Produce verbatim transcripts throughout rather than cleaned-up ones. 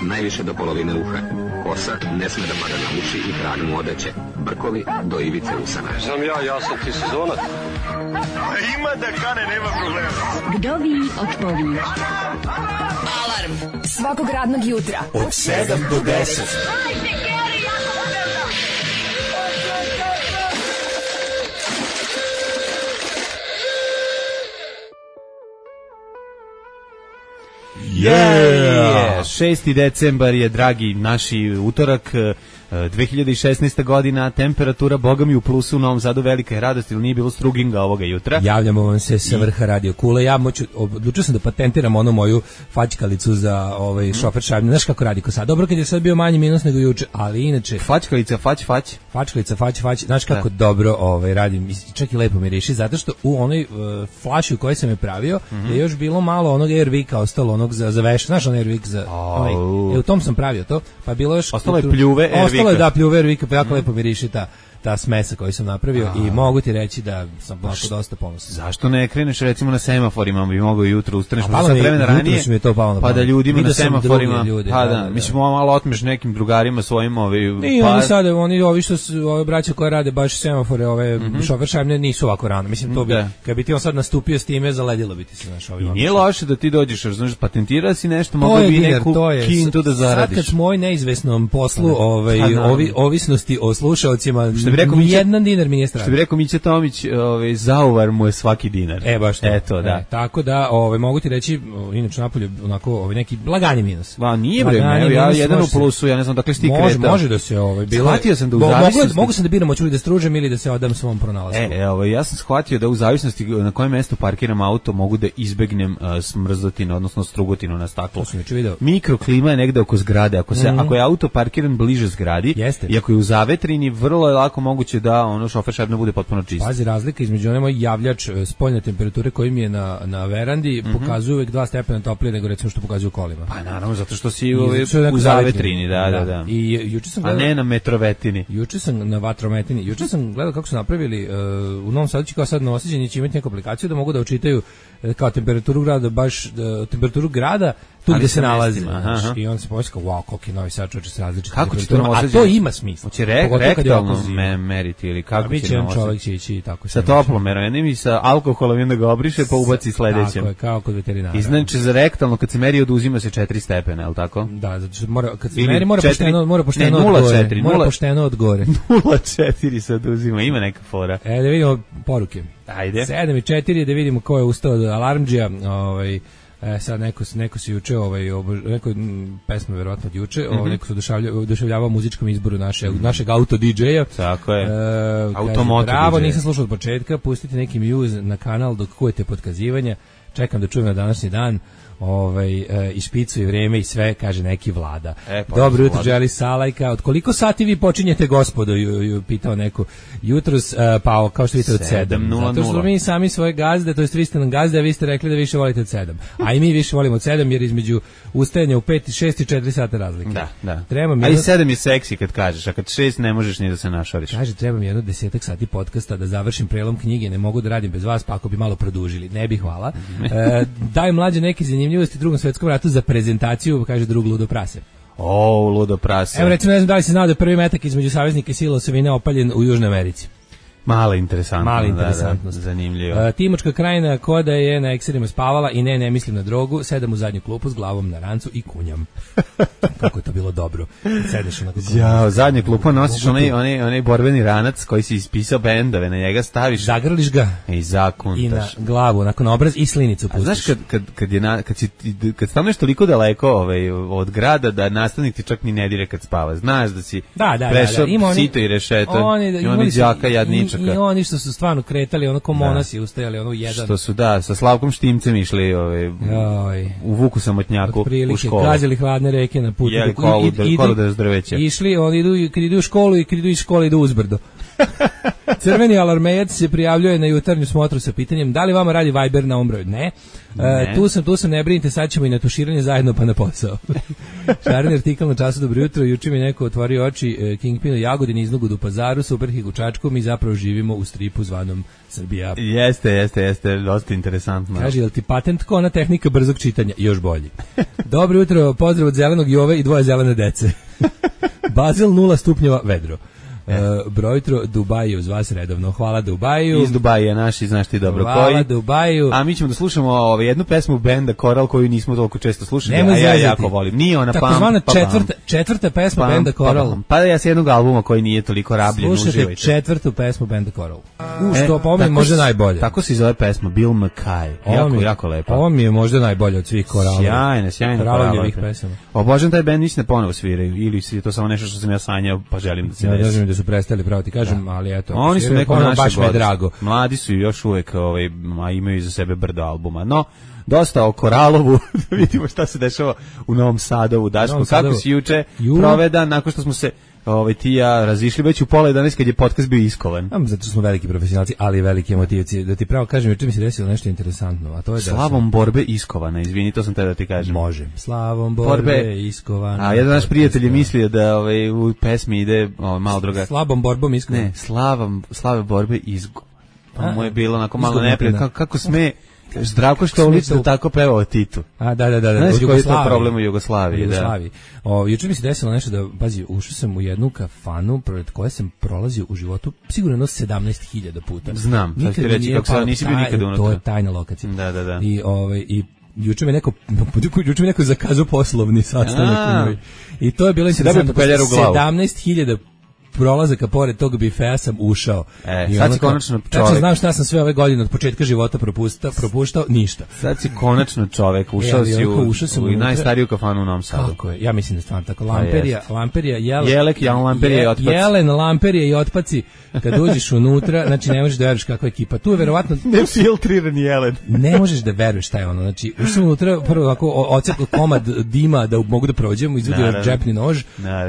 najviše do polovine uha. Kosa ne sme da pada na uši i krag mu odeće. Brkovi do ivice usana. Znam ja, ja sam ti sezonac. Ima da kane, nema problema. Vdovi odpovi. Alarm svakog radnog jutra od sedam do deset. Yeah! šesti decembar je, dragi naši, utorak, dve hiljade šesnaesta godina, temperatura, boga mi, u plusu u Novom Sadu, velika je radost, ili nije bilo struginga ovoga jutra. Javljamo vam se sa vrha radio kule. Ja moću, odlučio sam da patentiram onu moju fačkalicu za ovaj mm. šofer šajbne. Znaš kako radi ko sad? Dobro kad je sad bio manji minus nego juče, ali inače... Fačkalica, fać, fać. Fačkalica, fać, fać. Znaš kako da. dobro ovaj, radim, čak i lepo mi reši, zato što u onoj uh, flaši u kojoj sam je pravio mm-hmm. je još bilo malo onog Airvika ostalo, onog za, za veš. Znaš on Airvik za... Oh. Onaj, e, u tom sam pravio to, pa bilo još... Ostalo je pljuve Airvika. Ostalo je da pljuve Airvika, pa jako mm. lepo mi reši ta... ta smesa koju sam napravio a, i mogu ti reći da sam onako dosta ponosan. Zašto ne kreneš recimo na semaforima, bi mogao jutro ustaneš možda sad vremena ranije, mi je to palo na pa da ljudima Vidio na semaforima, ljude, pa da, da, da. mislim malo otmeš nekim drugarima svojim ovi... I pa... oni sad, oni ovi što su, ove braće koje rade baš semafore, ove mm-hmm. šofer šajbne nisu ovako rano, mislim to bi, da. Kad bi ti on sad nastupio s time, zaledilo bi ti se naš ovim. I nije loše da ti dođeš, znaš, patentirao si nešto, mogu bi neku kintu da zaradiš. Sad kad moj neizvesnom poslu, ovaj, ovi, ovisnosti o slušaocima, jedna dinar mi nije strano. Što bi rekao Mića Tomić, ovaj, zauvar mu je svaki dinar. E, baš to. Eto, da. E, tako da, ovaj, mogu ti reći, inače napolje, onako, ovaj, neki lagani minus. Va, nije bre, ne, ja jedan u plusu, ja ne znam dakle si ti kretao. Može, može da se, ovaj, bilo... Shvatio sam da u zavisnosti... Mogu, mogu sam da biram, hoću li da stružem ili da se odam svom pronalasku. E, ovaj, ja sam shvatio da u zavisnosti na kojem mestu parkiram auto mogu da izbegnem uh, smrzotinu, odnosno strugotinu na staklu. To sam juče video. Mikroklima je negde oko zgrade. Ako, se, mm. ako je auto parkiran bliže zgradi, jeste. I ako je u zavetrini, vrlo je lako moguće da ono šofer šajbne bude potpuno čist. Pazi, razlika između onaj moj javljač spoljne temperature koji mi je na, na verandi mm-hmm. pokazuje uvek dva stepena toplije nego recimo što pokazuje u kolima. Pa naravno, zato što si u, u zavetrini, da, da, da. I juče sam gledao, a ne na metrovetini. Juče sam na vatrometini. Juče sam gledao kako su napravili uh, u Novom Sadu, kao sad Novosađani će imati neku aplikaciju da mogu da učitaju kao temperaturu grada, baš uh, temperaturu grada tu gde se nalazi. Aha. I on se pomislio, wow, koliko je Novi Sad čoveče se različite. Kako će to a to ima smisla. Hoće re, rektalno me meriti ili kako će će nam čovjek će ići tako sa toplomerom i sa alkoholom i onda ga obriše pa ubaci sledećem. Tako je, kao kod veterinara. I znači za rektalno kad se meri oduzima se četiri stepena, je l' tako? Da, zato što mora kad se meri mora pošteno, mora pošteno od gore. Mora pošteno od gore. nula četiri se oduzima, ima neka fora. E da vidimo poruke. Ajde. sedam i četiri da vidimo ko je ustao od alarmdžija, ovaj E, sad neko, neko se juče, ovaj, obož, neko m, pesma verovatno od juče, mm-hmm. ovaj, neko se odušavljavao, odušavljavao muzičkom izboru naše, mm-hmm. našeg auto D J-a. Tako je. E, Automoto bravo, D J. Nisam slušao od početka, pustite neki Muse na kanal dok kujete podkazivanja, čekam da čujem na današnji dan. Ovaj e, i špicu i vreme i sve, kaže neki Vlada. E, pa dobro jutro, želi Salajka. Od koliko sati vi počinjete, gospodo, ju, ju pitao neko jutros, e, pa kao što vidite od sedam. Zato što mi sami svoje gazde, to jest vi ste nam gazde, a vi ste rekli da više volite od sedam. A i mi više volimo od sedam jer između ustajanja u pet, šest i četiri sata razlike. Da, da. Treba mi ali jedno... sedam je seksi kad kažeš, a kad šest ne možeš ni da se našoriš. Kaže, treba mi jedno desetak sati podcasta da završim prelom knjige, ne mogu da radim bez vas, pa ako bi malo produžili. Ne bi, hvala. E, daj mlađe neki zanimljivosti Drugom svetskom ratu za prezentaciju, kaže drug ludo prase. O, ludo prase. Evo recimo, ne znam da li se znao da je prvi metak između saveznika i sila osovine opaljen u Južnoj Americi. Mala interesantnost. Mala interesantnost. Da, da, zanimljivo. Uh, Timočka krajina koda je na ekserima spavala i ne, ne mislim na drogu, sedam u zadnju klupu s glavom na rancu i kunjam. Kako je to bilo dobro. Sedeš onako. Ja, zadnju klupu nosiš onaj, onaj, onaj borbeni ranac koji si ispisao bendove, na njega staviš. Zagrliš ga. I zakuntaš. I na glavu, onako na obraz i slinicu pustiš. A znaš kad, kad, kad, je na, kad, si, kad staneš toliko daleko ovaj, od grada da nastavnik ti čak ni ne dire kad spava. Znaš da si da, da, prešao da, da. sito i rešeto oni, i oni đaka jadničaka. I, I oni što su stvarno kretali, ono ko monasi da. Ustajali, ono jedan. Što su, da, sa Slavkom Štimcem išli ovaj, u Vuku Samotnjaku u školu. Gazili hladne reke na putu. Jeli kolu, kolu da je zdrveće. Išli, oni idu, kad idu u školu i kad idu iz škole idu uzbrdo. Crveni alarmejac se prijavljuje na jutarnju smotru sa pitanjem da li vama radi Viber na ovom broju. Ne. ne. E, tu sam, tu sam, ne brinite, sad ćemo i na tuširanje zajedno pa na posao. Šareni artikal na času Dobro jutro, juče mi neko otvorio oči, e, Kingpin u Jagodini, Iznugudu u Pazaru, Superhik u Čačku, mi zapravo živimo u stripu zvanom Srbija. Jeste, jeste, jeste, dosta interesantno. Kaže, jel ti patent ko ona tehnika brzog čitanja? Još bolji. Dobro jutro, pozdrav od zelenog Jove i dvoje zelene dece. Bazil nula stupnjeva vedro. Uh, brojtro Dubaju uz vas redovno. Hvala Dubaju. Iz Dubaja naši, znaš ti dobro Hvala koji. Hvala Dubaju. A mi ćemo da slušamo ovaj, jednu pesmu benda Coral koju nismo toliko često slušali, Nemo a ja zezati. jako volim. Nije ona tako pam, zvana pam, četvrta, četvrta pesma pam, benda Coral. Pam, pa ja s jednog albuma koji nije toliko rabljen. Slušajte uživajte. četvrtu pesmu benda Coral. U što E, po meni možda najbolje. Tako se zove pesma Bill McKay. Jako, mi, jako lepa. Ovo mi je možda najbolje od svih Coralova. Sjajne, sjajne Coralovih pesama. Obožavam taj bend, mislim da ponovo sviraju. Ili je to samo nešto što sam ja sanjao, pa želim da se ja, desi. Ja da su prestali praviti, kažem, da. Ali eto. Oni su neko naše baš me drago. Mladi su još uvek, ovaj, a imaju iza sebe brdo albuma. No, dosta o Koralovu, da vidimo šta se dešava u Novom Sadovu. Daško, kako si juče Ju. provedan, nakon što smo se ovaj, ti ja razišli već u pola jedanaest kad je podcast bio iskovan. Am, zato što smo veliki profesionalci, ali veliki emotivci. Da ti pravo kažem, juče mi se desilo nešto interesantno, a to je da Slavom sam... borbe iskovana, izvini, to sam te da ti kažem. Može. Slavom borbe, borbe iskovana. A jedan naš prijatelj je mislio da ovaj, u pesmi ide ovaj, malo druga. Slabom borbom iskovana. Ne, slavom, slave borbe izgo. Pa mu je bilo onako malo neprijatno. Kako, kako sme... Zdravko Štolić da tako peva o Titu. A da da da, da. Znaš koji je to problem u Jugoslaviji, Jugoslaviji. Da. O, juče mi se desilo nešto da, pazi, ušao sam u jednu kafanu pred koje sam prolazio u životu sigurno no sedamnaest hiljada puta. Znam, sad ti reći kako se nisi bio nikad unutra. To je tajna lokacija. Da, da, da. I ovaj i juče me neko juče me neko zakazao poslovni sastanak u njoj. I to je bilo interesantno. sedamnaest hiljada prolazaka pored tog bifea sam ušao. E, I sad si konačno čovek. Tačno znam šta sam sve ove godine od početka života propuštao, propuštao ništa. Sad si konačno čovek, ušao si u, ušao sam u, u najstariju kafanu u Novom Sadu. Kako je? Ja mislim da je stvarno tako. Lamperija, Lamperija, Jelen, Jelek, Jan Lamperija i otpaci. Jelen, Lamperija i otpaci. Kad uđeš unutra, znači ne možeš da veruješ kakva ekipa. Tu je verovatno nefiltriran Jelen. Ne možeš da veruješ šta je ono. Znači, ušao unutra, prvo ovako ocekao komad dima da mogu da prođem, izvadio džepni nož,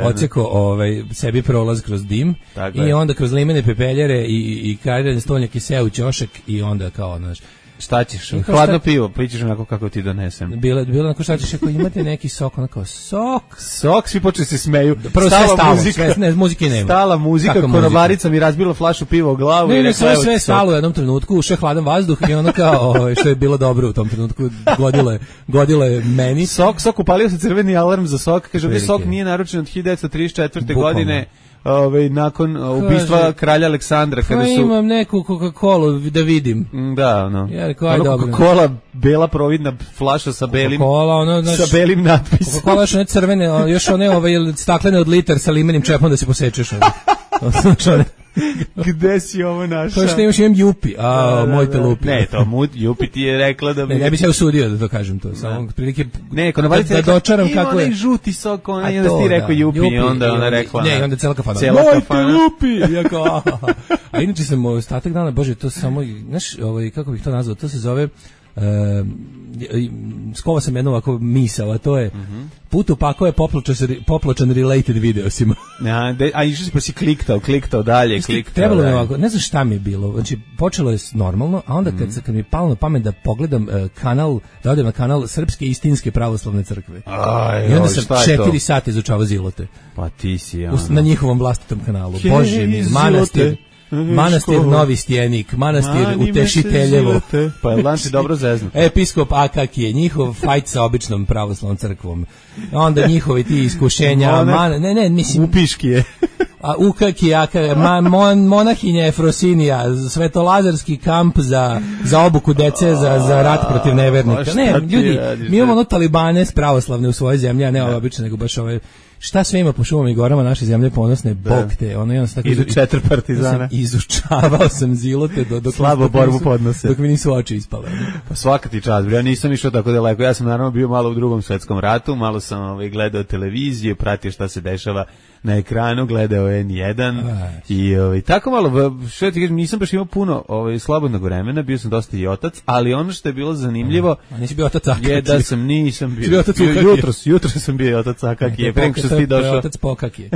ocekao ovaj sebi prolaz kroz dim. Tako i je. Onda kroz limene pepeljare i i karirane stolnjake seo u ćošak i onda kao, znaš, šta ćeš? Hladno šta... pivo, pričaš onako kako ti donesem. Bilo bilo onako šta ćeš, ako imate neki sok, onako sok, sok, svi počeli se smeju. Prvo stala sve stalo, muzika, sve, ne, muzike nema. Stala muzika, konobarica mi razbila flašu piva u glavu ne, i rekla sve, sve stalo u jednom trenutku, ušao hladan vazduh i ono kao, što je bilo dobro u tom trenutku, godile, godile meni. Sok, sok, upalio se crveni alarm za sok, kaže da sok nije naručen od hiljadu devetsto trideset četvrte godine. Ove, nakon ubistva kaže, kralja Aleksandra kada su imam neku Coca-Colu da vidim. Da, ono. Ja rekao, aj dobro. Coca-Cola, bela providna flaša sa belim ono, znači, sa belim natpisom. Coca-Cola još one crvene, još one ove staklene od litar sa limenim čepom da se posečeš. Ono. Gde si ovo našao? To što imaš imam Jupi, a da, da, moj te lupi. Ne, to mut, Jupi ti je rekla da bi... Ne, ne bi se usudio da to kažem to, samo prilike... Ne, konobarica da, da dočaram kako je. Ima žuti sok, ona je onda ti rekao Jupi, Jupi, i onda ona rekla... Ne, onda cela kafana. Cela moj kafana. te lupi! Jako, a inače sam ostatak dana, bože, to samo, znaš, ovaj, kako bih to nazvao, to se zove... Uh, skovao sam jednu ovako misao, a to je mm-hmm. put upako je popločan, popločan related videosima. Ja, de, a išao si pa si kliktao, kliktao dalje, kliktao. Trebalo mi ovako, ne znam šta mi je bilo, znači počelo je normalno, a onda kad, mm-hmm. kad mi je palo na pamet da pogledam uh, kanal, da odem na kanal Srpske istinske pravoslavne crkve. Aj, i onda sam četiri sata izučavao Zilote. Pa ti si, ono. Na njihovom vlastitom kanalu. He, Bože mi, manastir. Manastir Novi Stjenik, manastir Mani Utešiteljevo. Pa je lanci dobro zeznuto. Episkop Akakije, njihov fajt sa običnom pravoslavnom crkvom. Onda njihovi ti iskušenja, Monak, man, ne, ne, mislim... Upiškije. A Ukaki, aka, ma, mon, monahinja Efrosinija, svetolazarski kamp za, za obuku dece, za, za rat protiv nevernika. Ne, ljudi, mi imamo ono talibane pravoslavne u svojoj zemlji, a ne ove obične, nego baš ove... Šta sve ima po šumama i gorama naše zemlje ponosne, bog te, ono jedan tako idu četiri partizana. Izučavao sam Zilote do dok slabo borbu podnose. Dok mi nisu oči ispale. Pa svaka ti čast, ja nisam išao tako daleko. Ja sam naravno bio malo u Drugom svetskom ratu, malo sam ovaj gledao televiziju, pratio šta se dešava na ekranu, gledao en jedan i ovaj tako malo, što ti kažem, nisam baš imao puno ovaj slobodnog vremena, bio sam dosta i otac, ali ono što je bilo zanimljivo, a nisi bio otac Akaki. Je da sam nisam bio. bio jutros, jutros sam bio otac Akaki, pre nego što si došao. Otac Pokaki.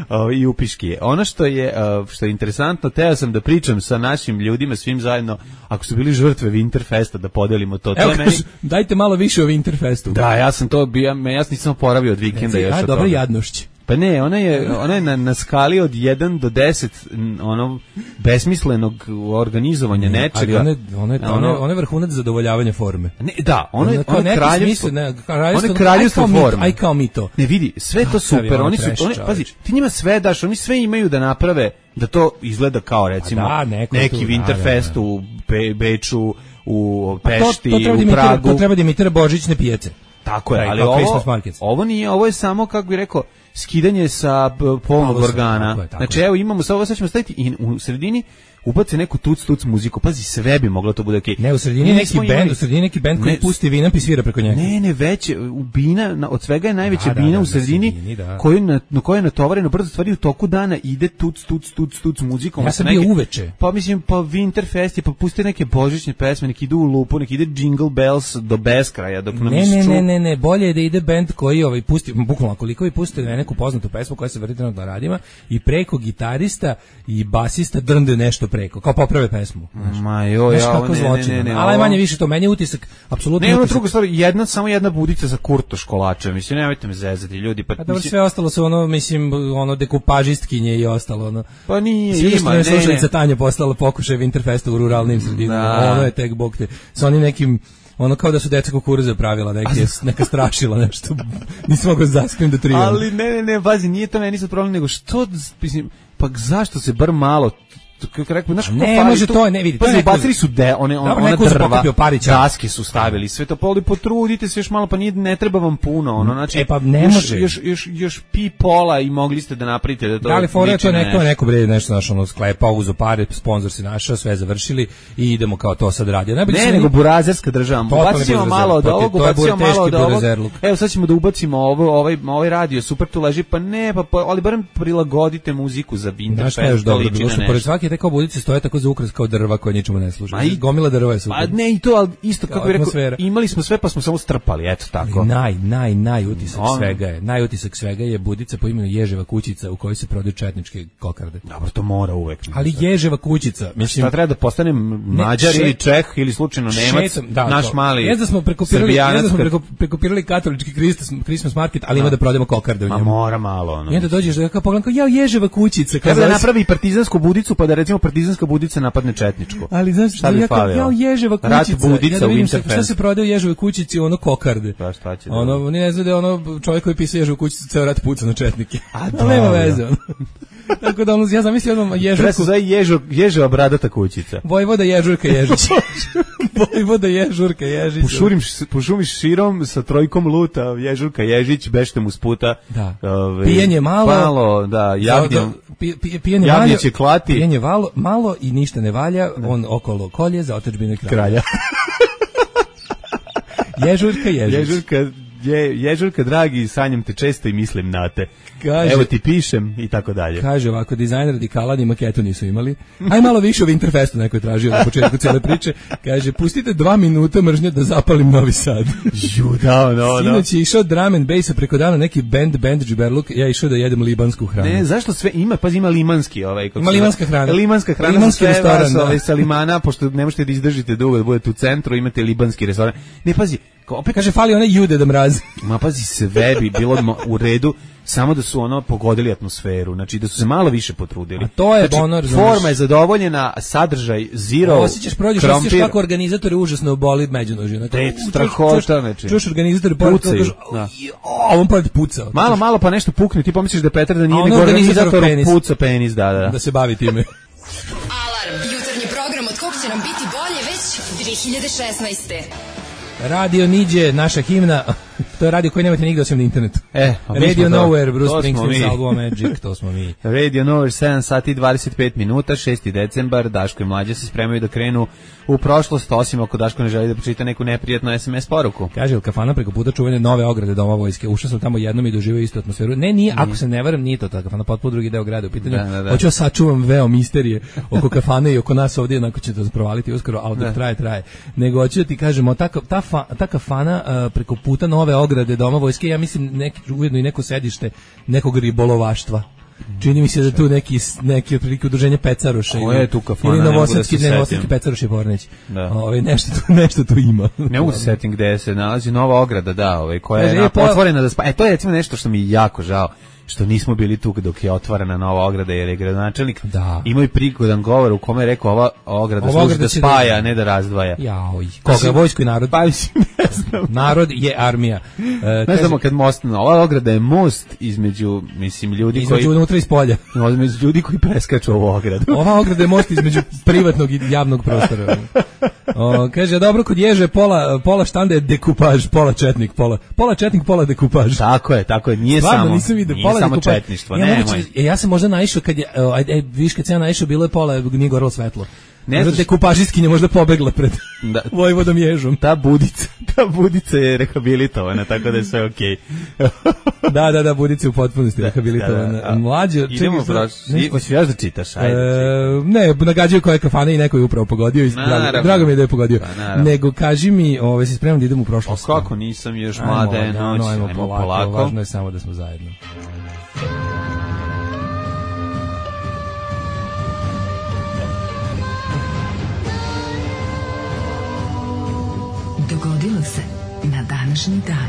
o, i upiški. Ono što je, što je interesantno, teo sam da pričam sa našim ljudima, svim zajedno, ako su bili žrtve Winterfesta, da podelimo to. Evo, to meni... dajte malo više o Winterfestu. Da, ja sam to bio, ja sam nisam oporavio od vikenda. Još a, dobro jadnošć. Pa ne, ona je, ona je na, na skali od jedan do deset ono besmislenog organizovanja ne, nečega. Ali ona je, ona je, ono, ona je vrhunac zadovoljavanja forme. Ne, da, ona je ona je kraljevstvo, ne, kraljevstvo, kraljevstvo forme. Aj kao mi to. Ne vidi, sve to super, oni su, oni, pazi, ti njima sve daš, oni sve imaju da naprave da to izgleda kao recimo da, neko neki tu, Winterfest da, da, da. u Be, Beču, u Pešti, to, to u Pragu. To treba da imitira božićne pijace. Tako je, ali ovo, ovo nije, ovo je samo, kako bih rekao, skidanje sa polnog organa. Tako je, tako znači, evo imamo, sad ovo sad ćemo staviti i u sredini ubace neku tuc tuc muziku. Pazi, sve bi moglo to bude okej. Okay. Ne, u sredini neki bend, u sredini neki bend koji ne, pusti Vinamp i svira preko njega. Ne, ne, već bina, od svega je najveća da, bina da, da, u sredini, sredini da. koju na, na kojoj je natovareno brzo stvari u toku dana ide tuc tuc tuc tuc muzikom. Ja sam bio neke, uveče. Pa mislim, pa Winterfest je, pa pusti neke božićne pesme, neki idu u lupu, neki ide Jingle Bells do beskraja, dok nam ne, ne, ne, ne, ne, bolje je da ide bend koji ovaj pusti, bukvalno koliko i pusti neku poznatu pesmu koja se vrti trenutno na radima i preko gitarista i basista drnde nešto preko, kao poprave pesmu. Ma jo, ja, ne, ne, ne, ne. Ali manje više to, meni je utisak, apsolutno. Ne, ono druga stvar, jedna, samo jedna budica za Kurto školača, mislim, nemojte me zezati, ljudi. Pa, a dobro, sve ostalo su ono, mislim, ono, dekupažistkinje i ostalo, ono. Pa nije, Svi ima, ne, ne, slušalica Tanja postala pokušaj Winterfesta u ruralnim sredinama, da. Ono je tek bog te, sa onim nekim, ono kao da su deca kukuruze pravila, neke, neka strašila nešto, nisam mogao zaskrim da trivam. Ali ne, ne, ne, bazi, nije to meni sad problem, nego što, mislim, pa zašto se bar malo kako rekao, znaš, ne može to, ne vidi. Pa bacili su de, one on, ona drva, Parića. Daske su stavili, sve to poli, potrudite se još malo, pa nije, ne treba vam puno, ono, znači, e pa ne još, može. Još, još, još pi pola i mogli ste da napravite da to. Da li fora to neko, neko bre nešto našo ono sklepa, uzo pare, sponsor se našao, sve završili i idemo kao to sad radi. Ne, ne nego burazerska država. Bacimo malo od ovog, bacimo malo od ovog. Evo sad ćemo da ubacimo ovo, ovaj, ovaj radio, super tu leži, pa ne, pa ali barem prilagodite muziku za Winterfest. Dobro, pored svake te kao budice stoje tako za ukras kao drva koje ničemu ne služe. I gomila drva je super. A ne i to, ali isto kako bih rekao, imali smo sve pa smo samo strpali, eto tako. Ali naj, naj, naj utisak On. svega je, naj utisak svega je budica po imenu Ježeva kućica u kojoj se prodaju četničke kokarde. Dobro, to mora uvek. Ali Ježeva kućica, mislim, šta treba da postane Mađar ili Čeh ili slučajno Nemac, da, naš mali. Jezda smo prekopirali, jezda smo preko, prekopirali katolički Christmas market, ali ima da prodajemo kokarde u njemu. Ma mora malo ono. I onda dođeš da kao pogledam kao ja Ježeva kućica, kao da napravi partizansku budicu pa da recimo partizanska budica napadne četničku. Ali znaš šta ja kao ja Ježeva kućica. Rat budica ja da vidim šta, šta se prodaje u Ježevoj kućici, ono kokarde. Pa šta će? Ono da ne znam da ono čovjek koji pisao Ježevu kućicu ceo rat puca na četnike. A da, nema veze. Ono. Tako da ono, ja zamislio odmah Ježevku. Treba se Ježo, Ježeva bradata kućica. Vojvoda Ježurka Ježić. Vojvoda Ježurka Ježić. Pušurim, pušumiš širom sa trojkom luta, Ježurka Ježić, bešte mu sputa. Da. Ove, pijenje malo. Malo, da, javnjem. Pi, pijenje malo. Će klati. Pijenje malo, malo i ništa ne valja, da. On okolo kolje za otadžbinu kralja. kralja. Ježurka Ježić. Ježurka Je, Ježurka, dragi, sanjam te često i mislim na te. Kaže, evo ti pišem i tako dalje. Kaže ovako, dizajn radikala ni maketu nisu imali. Aj malo više o Winterfestu neko je tražio na početku cijele priče. Kaže, pustite dva minuta mržnje da zapalim Novi Sad. Ju, da, no, no. Sinoć je išao drum and bass, preko dana neki band, band džiberluk, ja išao da jedem libansku hranu. Ne, zašto sve ima, pa ima limanski ovaj. Ima limanska hrana. Limanska hrana, limanski restoran, vas, da. Ovaj, sa limana, pošto ne možete da izdržite dugo, da budete u centru, imate libanski restoran. Ne, pazi, opet kaže, fali one jude da mrazi. Ma pazi, sve bi bilo u redu, samo da su ono pogodili atmosferu, znači da su se malo više potrudili. A to je znači, ono, forma je zadovoljena, sadržaj zero. Osjećaš, prođeš, osjećaš kako organizatori užasno boli međunožje. Znači, te strahota, znači. Čuš organizatori pucaju. Da. A on pa puca. Malo, malo pa nešto pukne, ti pomisliš da Petar da nije nego organizator puca penis, da, da. Da se bavi time. Alarm, jutarnji program od kog će nam biti bolje već dve hiljade šesnaeste. Radio Niđe, naša himna, to je radio koji nemate nigde osim na internetu. E, Radio Nowhere, Bruce Springsteen, album Magic, to smo mi. Radio Nowhere, sedam sati i dvadeset pet minuta, šesti decembar, Daško i Mlađa se spremaju da krenu u prošlost, osim ako Daško ne želi da pročita neku neprijatnu es em es poruku. Kaže, il kafana preko puta čuvene nove ograde Doma vojske, ušao sam tamo jednom i doživio istu atmosferu. Ne, nije, ako se ne varam, nije to ta kafana, potpuno drugi deo grada u pitanju. Da, da, da. Hoću sačuvam veo misterije oko kafane i oko nas ovdje, onako će to provaliti uskoro, ali dok traje, traje. Nego hoću da ti kažemo, ta, ta, fa, ta kafana uh, preko puta nove ograde Doma vojske, ja mislim neki, ujedno i neko sedište nekog ribolovaštva. Čini mi se da tu neki neki otprilike udruženje Pecaroša ili je tu kafana, ili novosadski ne novosadski Pecaroš i Pornić. Da. Ovaj nešto tu nešto tu ima. Ne mogu se setim gde se nalazi nova ograda, da, ovaj koja je na, otvorena da spa. E to je recimo nešto što mi je jako žao. Što nismo bili tu dok je otvorena nova ograda, jer je gradonačelnik da. imao i prigodan govor u kome je rekao ova ograda ova služi da spaja, da... a ne da razdvaja. Jaoj, koga, vojsku i narod? Pa mislim, ne znam. Narod je armija. E, ne znamo kad most, ova ograda je most između, mislim, ljudi između koji... Između unutra i spolja. Između ljudi koji preskaču ovu ogradu. Ova ograda je most između privatnog i javnog prostora. O, kaže, dobro, kod ježe pola, pola štanda je dekupaž, pola četnik, pola, pola četnik, pola dekupaž. Tako je, tako je, nije Stvarno, samo, nisam vidio, nije pola samo dekupaž. Četništvo, ja, nemoj. Ja, ja sam možda naišao kad je, e, viš kad sam ja naišao, bilo je pola, nije gorelo svetlo. Ne možda dekupažistkinja možda pobegla pred da. Vojvodom Ježom. Ta budica, ta budica je rehabilitovana, tako da je sve okej. Okay. da, da, da, budica u potpunosti da, rehabilitovana. Da, da. Mlađe, idemo prošli. Hoćeš još da čitaš, ajde. E, ne, nagađaju koje kafane i neko je upravo pogodio i drago, drago mi je da je pogodio. Pa, nego kaži mi, ovaj se spremam da idem u prošlost. O kako nisam još mlada je noć, ajmo, ajmo polako, polako. Važno je samo da smo zajedno. Dogodilo se na današnji dan.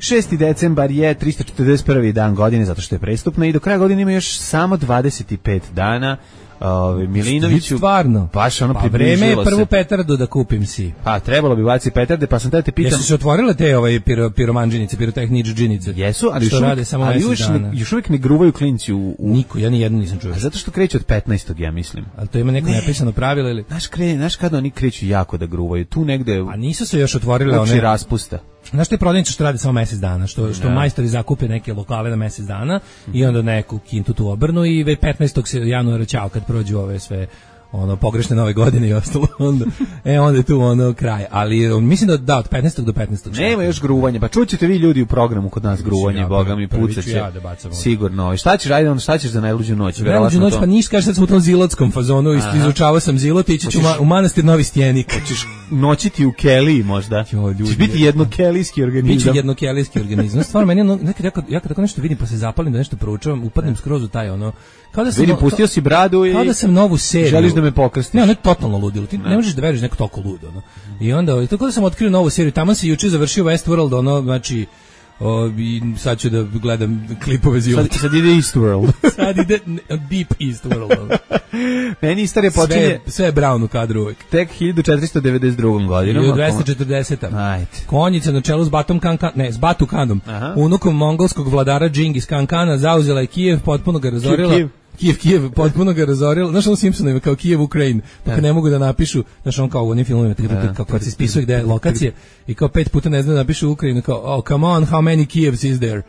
šesti decembar je tristo četrdeset prvi dan godine zato što je prestupna i do kraja godine ima još samo dvadeset pet dana. Ove, Milinoviću, stvarno, baš ono pa približilo se. Vreme je prvu petardu da kupim si. Pa trebalo bi baciti petarde, pa sam te te pitam. Jesu se otvorile te ovaj piro, piromanđinice, pirotehničđinice? Jesu, ali što rade samo ali mesec dana. Još uvijek ne gruvaju klinci u, u... Niko, ja ni jednu nisam čuo. A zato što kreće od petnaestog ja mislim. Ali to ima neko ne. nepisano pravilo ili? Znaš, kre, znaš kada oni kreću jako da gruvaju, tu negde... A nisu se još otvorile one... raspusta. Znaš te prodavnice što rade samo mjesec dana, što što ja. majstori zakupe neke lokale na mjesec dana mm-hmm. i onda neku kintu tu obrnu i već petnaestog januara ćao kad prođu ove sve ono pogrešne nove godine i ostalo onda e onda je tu ono kraj, ali on, mislim da da od petnaestog do petnaestog nema još gruvanja, pa čućete vi ljudi u programu kod nas gruvanje, ja, boga mi pucaće ja da sigurno. Šta ćeš ajde, onda šta ćeš za najluđu noć? Najluđu noć, pa niš, kaže sad smo u tom zilotskom fazonu, izučavao sam zilot i ići ću u manastir Novi Stjenik. Hoćeš noćiti u keliji možda? Ćeš biti jednokelijski organizam. Biće jednokelijski organizam. Stvarno meni ono, nekad ja kad, ja kad tako nešto vidim pa se zapalim da nešto proučavam, upadnem skroz u taj ono kao da sam vidim, pustio si bradu i kao da sam novu seriju. Želiš da me pokrstiš? Ne, ono je totalno ludilo. Ti ne, ne možeš da veruješ neko toliko ludo, ono. I onda tako da sam otkrio novu seriju. Tamo se juče završio Westworld, ono, znači o, i sad ću da gledam klipove zilota. Sad, sad ide Eastworld. sad ide Deep Eastworld. Meni istorija počinje... Sve, sve je Brown u kadru uvijek. Tek hiljadu četiristo devedeset drugom godinom. hiljadu dvesta četrdeseta Ajde. Konjica na čelu s Batom Kankan, ne, s Batu Kanom, Aha. unukom mongolskog vladara Džingis Kankana, zauzela je Kijev, potpuno ga razorila. Kijev, Kijev, Kijev, potpuno ga razorila. Znaš ono Simpsonovima, kao Kijev, Ukrajin, pa kad ne mogu da napišu, znaš on kao u onim filmovima, kao kad se ispisuje gde je lokacije i kao pet puta ne zna da napišu Ukrajinu, kao, oh, come on, how many Kievs is there?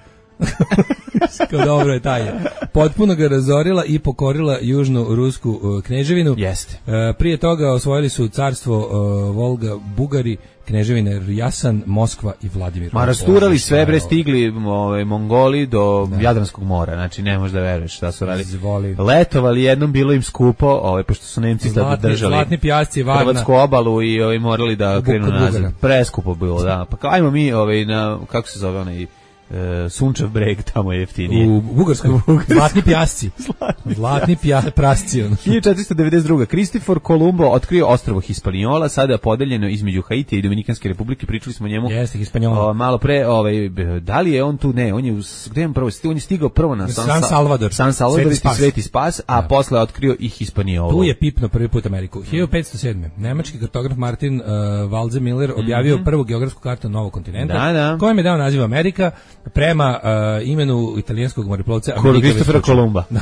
Kao dobro je taj je. Potpuno ga razorila i pokorila južnu rusku uh, kneževinu. Jeste. Uh, prije toga osvojili su carstvo uh, Volga, Bugari, kneževine Jasan, Moskva i Vladimir. Ma rasturali sve bre, stigli ovaj Mongoli do da. Jadranskog mora, znači ne možeš da veruješ šta su radili. Zvoli. Letovali, jednom bilo im skupo, ovaj pošto su Nemci tad držali. Zlatni pjasci, Varna. Hrvatsku obalu i ovaj morali da krenu nazad. Preskupo bilo, da. Pa kao ajmo mi ovaj na kako se zove onaj Uh, Sunčev breg, tamo je jeftinije. U Bugarskoj. Zlatni pjasci. Zlatni, Zlatni pja, prasci. hiljadu četiristo devedeset druga. Kristofor Kolumbo otkrio ostrvo Hispaniola, sada podeljeno između Haitija i Dominikanske republike. Pričali smo o njemu. Jeste, Hispaniola. Uh, malo pre, ovaj, da li je on tu? Ne, on je, gde je on prvo? On je stigao prvo na San, San Salvador. San Salvador, Sveti Spas, Sveti Spas a da. Posle otkrio i Hispaniolu. Tu je pipno prvi put Ameriku. hiljadu petsto sedme. Nemački kartograf Martin uh, Waldseemiller objavio mm-hmm. prvu geografsku kartu novog kontinenta, da, da. kojem je dao naziv Amerika prema uh, imenu italijanskog moreplovca Kristofera Kolumba. da,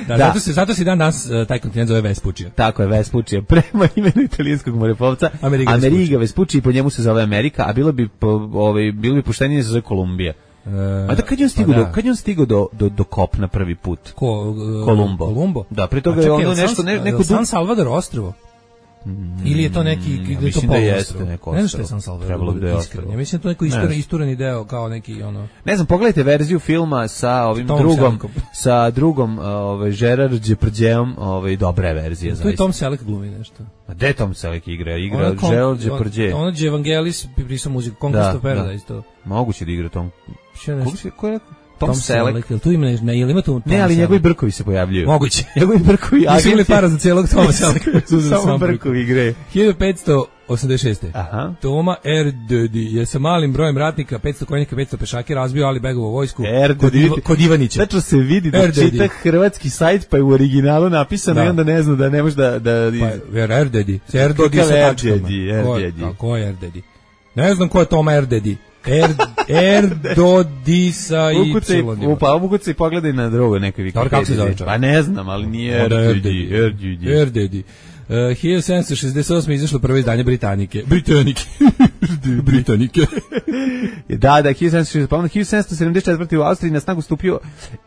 da. Zato se zato se dan danas uh, taj kontinent zove Vespučija. Tako je, Vespučija. Prema imenu italijanskog moreplovca Ameriga, Ameriga Vespučija i po njemu se zove Amerika, a bilo bi po, ovaj bilo bi poštenije da se zove Kolumbija. Uh, a da kad je on stigao pa da. do kad je on stigao do do do kopna prvi put? Ko uh, Kolumbo. Kolumbo. Da, pre toga je ono nešto ne, neko San Salvador ostrvo. Ili je to neki mm, ili to da jeste neko ne znam što je San Salvador. Trebalo bi da je ostrvo. Ja mislim da to neko istureni istureni deo kao neki ono. Ne znam, pogledajte verziju filma sa ovim Tom drugom Sellekom. Sa drugom ovaj Gerard Depardieu, ovaj dobra verzija zaista. Tu je Tom Selleck glumi nešto. A gde Tom Selleck igra? Igra Gerard Depardieu. Ono Evangelis pisao muziku Conquest of Paradise to. Moguće da igra Tom. Ko je ko je Tom, Tom Selleck. Selleck. Tu ima ne, ili ima tu Tom Ne, ali Selleck. njegovi brkovi se pojavljuju. Moguće. Njegovi brkovi. Nisu imali para za cijelog Toma Sellecka. Samo brkovi igre. hiljadu petsto osamdeset šeste. Aha. Toma Erdödy je sa malim brojem ratnika, petsto konjaka, petsto pešaka razbio Ali Begovu vojsku kod, Iva, kod Ivanića. Tačno se vidi da Erdödy čita hrvatski sajt, pa je u originalu napisano da. I onda ne zna da ne može da... da... Pa, Erdödy. Erdödy sa tačkama. Erdödy. Ko je Erdödy? Ne znam ko je Toma Erdödy. Er, Erdödy sa y. Upa, ukucaj i pogledaj na drugo neke Wikipedije. Kako se zove čovjek? Pa ne znam, ali nije Erdödy. Erdödy. Erdödy. Uh, hiljadu sedamsto šezdeset osme izašlo prvo izdanje Britanike. Britanike. Britanike. Da, da, hiljadu sedamsto šezdeset, pa onda hiljadu sedamsto sedamdeset četvrte u Austriji na snagu stupio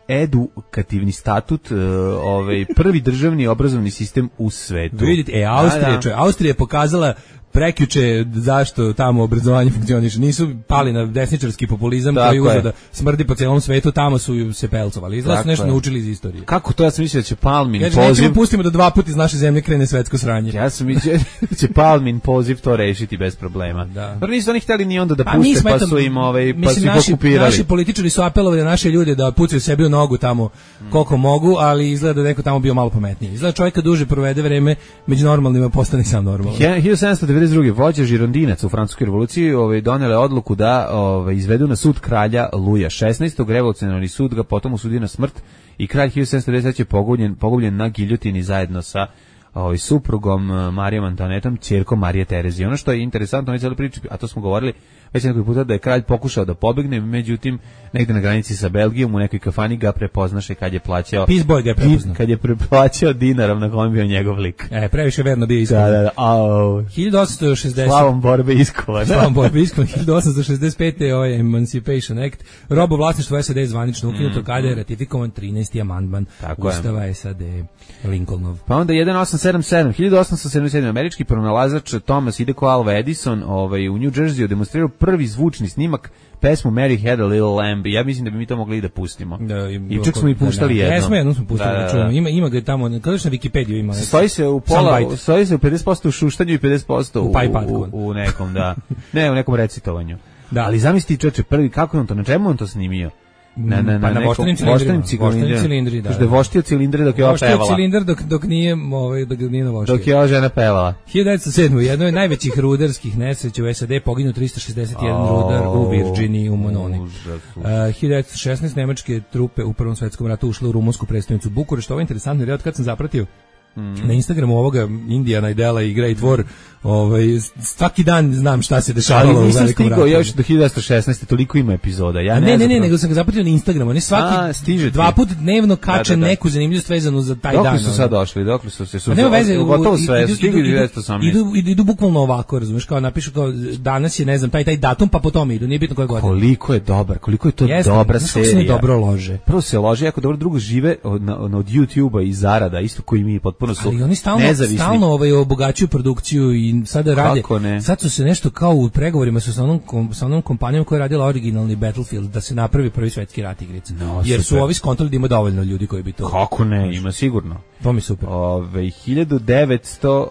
edukativni statut, uh, ovaj, prvi državni obrazovni sistem u svetu. Vidite, e, Austrija, da, da. Austrija je pokazala prekjuče zašto tamo obrazovanje funkcioniše. Nisu pali na desničarski populizam tako koji uzeo da smrdi po celom svetu, tamo su se pelcovali. Izgleda su nešto je. naučili iz istorije. Kako to? Ja sam mislio da će Palmin ja, poziv... Nećemo pustimo da dva puta iz naše zemlje krene svetsko sranje. Ja sam mislio da će Palmin poziv to rešiti bez problema. Da. Jer nisu oni hteli ni onda da pa puste, pa su im ovaj, pa su ih okupirali. Naši političari su apelovali na naše ljude da pucaju sebi u nogu tamo hmm. koliko mogu, ali izgleda da neko tamo bio malo pametniji. Izgleda čovjeka duže provede vreme među normalnima, postane sam normalan. hiljadu sedamsto devedeset druge vođa žirondinaca u francuskoj revoluciji ovaj, donele odluku da ovaj, izvedu na sud kralja Luja šesnaestog. Revolucionarni sud ga potom osudio na smrt i kralj hiljadu sedamsto devedeset treće je pogubljen, pogubljen na giljotini zajedno sa ovaj, suprugom Marijom Antoanetom, ćerkom Marije Terezije. Ono što je interesantno, ovaj cijeli priči, a to smo govorili već nekoliko puta, da je kralj pokušao da pobegne, međutim negde na granici sa Belgijom u nekoj kafani ga prepoznaše kad je plaćao Peace Boy ga je prepoznao. Kad je preplaćao dinarom na kojem bio njegov lik. E, previše verno bio iskovan. Da, da, da. Au. hiljadu osamsto šezdeset Slavom borbe iskovan. Slavom borbe iskovan. hiljadu osamsto šezdeset pete ovaj Emancipation Act. Robo vlasništvo S A D zvanično ukinuto mm, kada je ratifikovan trinaesti amandman Ustava je. S A D Lincolnov. Pa onda hiljadu osamsto sedamdeset sedam. hiljadu osamsto sedamdeset sedam. Američki pronalazač Thomas Hideko Alva Edison ovaj, u New Jerseyu demonstrirao prvi zvučni snimak pesmu Mary Had a Little Lamb. Ja mislim da bi mi to mogli i da pustimo. Da, i, I čak smo i puštali da, da. jednom. Jesmo, jednom smo puštali. Da, da, da. Ima, ima ga tamo, kada na Wikipediju ima. Stoji se u pola, stoji se u pedeset posto u šuštanju i pedeset posto u, u, u, u nekom, da. Ne, u nekom recitovanju. Da. Ali zamisli čoveče, prvi, kako je on to, na čemu on to snimio? Na, na, na, pa na voštenim cilindri. Što je voštio cilindre dok je ova pevala. Voštio cilindar dok, dok nije, ovaj, dok nije navoštio. Dok je ova žena pevala. hiljadu devetsto sedme. Jedno je najvećih rudarskih nesreća u S A D, poginuo tristo šezdeset jedan oh, rudar u Virginiji, u Mononi. Uh, hiljadu devetsto šesnaeste. nemačke trupe u Prvom svetskom ratu ušle u rumunsku prestonicu Bukurešt. Ovo je interesantno, jer od kad sam zapratio Mm. na Instagramu ovoga Indiana Idela i Great War, ovaj, svaki dan znam šta se dešavalo u velikom ratu. Ja još do hiljadu devetsto šesnaeste. toliko ima epizoda. Ja ne, ne, ne, ne, nego sam ga zapratio na Instagramu. Oni svaki A, stiže dva put dnevno kače da, da, da. neku zanimljivost vezanu za taj dokle dan. Dokle su sad došli? Dokle su se su nema veze, gotovo sve, idu, stigli idu, devetsto osamnaeste. Idu, idu, idu bukvalno ovako, razumeš, kao napišu kao danas je, ne znam, taj taj datum, pa po tome idu, nije bitno koje godine. Koliko je dobar, koliko je to Jeste, dobra serija. Se dobro lože. Prvo se lože, jako dobro, drugo žive od, od YouTubea i zarada, isto koji mi potpuno su nezavisni. Stalno ovaj obogaćuju produkciju i sada rade. Sad su se nešto kao u pregovorima su sa onom kom, sa onom kompanijom koja je radila originalni Battlefield da se napravi prvi svetski rat igrice. No, jer su ovi skontali da ima dovoljno ljudi koji bi to. Kako ne, ima sigurno. To mi super. Ove, hiljadu devetsto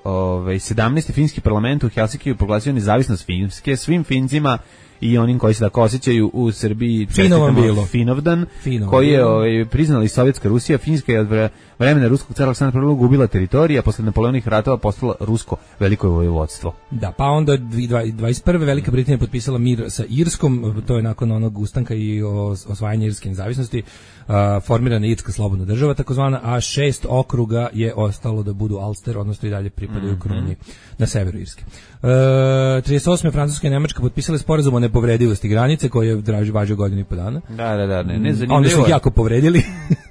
sedamnaeste. finski parlament u Helsinkiju proglasio nezavisnost Finske svim Fincima i onim koji se tako osjećaju u Srbiji. Čestitamo Finovdan, Finovan koji je ovaj, priznala i Sovjetska Rusija. Finska je od vremena ruskog cara Aleksandra prvog gubila teritorija, posle Napoleonih ratova postala rusko veliko vojvodstvo. Da, pa onda dvadeset prve. Velika Britanija potpisala mir sa Irskom, to je nakon onog ustanka i osvajanja irske nezavisnosti, uh, formirana Irska slobodna država takozvana, a šest okruga je ostalo da budu Ulster, odnosno i dalje pripadaju mm-hmm. kruni na severu Irske. Uh, trideset osme. Francuska i Nemačka potpisale sporazum o nepovredivosti granice koji je draži važio godinu i po dana. Da, da, da, ne, ne zanimljivo. Onda su ih jako povredili.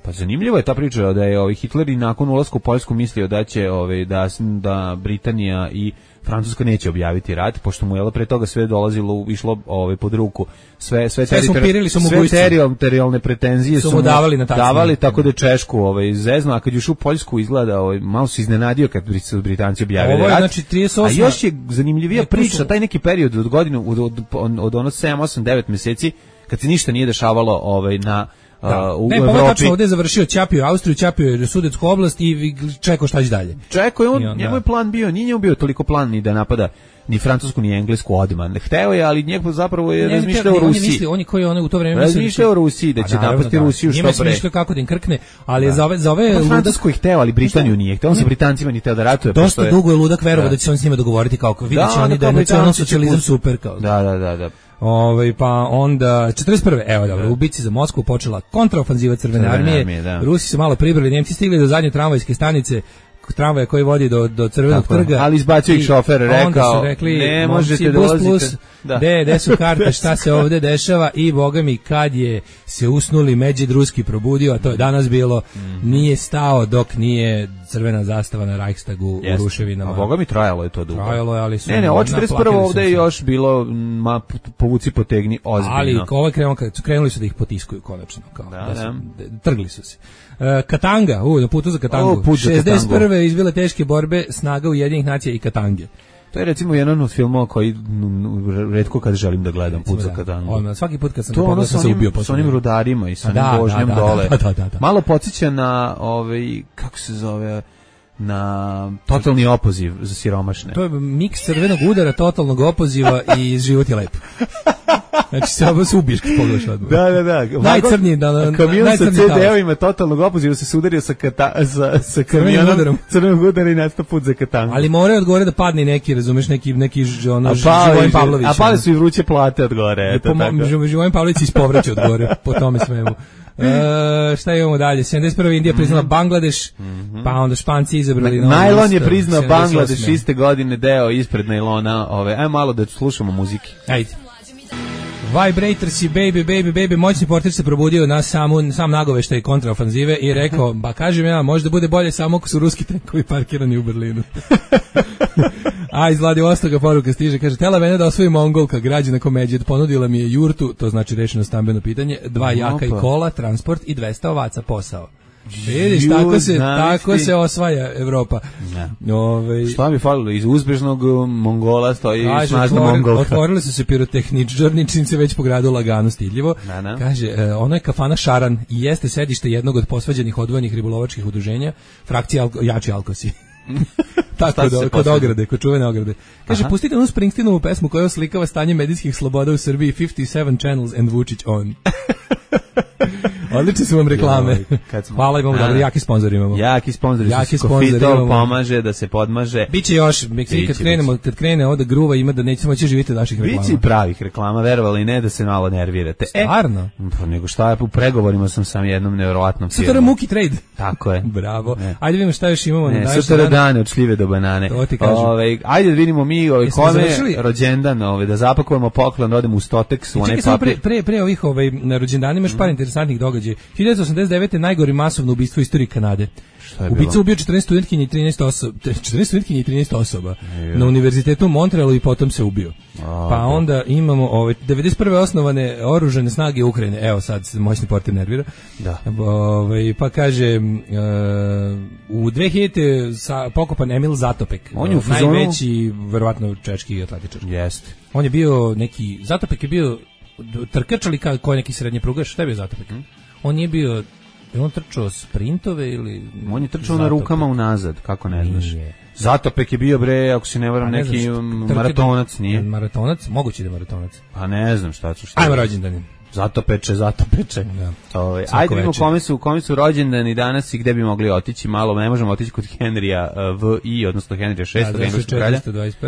Pa zanimljivo je ta priča da je ovaj Hitler i nakon ulaska u Poljsku mislio da će ovaj da da Britanija i Francuska neće objaviti rat, pošto mu je pre toga sve dolazilo, išlo ovaj pod ruku. Sve sve, sve teritori, sve teritorijalne pretenzije su mu davali na tačno. Davali tako da Češku ovaj zezno, a kad je ušao u Poljsku izgleda ovaj malo se iznenadio kad su Britanci objavili ovo je, rat. Znači trideset osme. A još je zanimljivija priča, taj neki period od godine od od, od, od ono sedam osam devet meseci kad se ništa nije dešavalo ovaj na Da. Uh, u ne, pa ovo tačno ovdje je završio, ćapio Austriju, ćapio Sudetsku oblast i čekao šta će dalje. Čekao je, on, on, njemu je plan bio, nije njemu bio toliko plan ni da napada ni Francusku ni Englesku odmah. Hteo je, ali njegov zapravo je razmišljao o Rusiji. On je mislio, on je koji on u to vreme razmišljao o Rusiji, da će napasti Rusiju što pre. Njime mislio kako da im krkne, ali je za ove, za ove ludak... Francusku je hteo, ali Britaniju nije hteo. On sa Britancima nije hteo da ratuje. Dosta dugo je ludak verovao da će se on s njima dogovoriti kao, vidjet će oni da je nacionalno socijalizam super. Kao. Da, da, da, da. Ove, pa onda četrdeset prve evo dobro, u bici za Moskvu počela kontraofanziva Crvene, Crvene armije, armije da. Rusi su malo pribrali, Nemci stigli do zadnje tramvajske stanice, tramvaja koji vodi do, do Crvenog tako, trga. Ali izbacio ih šofer, rekao, onda su rekli, ne možete dolaziti. Da. De, de su karte, šta se ovde dešava i boga mi kad je se usnuli Međid Ruski probudio, a to je danas bilo, mm. nije stao dok nije crvena zastava na Reichstagu Jest. u ruševinama. A boga mi trajalo je to dugo. Trajalo je, ali su... Ne, ne, od četrdeset prve ovde je još bilo ma, povuci potegni ozbiljno. Ali ovaj krenuli, krenuli su da ih potiskuju konačno. Kao, da, da, su, da. Trgli su se. Uh, Katanga, u, na putu za Katangu. O, put za šezdeset prve izbile teške borbe snaga Ujedinjenih nacija i Katange. To je recimo jedan od filmova koji retko kad želim da gledam, Put za Katangu. On, svaki put kad sam pogledao sam se ubio. S onim rudarima i sa onim da, vožnjom da, da, dole. Da, da, da, da. Malo podsjeća na, ovaj, kako se zove, na totalni opoziv za siromašne. To je miks crvenog udara, totalnog opoziva i život je lep. Znači se ovo se ubiješ kad pogledaš odmah. Da, da, da. Najcrniji, da, da, kamion sa ce de-ovima totalnog opoziva se sudario sa, kata, sa, sa kamionom crvenog udara i nastao Put za Katangu. Ali moraju od gore da padne neki, razumeš, neki, neki ono, Živojin Pavlović. A pale su i vruće plate od gore. Eto, tako. Živojin Pavlović se ispovraća od gore, po tome svemu. E, šta imamo dalje? sedamdeset prve Indija priznala mm-hmm. Bangladeš, mm-hmm. pa onda Španci izabrali Na, Najlon je priznao Bangladeš iste godine, deo ispred najlona. Ove, ajmo malo da slušamo muziki. Ajde. Vibrators i Baby, Baby, Baby, moćni portir se probudio na samu, sam nagoveštaj kontraofanzive i rekao, ba kažem ja, možda bude bolje samo ako su ruski tenkovi parkirani u Berlinu. A iz Vladivostoka poruka stiže, kaže, tela mene da osvoji Mongolka, građana Komeđed, ponudila mi je jurtu, to znači rešeno stambeno pitanje, dva jaka i kola, transport i dvesta ovaca posao. Vidiš, tako se, tako se osvaja Evropa. Ove, šta mi falilo? Iz uzbežnog Mongola stoji snažna Mongolka. Otvorili su se pirotehničarničnice već po gradu lagano stidljivo. Na, na. Kaže, e, ono je kafana Šaran i jeste sedište jednog od posvađenih odvojenih ribolovačkih udruženja, frakcija alko, Jači Alkosi. Tako, do, kod ograde, kod čuvene ograde. Kaže, aha, pustite onu Springsteenovu pesmu koja oslikava stanje medijskih sloboda u Srbiji, fifty seven channels and Vučić on. Odlične su vam reklame. Joj, smo... Hvala, imamo dobro, jaki sponzor imamo. Jaki sponzori jaki su Kofitol, pomaže da se podmaže. Biće još, biće, kad krenemo, kad krene ovde gruva ima da nećemo moći živjeti od naših reklama. Biće i pravih reklama, verovali ne da se malo nervirate. Stvarno? E, pa nego šta je, u pregovorima sam sam jednom nevjerovatnom firmom. Sutra Muki Trade. Tako je. Bravo. Ne. Ajde vidimo šta još imamo. Ne, na sutra dane od šljive do banane. To ti kažem. Ove, ajde da vidimo mi ove, kome rođendan, ove, da zapakujemo poklon, rodimo u Stotex, u onaj papir. Pre, pre, pre ovih ovaj, na rođendanima još par interesantnih događaja. hiljadu osamdeset devete najgori masovno ubistvo u istoriji Kanade. Ubica ubio četrnaest studentkinja i trinaest osoba, četrnaest studentkinja i trinaest osoba na univerzitetu u Montrealu i potom se ubio. A, pa onda imamo ove devedeset prve osnovane oružane snage Ukrajine. Evo sad se moćni portir nervira. Da. Ove, pa kaže uh, u dve hiljadite sa pokopan Emil Zatopek. On je u najveći verovatno češki atletičar. Jeste. On je bio neki Zatopek je bio trkač ali kao neki srednji prugaš. Šta je bio Zatopek? Hmm? On nije bio. Je on trčao sprintove ili... On je trčao na rukama unazad, kako ne znaš. Zatopek je bio, bre, ako se ne varam, ne neki znam, maratonac, nije? Maratonac? Moguće da je maratonac. Pa ne znam šta ću šta. Ajmo rođendani. Zatopeče, zatopeče. Da. Ove, ajde vidimo kome su, kome su rođendani danas i gde bi mogli otići malo. Ne možemo otići kod Henrija V I, odnosno Henrija šestog. Rođen hiljadu četiristo dvadeset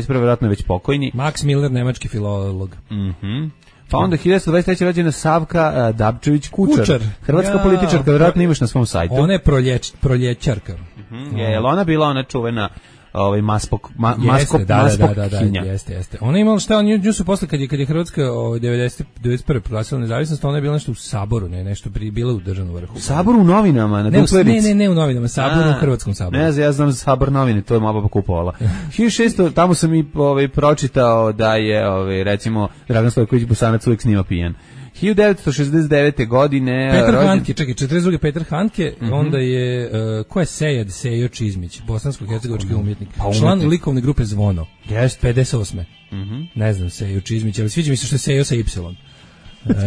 prve, vjerojatno je već pokojni. Max Miller, nemački filolog. Mhm. Pa onda hiljadu dvadeset treće rođena Savka uh, Dabčević Kučar. Kučar. Hrvatska ja, političarka, vjerojatno imaš na svom sajtu. Ona je proljeć, proljećarka. Mm-hmm. Je, je li ona bila ona čuvena ovaj maspok ma, jeste, maskop da, maspok da, da, da, da, jeste, jeste. Ona je imala šta, nju su posle kad je kad je Hrvatska ovaj devedeset prve proglasila nezavisnost, ona je bila nešto u saboru, ne, nešto pri bila u državnom vrhu. U saboru u novinama, na Duplerici. Ne, ne, ne u novinama, sabor u Hrvatskom saboru. Ne znam, ja znam za sabor novine, to je mama pa kupovala. hiljadu šesto tamo sam i ovaj pročitao da je ovaj recimo Dragan Stojković Bosanac uvek snima pijan. hiljadu devetsto šezdeset devete godine Petar rođen... Handke, čekaj, četrdeset druge Petar Handke, mm-hmm. onda je uh, ko je Sejad Sejo Čizmić, bosansko-hercegovački umjetnik, pa, umjetnik, član likovne grupe Zvono. Jeste. pedeset osme Mhm. Ne znam Sejo Čizmić, ali sviđa mi se što je Sejo sa Y.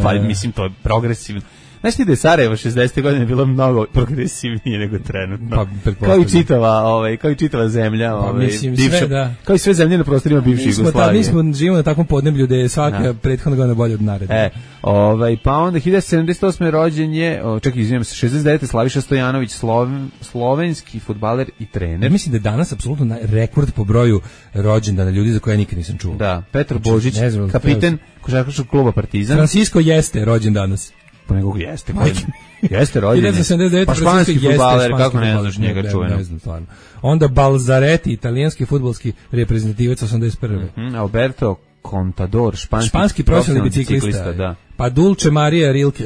Pa mislim, to je progresivno. Znaš ti da je Sarajevo šezdesetih godine bilo mnogo progresivnije nego trenutno. Pa, kao i čitava, ovaj, kao i čitava zemlja, ovaj, pa, mislim, bivša, sve, da. Kao i sve zemlje na prostorima bivše Jugoslavije. Mi smo živimo na takvom podneblju gde je svaka da. prethodna godina bolja od naredne. E, ovaj, pa onda hiljadu sedamdeset osme rođen je, čekaj, izvijem se, šezdeset devete Slaviša Stojanović, sloven, slovenski fudbaler i trener. Ja mislim da je danas apsolutno rekord po broju rođendana ljudi za koje ja nikad nisam čuo. Da, Petar Božić, znači, kapiten košarkaškog kluba Partizan. Francisco Jeste rođen danas. Po nekog jeste. Jeste rođen. Pa španski fudbaler, kako ne znaš njega čuveno. Ne znam stvarno. Onda Balzaretti, italijanski fudbalski reprezentativac osamdeset prve. Mm-hmm. Alberto Contador, španski, španski profesionalni biciklista. biciklista da. Pa Dulce Maria Rilke,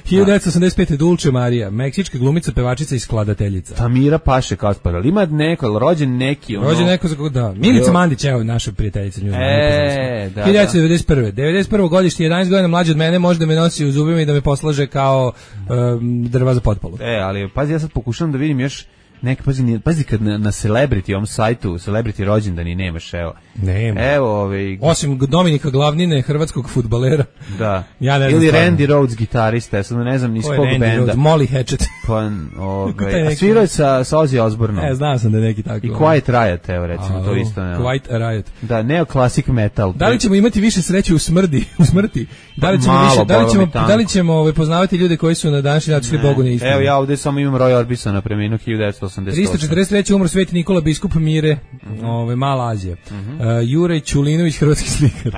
hiljadu devetsto osamdeset pete. Dulce Maria, meksička glumica, pevačica i skladateljica. Tamira Paše Kaspar, ali ima neko, rođen neki ono... Rođen neko za koga, da. Milica Mandić, evo, naša prijateljica. Nju, e, da, hiljadu devetsto devedeset prve. devedeset prvo godište, jedanaest godina mlađe od mene, može da me nosi u zubima i da me poslaže kao um, drva za potpalu. E, ali pazi, ja sad pokušavam da vidim još neki, pazi, pazi kad na, na Celebrity, ovom sajtu, Celebrity rođendani nemaš, evo. Nema. Evo, ovaj... Osim Dominika Glavnine, hrvatskog fudbalera. Da. Ja ne znam. Ili stvarno. Randy Rhoads, gitarista, ja sad ne znam ni iz kog benda. Rhodes? Molly Hatchet. Pa, ovaj, a svirao je sa, sa Ozzy Osbourneom. Ne, znam sam da je neki tako. I Quiet Riot, evo, recimo, a, to isto. Ne, Quiet Riot. Da, neoclassic metal. Da li ćemo imati više sreće u smrdi, u smrti? Da li ćemo Malo, više, da li ćemo, da li ćemo ovaj, poznavati ljude koji su na današnji dan šli Bogu neistinu? Evo, ja ovde samo imam Roy Orbisona, preminuo hiljadu devetsto osamdeset osme. tristo četrdeset treće umro Sveti Nikola biskup Mire, mm-hmm. ovaj Mala Azija. Mm-hmm. Uh, Juraj Čulinović, hrvatski slikar.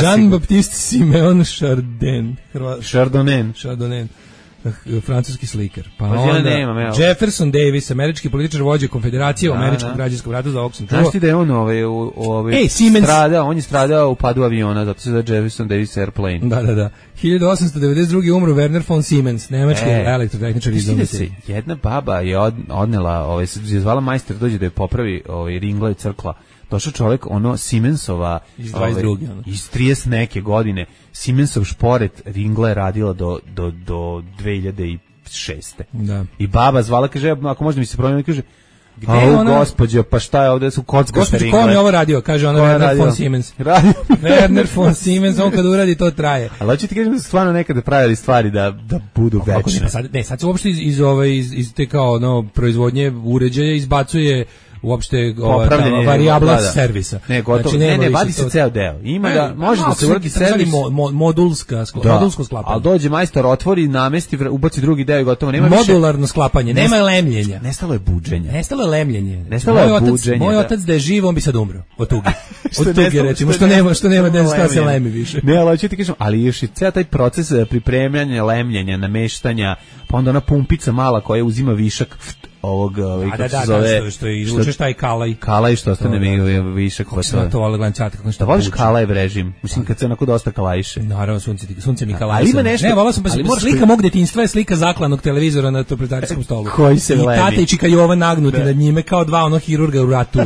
Jean-Baptiste Simeon Chardin, Hrva... Chardonnay. Chardonnay. Francuski slikar. Pa Ođe onda nemam, Jefferson Davis, američki političar, vođa Konfederacije u američkom građanskom ratu, za ovog sam čuo. Znaš ti da je on ovaj, ovaj Ej, Siemens. stradao, on je stradao u padu aviona, zato se zove Jefferson Davis Airplane. Da, da, da. hiljadu osamsto devedeset druge umro Werner von Siemens, nemački e, elektrotehničar iz Domice. Jedna baba je od, odnela, ovaj, je zvala majster dođe da je popravi ovaj, ringla i crkla. Došao čovjek, ono, Siemensova iz dvadeset druge Ovaj, iz trideset neke godine, Siemensov šporet ringla je radila do, do, do dve hiljade šeste. Da. I baba zvala, kaže, ako možda mi se promijeni, kaže, gde je ona? Gospođo, pa šta je ovde, su kockaste ringle. Ko mi ovo radio? Kaže ona, Werner radio? von Siemens. Radio. Werner von Siemens, on kad uradi, to traje. Ali hoću ti kažem da su stvarno nekada pravili stvari da, da budu večne. Ne, sad, ne, sad se uopšte iz, iz, ove, iz, iz te kao no, proizvodnje uređaja izbacuje uopšte ova varijabla da, da. servisa. Ne, gotovo. Znači, ne, ne, vadi se to... ceo deo. Ima ne, da može da se uradi servis mo, mo, modulska skla, da. modulsko sklapanje. Al dođe majstor, otvori, namesti, ubaci drugi deo i gotovo. Nema modularno više... sklapanje, nema Nest... lemljenja. Nestalo je buđenje. Nestalo je lemljenje. Nestalo je buđenje. Moj otac da je živ, on bi sad umro od tuge. Od tuge recimo, što nema, što nema da se lemi više. Ne, ali hoću ti kažem, ali još i ceo taj proces pripremanja, lemljenja, nameštanja, pa onda ona pumpica mala koja uzima višak ovog, ovaj, kako se zove, da, što je izvučeš taj kalaj. Kalaj što ostane mi višak. Kako se to vole glančati, kako nešto. Da voliš kalaj režim, mislim kad se onako dosta kalajše. Naravno, sunce, sunce mi kalaj. Ali ima nešto. Ne, volao sam pa slika mog detinjstva je slika zaklanog televizora na interpretacijskom stolu. Koji se lemi. I tata i čika Jovan nagnuti nad njime kao dva ono hirurga u ratu.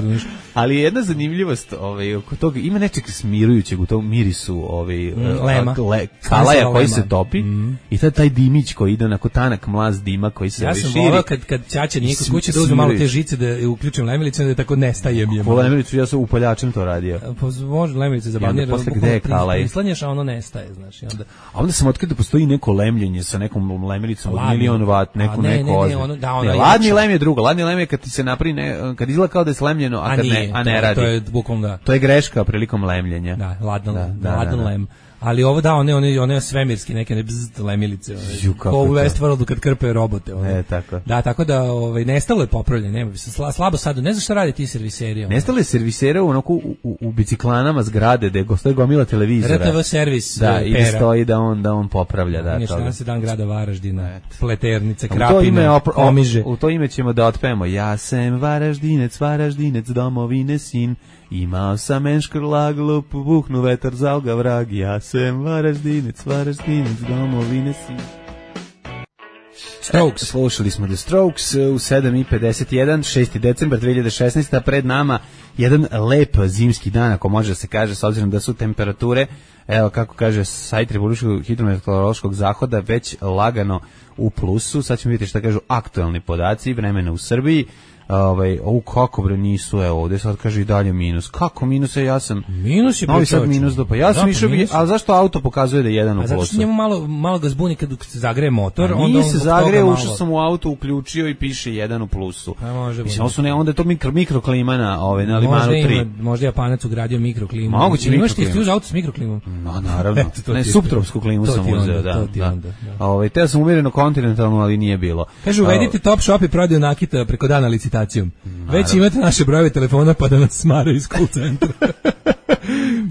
Ali jedna zanimljivost, ovaj oko toga ima nečeg smirujućeg u tom mirisu, ovaj mm, lema, le, kalaja koji se topi mm. i tad taj dimić koji ide onako tanak mlaz dima koji se ja širi. Ja sam volao kad kad ćaća nije kod kuće da uzme malo te žice da uključim lemilicu da tako nestaje mi je. Po lemilicu ja sam upaljačem to radio. Pa može lemilice zabavnije. Posle gde je kalaj? Prislanjaš, a ono nestaje, znaš, i onda. A onda sam otkrio da postoji neko lemljenje sa nekom lemilicom od milion watt, neko ne, neko. Ne, ne, ono, da, ono ne, ladni lem je drugo, ladni lem je kad ti se napravi ne, kad izgleda kao da je slemljeno, a, a kad nije, ne, a ne radi. To je bukvalno da. To je greška prilikom lemljenja. Da, ladan, da, da, ladan da, da. lem. Ali ovo da, one one one svemirski neke ne bzz lemilice, one. Ko u Westworldu kad krpe robote, one. E, tako. Da, tako da ovaj nestalo je popravljanje, nema se sla, slabo sad, ne znam šta radi ti serviseri. One. Nestalo je servisera onako u, u, u biciklanama zgrade gde gostoji gomila televizora. R T V servis. Da, i da stoji da on da on popravlja, da, to. Danas je dan grada Varaždina, et. Pleternice, Krapina, Komiže. U to ime ćemo da otpevamo. Ja sam Varaždinec, Varaždinec, domovine sin. Imao sam enškrlag, lup, buhnu vetar, zalga vrag, ja sam Varaždinec, Varaždinec, domovine si. Strokes. Slušali smo The Strokes u sedam i pedeset jedan, šesti decembar dve hiljade šesnaeste. Pred nama jedan lep zimski dan, ako može da se kaže, s obzirom da su temperature, evo kako kaže sajt Republičkog hidrometeorološkog zahoda, već lagano u plusu. Sad ćemo vidjeti šta kažu aktualni podaci vremena u Srbiji. Ovaj, o kako bre nisu, evo ovde sad kaže i dalje minus. Kako minus je, ja sam minus je Novi Sad minus do pa ja sam išao, a zašto auto pokazuje da je jedan u plusu? A zato što njemu malo malo ga zbuni kad se zagreje motor, a onda on se zagreje, ušao sam u auto, uključio i piše jedan u plusu. Pa može. Mislim su ne onda je to mikro mikroklima na ovaj na Limanu tri. Možda Japanac ugradio mikroklimu. Moguće mikroklimu. Imaš ti auto s mikroklimom? No naravno. Ne, subtropsku klimu sam uzeo, da. Da. Ovaj te sam umjereno kontinentalno, ali nije bilo. Kaže uvedite Top Shop i prodaju nakita preko dana licitacijom. Već imate naše brojeve telefona pa da nas smaraju iz call centra.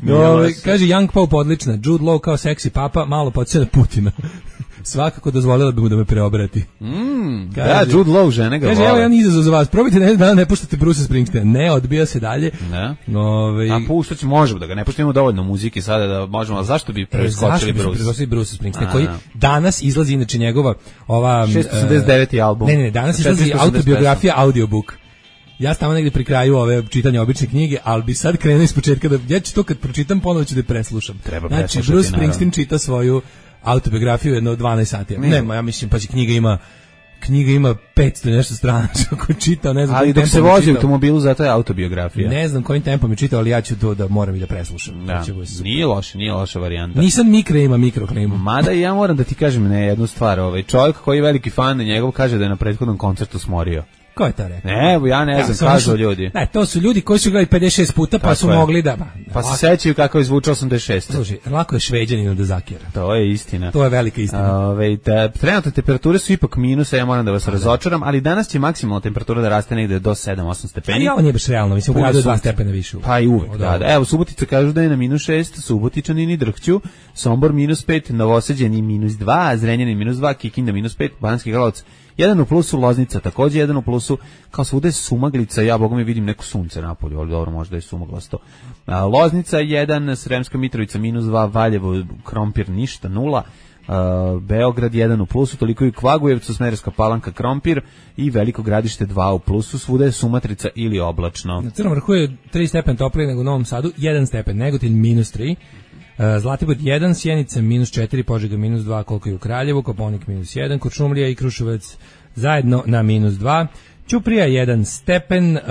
No, kaže Young Pope odlična, Jude Law kao seksi papa, malo podsjeća na Putina. Svakako dozvolila bi mu da me preobrati. Mm, kaže, da, Jude Law, žene ga kaže, vole. Evo jedan izazov za vas, probajte na jedan dan, ne puštate Bruce Springsteena. Ne, odbija se dalje. Ne. Ove... A puštat ćemo, možemo da ga ne puštimo dovoljno muzike sada da možemo, a zašto bi preskočili Bruce? Zašto bi Bruce Springsteen, koji danas izlazi inače njegova ova... šesto osamdeset deveti album. Ne, ne, danas izlazi autobiografija, audiobook. Ja stavim negdje pri kraju ove čitanja obične knjige, ali bi sad krenuo iz početka da ja ću to kad pročitam ponovo ću da preslušam. Treba znači Bruce Springsteen čita svoju autobiografiju jedno dvanaest sati. Nema, ja mislim pa će knjiga ima knjiga ima petsto nešto strana, ako čita, ne znam. Ali dok se vozi u automobilu, zato je autobiografija. Ne znam kojim tempom je čitao, ali ja ću to da moram i da preslušam. Da. Nije loše, nije loša varijanta. Nisam mikro ima mikroklimu. Mada ja moram da ti kažem ne jednu stvar, ovaj čovjek koji je veliki fan njegov kaže da je na prethodnom koncertu smorio. Ko je to rekao? Ne, ja ne znam, ja, kažu ljudi. Ne, to su ljudi koji su gledali pedeset šest puta, pa tako su je. Mogli da... Ba, pa se sećaju kako je zvučao osamdeset šest. Slušaj, lako je Šveđaninu da zakira. To je istina. To je velika istina. Ove, te, trenutne temperature su ipak minus, ja moram da vas razočaram, ali danas će maksimalna temperatura da raste negde do sedam osam stepeni. A ovo nije baš realno, mislim, u gradu je dva stepena više. Pa i uvek, da, da. Evo, Subotica kažu da je na minus šest, Subotičani drhću, Sombor minus pet, Novosađani minus dva, Zrenjanin minus dva, Kikinda minus pet, Banski Karlovac jedan u plusu, Loznica takođe jedan u plusu, kao svuda je sumaglica, ja bogom je vidim neko sunce napolju, ali dobro, možda je sumaglasto. A, Loznica jedan, Sremska Mitrovica minus dva, Valjevo, Krompir ništa, nula, a, Beograd jedan u plusu, toliko i u Kvagujevcu, Smederevska Palanka, Krompir i Veliko Gradište dva u plusu, svuda je sumatrica ili oblačno. Na Crnom vrhu je tri stepen toplije nego u Novom Sadu, jedan stepen, Negotin minus tri, Zlatibor jedan, Sjenica minus četiri, Požega minus dva, koliko je u Kraljevu, Koponik minus jedan, Kuršumlija i Kruševac zajedno na minus dva, Ćuprija jedan stepen, uh,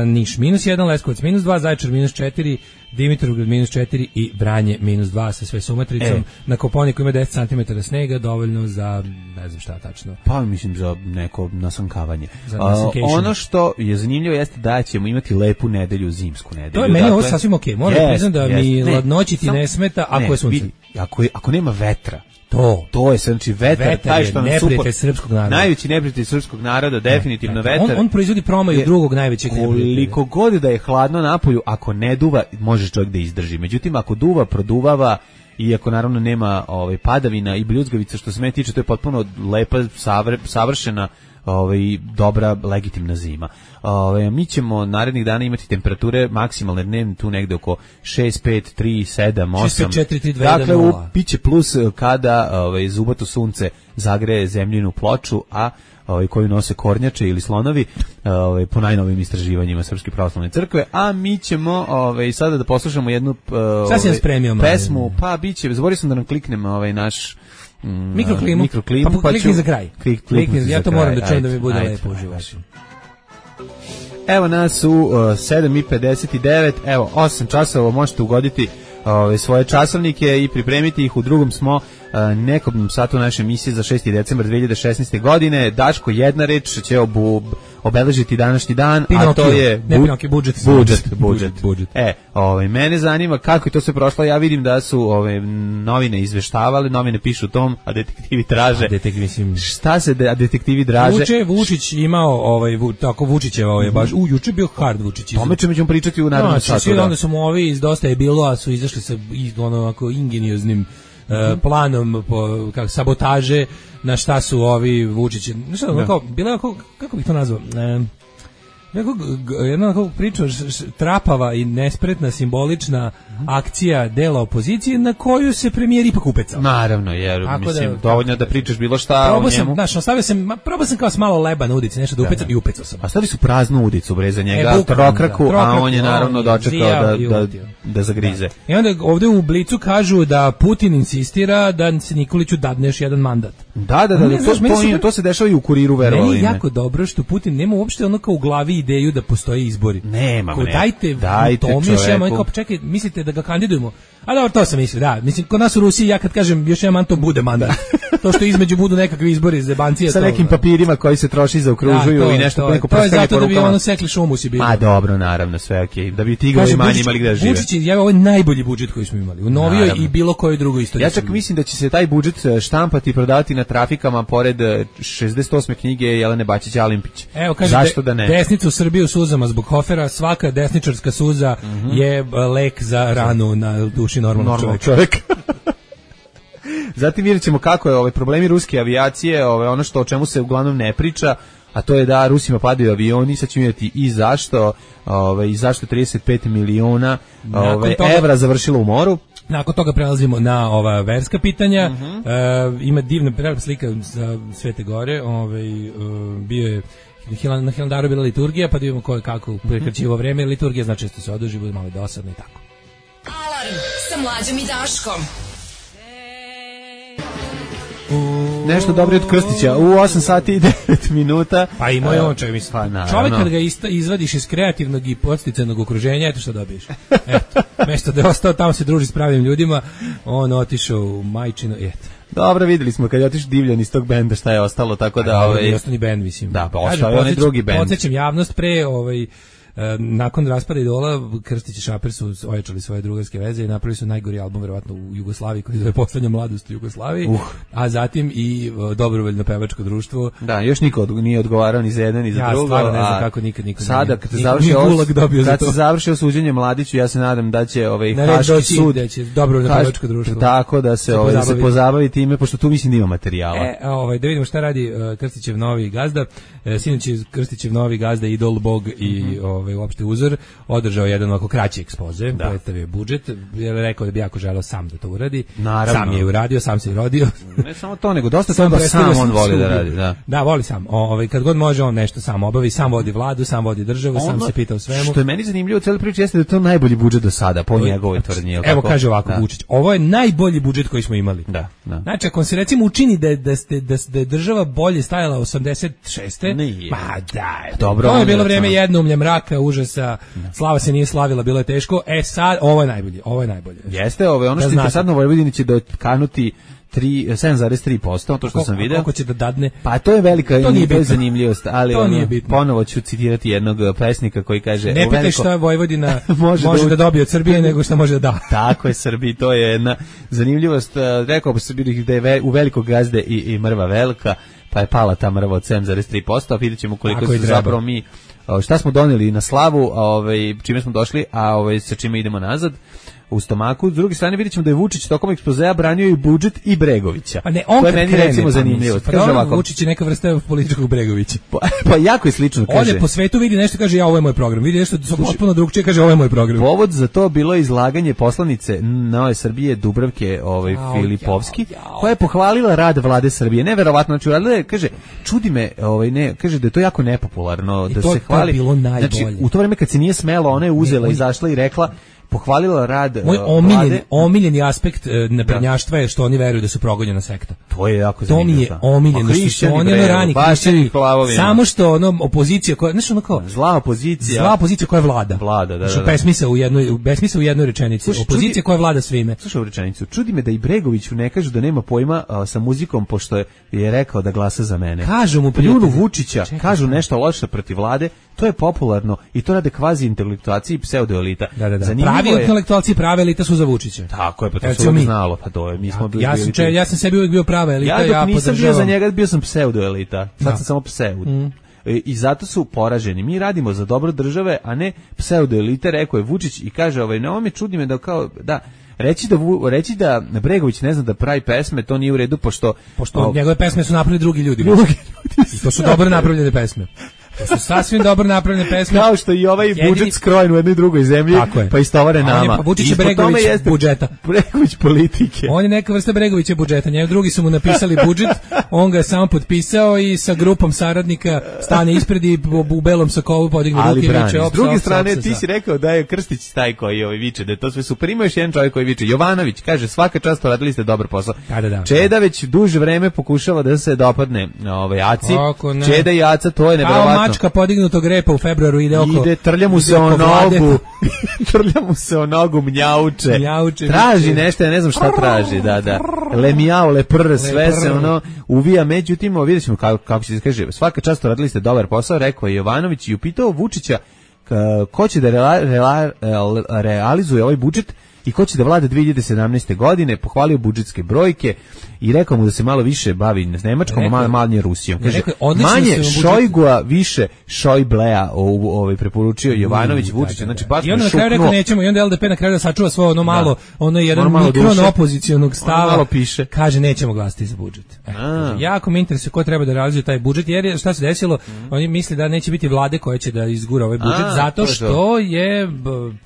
Niš minus jedan, Leskovac minus dva, Zaječar minus četiri, Dimitrovgrad minus četiri i Vranje minus dva sa sve sumatricom. E. Na Koponiku ima deset centimetara snega, dovoljno za, ne znam šta tačno. Pa mislim za neko nasankavanje. Za uh, ono što je zanimljivo jeste da ćemo imati lepu nedelju, zimsku nedelju. To je meni dakle, ovo sasvim okej. Okay. Moram yes, priznam da yes, mi ne, ladnoći ti sam, ne smeta ako ne, je sunce. Vidi, ako, je, ako nema vetra, To, to je znači vetar, vetar taj što nam super srpskog naroda. Najveći neprijatelj srpskog naroda, definitivno ne, vetar. On, on proizvodi promaju je, drugog najvećeg neprijatelja. Koliko god da je hladno napolju, ako ne duva, može čovjek da izdrži. Međutim, ako duva, produvava i ako naravno nema ovaj padavina i bljuzgavica, što se mene tiče, to je potpuno lepa, savre, savršena ovaj dobra legitimna zima. Ovaj mi ćemo narednih dana imati temperature maksimalne dnevne tu negde oko šest, pet, tri, sedam, osam. šest, četiri, tri, dva, dakle, u, biće plus kada ovaj zubato sunce zagreje zemljinu ploču, a ovaj koju nose kornjače ili slonovi, ovaj po najnovijim istraživanjima Srpske pravoslavne crkve, a mi ćemo ovaj sada da poslušamo jednu ovaj, pesmu, pa biće, zaboravio sam da nam kliknemo ovaj naš Mm, mikroklimu, mikroklimu, pa, pa klikni za kraj. Klik, klikni ja to kraj. moram da čujem da mi bude ajde, lepo uživaš. Evo nas u uh, sedam i pedeset devet, evo osam časova, možete ugoditi ove svoje časovnike i pripremiti ih. U drugom smo uh, nekom satu naše emisije za šesti decembar dve hiljade šesnaeste. godine. Daško, jedna reč će obu, obeležiti današnji dan, Pinokio, a to je bu, ne Pinokio, budžet, budžet, budžet, budžet. E, ovaj mene zanima kako je to sve prošlo. Ja vidim da su ove novine izveštavale, novine pišu o tom, a detektivi traže. A detektivi mislim šta se de, a detektivi traže? Juče Vučić imao ovaj tako Vučićeva je baš u juče bio hard Vučić. Tome ćemo pričati u narednom satu. Svi onda su mu ovi iz Dosta je bilo, a su izašli sa ono onako ingenioznim Uh, planom po, kako, sabotaže na šta su ovi Vučići. Šta, ono, kao, bila kako, kako bih to nazvao? Uh, Nekog, jedna onako priča trapava i nespretna simbolična akcija dela opozicije na koju se premijer ipak upecao. Naravno, jer tako mislim da, dovoljno da pričaš bilo šta o njemu. Sam, znaš, ostavio sam, probao sam kao s malo leba na udici, nešto da upecam i upecao sam. A stavili su praznu udicu bre za njega, e, trokraku, da, a on je naravno on dočekao da, da, da zagrize. Da. I onda ovde u Blicu kažu da Putin insistira da se Nikoliću dadne još jedan mandat. Da, da, da, ne, to, znaš, to, meni to, su- to se dešava i u Kuriru, verovali Meni je me. jako dobro što Putin nema uopšte ono kao u glavi ideju da postoje izbori. Nema, Ko, ne. dajte, Dajte to mi još jedan, čoveku. kao, čekaj, mislite da ga kandidujemo? A dobro, to sam mislio, da. Mislim, kod nas u Rusiji, ja kad kažem još jedan man, to bude mandat. To što između budu nekakvi izbori za bancije. Sa to, nekim papirima koji se troši za okružuju da, to, i nešto to, po neko to je prskanje zato da bi porukama. ono sekli šumu si bilo. Ma dobro, naravno, sve okej. Da bi tigrovi Kaže, manje Vučić- imali gde da žive. Vučić je, ovo je najbolji budžet koji smo imali. U novijoj Naravno. i bilo kojoj drugoj istoriji. Ja čak mislim da će se taj budžet e, štampati i prodavati na trafikama pored e, šezdeset osme knjige Jelene Bačić-Alimpić. Evo, kaže, zašto de, da ne? desnica u Srbiji u suzama zbog Hofera, svaka desničarska suza Mhm. je e, lek za ranu na duši normalnog Normalnog čovjeka. čovjeka. Zatim vidjet ćemo kako je ovaj problemi ruske avijacije, ovaj ono što o čemu se uglavnom ne priča, a to je da Rusima padaju avioni, sad ćemo vidjeti i zašto, ovaj i zašto trideset pet miliona ovaj toga- evra završilo u moru. Nakon toga prelazimo na ova verska pitanja. Mhm. E, ima divna prelepa slika za Svete Gore. Ovaj, e, bio je na Hilan- na Hilandaru bila liturgija, pa da vidimo ko je kako prekraćivo vreme. Liturgija znači često se oduži, bude malo dosadno i tako. Alarm sa Mlađom i Daškom. Nešto dobro od Krstića. U osam sati i devet minuta. Pa i moj on čovjek, mislim. Pa, naravno. Čovjek kad ga ista, izvadiš iz kreativnog i podsticajnog okruženja, eto što dobiješ. Eto, mesto da je ostao tamo se druži s pravim ljudima, on otišao u majčino, i eto. Dobro, videli smo kad je otišao Divljan iz tog benda šta je ostalo, tako da Ovaj ovaj ostani bend, mislim. Da, pa Kažem, ostao je onaj podsjećam- drugi bend. Podsjećam javnost pre ovaj e, nakon raspada Idola, Krstić i Šaper su ojačali svoje drugarske veze i napravili su najgori album verovatno u Jugoslaviji koji se zove Poslednja mladost u Jugoslaviji, Uh. a zatim i e, Dobrovoljno pevačko društvo. Da, još niko od, nije odgovarao ni za jedan ni za Ja drugo. stvarno ne znam a kako nikad niko Sada nije- kad se ni- završi ni os- Gulag dobio za kad to. se završi suđenje Mladiću, ja se nadam da će ovaj Na red Haški doći sud da će Dobrovoljno Haš- pevačko društvo. tako da se se ovaj da se pozabavi. pozabavi time, pošto tu mislim da ima materijala. E, a ovaj, da vidimo šta radi uh, Krstićev novi gazda. E, sinoć je Krstićev novi gazda, idol, bog i Mhm. ovaj, uopšte uzor, održao jedan ovako kraći ekspoze, Da. predstavio budžet, je rekao da bi jako želeo sam da to uradi. Naravno. Sam je uradio, sam se i rodio. Ne samo to, nego dosta toga predstavio sam on voli da studiju. radi, da. Da, voli sam. O, ovaj, kad god može on nešto sam obavi, sam vodi vladu, sam vodi državu, sam Ono se pita o svemu. Što je meni zanimljivo u celoj priči jeste da je to najbolji budžet do sada, po njegovoj tvrdnji. jel Evo tako? kaže ovako Da. Vučić, ovo je najbolji budžet koji smo imali. Da, da. Znači, ako se recimo učini da, je- da, ste, da, da je država bolje stajala osamdeset šeste Nije. Ma daj. Dobro, To je onda, bilo vreme da. jednoumlja, mraka, užasa, slava se nije slavila, bilo je teško. E sad, ovo je najbolje, ovo je najbolje. Jeste, ovaj ono Da što je znate. interesantno u Vojvodini će dokanuti tri sedam zarez tri posto, to što Koliko- sam video. Koliko će da dadne? Pa to je velika To nije bitno. zanimljivost, ali To ono, nije bitno. ponovo ću citirati jednog uh, pesnika koji kaže Ne u pitaj veliko- šta Vojvodina Može može, da da, u- dobije od Srbije, nego šta može da da. Tako je Srbiji, to je jedna zanimljivost. Uh, Rekao bi se bili da je ve, u velikog gazde i, i mrva velika, pa je pala ta mrva od sedam zarez tri posto, a vidjet ćemo koliko Tako i su treba. zapravo mi, uh, šta smo doneli na slavu, a, ovaj, čime smo došli, a ovaj, sa čime idemo nazad u stomaku. S druge strane vidjet ćemo da je Vučić tokom ekspozea branio i budžet i Bregovića. Pa ne, on to je kad meni krene, recimo pa zanimljivo. mislim, Pa Kaže dobro, ovako, Vučić je neka vrsta političkog Bregovića. pa, pa jako je slično, kaže. Ode po svetu, vidi nešto, kaže ja ovo je moj program. Vidi nešto potpuno drugčije, kaže ovo je moj program. Povod za to bilo izlaganje poslanice Nove Srbije Dubravke ovaj Jao, Filipovski, jao, jao. koja je pohvalila rad vlade Srbije. Neverovatno, znači uradila je, kaže, čudi me, ovaj ne, kaže da je to jako nepopularno I da to- se to je hvali. bilo najbolje. Znači, u to vreme kad se nije smelo, ona je uzela, Ne, izašla i rekla, pohvalila rad Moj uh, omiljeni, vlade. omiljeni aspekt e, naprednjaštva je što oni veruju da su progonjena sekta. To je jako To zanimljivo. mi je da. omiljeno, Ma, što su hrišćani, oni bre, ono rani baš hrišćani, njih lavovima. samo što ono opozicija koja, znaš ono kao, Zla opozicija. zla opozicija koja vlada. Vlada, da, Što da, da. besmisao u jednoj, u- besmisao u jednoj rečenici. Slušaj, Opozicija čudi- koja vlada svime. Slušaj ovu rečenicu. Čudi me da i Bregoviću ne kažu da nema pojma a, sa muzikom, pošto je, je rekao da glasa za mene. Kažu mu Pljunu prijatelji. Vučića, Čekaj, kažu šta? nešto loše protiv vlade, to je popularno i to rade kvazi intelektualci i pseudoelita. Da, da, da. Zanimljivo Pravi je- intelektualci, prave elita su za Vučića. Tako je, pa to Evo, se ćemo uvijek mi. znalo, pa to je, mi smo bili... Ja sam, če, ja sam sebi uvijek bio prava elita, ja ja, dok nisam bio podržavam. za njega, bio sam pseudoelita. Sad Da. sam samo pseud. E, I zato su poraženi. Mi radimo za dobro države, a ne pseudoelite, rekao je Vučić i kaže, ovaj, na ovome čudi me da kao, da, reći da, Vu- reći da Bregović ne zna da pravi pesme, to nije u redu, pošto... Pošto o, njegove pesme su napravili drugi ljudi. drugi I to su dobro napravljene pesme. To su sasvim dobro napravljene pesme. Kao što i ovaj Jedini... budžet skrojen u jednoj drugoj zemlji, pa istovare nama. Pa Vučić je Bregović jeste budžeta. Bregović politike. On je neka vrsta Bregovića budžeta. Njega drugi su mu napisali budžet, on ga je samo potpisao i sa grupom saradnika stane ispred i u belom sakovu podigne ruke i viče. S druge strane, ti si rekao da je Krstić taj koji ovaj viče, da je to sve super. Ima još jedan čovjek koji viče. Jovanović kaže, svaka čast, radili ste dobar posao. Da, da, da. Čeda već duže vreme pokušava da se dopadne ovaj Aci. Čeda i Aca, to je neverovatno. A mačka podignutog repa u februaru ide oko. Ide, trlja mu se o nogu. Trlja mu se o nogu, mnjauče. Mnjauče. Traži nešto, ja ne znam šta traži, da, da. Le mjau, le prr, sve se ono uvija, međutim, vidjet ćemo kako, kako će se kaže. Svaka čast, radili ste dobar posao, rekao je Jovanović i upitao Vučića ko će da rela, rela, realizuje ovaj budžet i ko će da vlada dve hiljade sedamnaeste. godine, pohvalio budžetske brojke i rekao mu da se malo više bavi s Nemačkom, malo manje Rusijom. Kaže, rekao, manje Šojgua, više Šojblea, ovaj preporučio Jovanović mm, Vučić, da, da, da. Znači baš i onda na kraju rekao nećemo, i onda L D P na kraju da sačuva svoje ono malo, da. ono jedan mikron opozicionog stava, malo piše. Kaže nećemo glasati za budžet. E, kaže, jako me interesuje ko treba da realizuje taj budžet, jer šta se desilo, mm. oni misle da neće biti vlade koja će da izgura ovaj budžet, A, zato što je,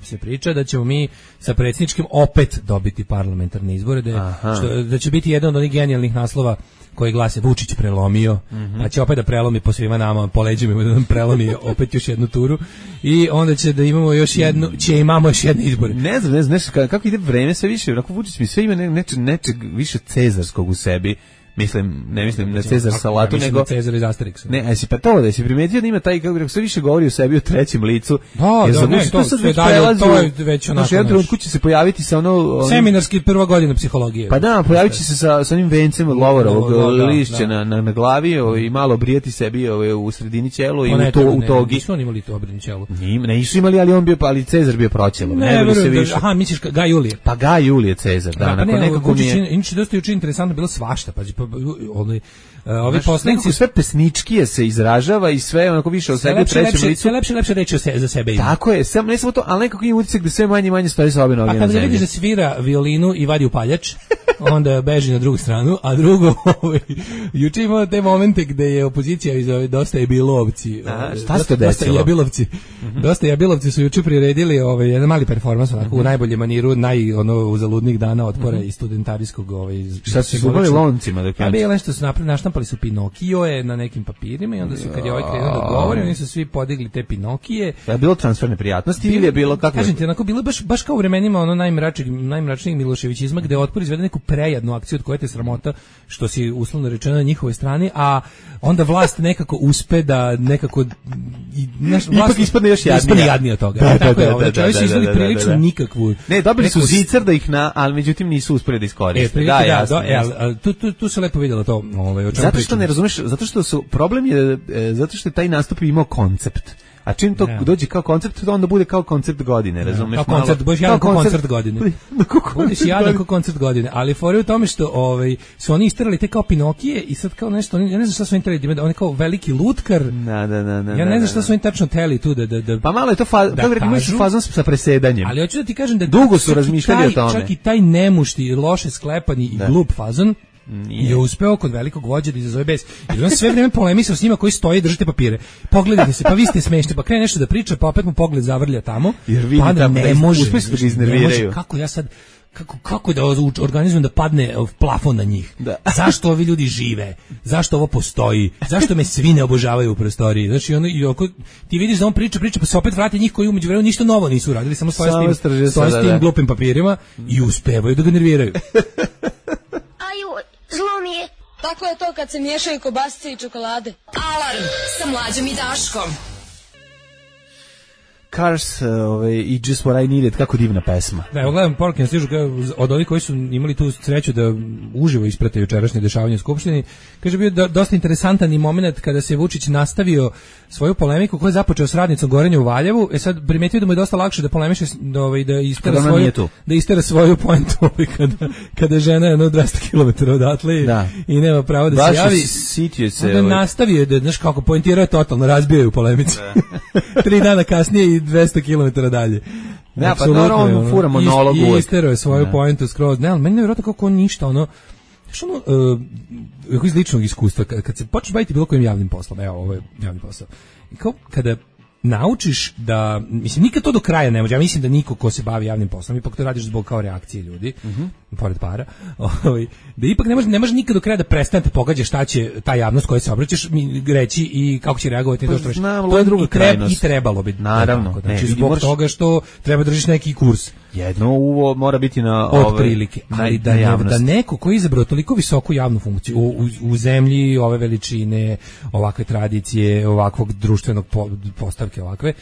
se priča da ćemo mi sa predsjedničkim opet dobiti parlamentarne izbore, da, što, da će biti jedan od onih genijalnih naslova koji glase Vučić prelomio, mm-hmm. pa će opet da prelomi po svima nama, po leđima da nam prelomi opet još jednu turu i onda će da imamo još jednu, će imamo još jedne izbore. Ne znam, ne znam, nešto, kako ide vreme sve više, onako Vučić mi sve ima nečeg, nečeg više cezarskog u sebi. Mislim, ne mislim na Cezar salatu, ja nego Cezar iz Asterixa. Ne, a si pa to da si primetio da ima taj, kako rekao, sve više govori o sebi u trećem licu. Da, da, ne, to, to, dalje, to je već onako. Znači, jedan trenutku će se pojaviti sa ono... Onim, seminarski prva godina psihologije. Pa da, pojavit će se sa, sa onim vencem od lovorovog da, da, lišća da. na, na, na glavi o, i malo obrijati sebi o, u sredini ćelu i ne, u, to, ne, u togi. Nisu oni imali to obrijeni ćelu. Ne, nisu imali, ali on bio, ali Cezar bio proćelo. Ne, ne verujem, da, aha, misliš Gaj Julije. Pa Gaj Julije Cezar, da, nakon nekako mi je... Inače, dosta juče interesantno bilo svašta, pa onaj Uh, ovi poslanici sve pesničkije se izražava i sve onako više o sebi trećem licu. Sve lepše lepše reći se, za sebe ima. Tako je, sam ne samo to, al nekako ima utisak da sve manje i manje stoji sa obe noge na zemlji. A kada vidiš da svira violinu i vadi upaljač, onda beži na drugu stranu, a drugo, ovaj, juče imao te momente gde je opozicija iz ove dosta je bilovci. Aha, šta se desilo? Dosta je bilovci. Mm-hmm. Dosta je bilovci su juče priredili ovaj jedan mali performans onako mm-hmm. u najboljem maniru, naj ono uzaludnih dana otpora mm-hmm. i studentarijskog ovaj. Šta su zubali loncima da kažu? A bilo nešto su napravili, naštampali su Pinokio je na nekim papirima i onda su kad je ovaj krenuo da govori, oni su svi podigli te Pinokije. Je bilo transferne prijatnosti ili je bilo kako? Kažem ti, onako bilo baš baš kao u vremenima ono najmračnijeg najmračnijeg Miloševićizma gde otpor izvede neku prejadnu akciju od koje te sramota što si uslovno rečeno na njihovoj strani, a onda vlast nekako uspe da nekako i naš vlast ipak ispadne još jadnija. Ispadne jadnija od toga. Da, tako da, je, da, znači oni su izveli prilično nikakvu. Ne, dobili su zicer da ih na, ali međutim nisu uspeli da iskoriste. E, da, jasno. E, al tu tu tu se lepo videlo to, ovaj o čemu zato što ne razumeš, zato što su problem je e, zato što je taj nastup imao koncept. A čim to yeah. dođe kao koncept, to onda bude kao koncept godine, razumeš? Kao koncert, baš jadan kao koncert godine. Budeš jadan kao koncert godine, ali fore u tome što ovaj, su oni isterali te kao Pinokije i sad kao nešto, oni, ja ne znam šta su oni trebali, da oni kao veliki lutkar. Da, da, da, da, ja ne znam šta su oni tačno teli tu da... da, da pa malo je to, fa, da kako rekao, imaš fazon sa presedanjem. Ali hoću da ti kažem da... Dugo su razmišljali o tome. Čak i taj nemušti, loše sklepani i glup fazon, nije. Je uspeo kod velikog vođa da izazove bes. I on sve vreme polemisao s njima koji stoje i držite papire. Pogledajte se, pa vi ste smešni, pa krene nešto da priča, pa opet mu pogled zavrlja tamo. Jer vidi pa tamo ne može, uspeš da ga iznerviraju. Kako ja sad kako kako da organizujem da padne plafon na njih? Da. Zašto ovi ljudi žive? Zašto ovo postoji? Zašto me svi ne obožavaju u prostoriji? Znači ono i oko ti vidiš da on priča, priča pa se opet vrati njih koji umeđu vremenu ništa novo nisu uradili, samo stoje s tim, stoje s tim glupim papirima i uspevaju da ga nerviraju. Zlo mi je. Tako je to kad se miješaju kobasice i čokolade. Alarm sa Mlađom i Daškom. Cars ovaj, i Just What I Needed, kako divna pesma. Da, evo gledam poruke na stižu od ovih koji su imali tu sreću da uživo isprate jučerašnje dešavanje u Skupštini. Kaže, bio do, dosta interesantan i moment kada se Vučić nastavio svoju polemiku koju je započeo s radnicom Gorenja u Valjevu. E sad primetio da mu je dosta lakše da polemiše, da, ovaj, da istera svoju, da istera svoju poentu ovaj, kada, kada žena je jedno dvesta kilometara odatle da. I nema pravo da baš se javi. Sitio se. Onda ovaj. nastavio da, znaš kako, poentirao je totalno, razbio je u polemici. Tri dana kasnije i dvesta kilometara dalje. Ne, pa naravno on fura monolog uvek. I istero je svoju poentu skroz. Ne, ali meni nevjerojatno kako on ništa, ono, što ono, uh, iz ličnog iskustva, kad, kad se počneš baviti bilo kojim javnim poslom, evo, ovo je javni posao, I kao kada naučiš da, mislim, nikad to do kraja ne može, ja mislim da niko ko se bavi javnim poslom, ipak to radiš zbog kao reakcije ljudi, mm-hmm. pored para, ovaj, da ipak ne može, ne može nikad do kraja da prestanete pogađa šta će ta javnost koja se obraćaš reći i kako će reagovati na to što reći. To je druga krajnost. I trebalo bi. Naravno. Tako, znači, ne, zbog moraš... toga što treba držiš neki kurs. Jedno uvo mora biti na od ove, prilike, ali da, ne, da neko ko je izabrao toliko visoku javnu funkciju u, u, u zemlji ove veličine, ovakve tradicije, ovakvog društvenog po, postavke ovakve,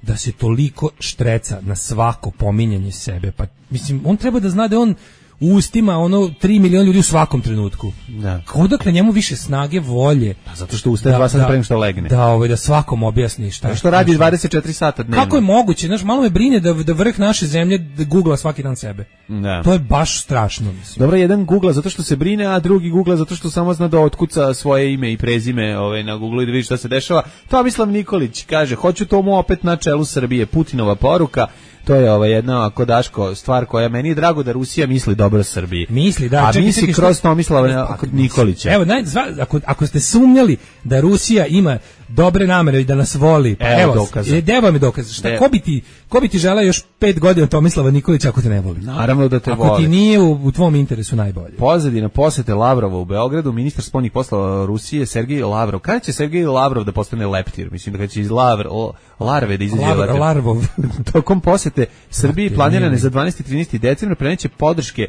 da se toliko štreca na svako pominjanje sebe, pa mislim, on treba da zna da on u ustima ono tri miliona ljudi u svakom trenutku. Da. Odakle njemu više snage, volje? Pa zato što ustaje dva sata pre što legne. Da, ovaj da svakom objasni šta je. Što radi dvadeset četiri sata dnevno. Kako je moguće? Znaš, malo me brine da da vrh naše zemlje da gugla svaki dan sebe. Da. To je baš strašno, mislim. Dobro, jedan gugla zato što se brine, a drugi gugla zato što samo zna da otkuca svoje ime i prezime, ovaj na Google i da vidi šta se dešava. Tomislav Nikolić kaže: "Hoću tomu opet na čelu Srbije." Putinova poruka. To je ova jedna, ako Daško, stvar koja meni je drago da Rusija misli dobro Srbiji. Misli, da. A čekaj, misli čekaj, kroz Tomislava Nikolića. Evo, naj, zva, ako, ako ste sumnjali da Rusija ima dobre namere i da nas voli, pa evo, evo dokaza. Evo vam je dokaz. Šta, ko bi ti, ko bi ti želeo još pet godina Tomislava Nikolića ako te ne voli? Naravno da te ako voli. Ako ti nije u, u tvom interesu najbolje. Pozadina posete Lavrova u Beogradu, ministar spoljnih poslova Rusije Sergej Lavrov. Kada će Sergej Lavrov da postane leptir? Mislim da kada će iz Lavr, o, larve da izađe leptir. Larvov. Tokom posete Srbiji planirane za dvanaesti i trinaesti decembar preneće podrške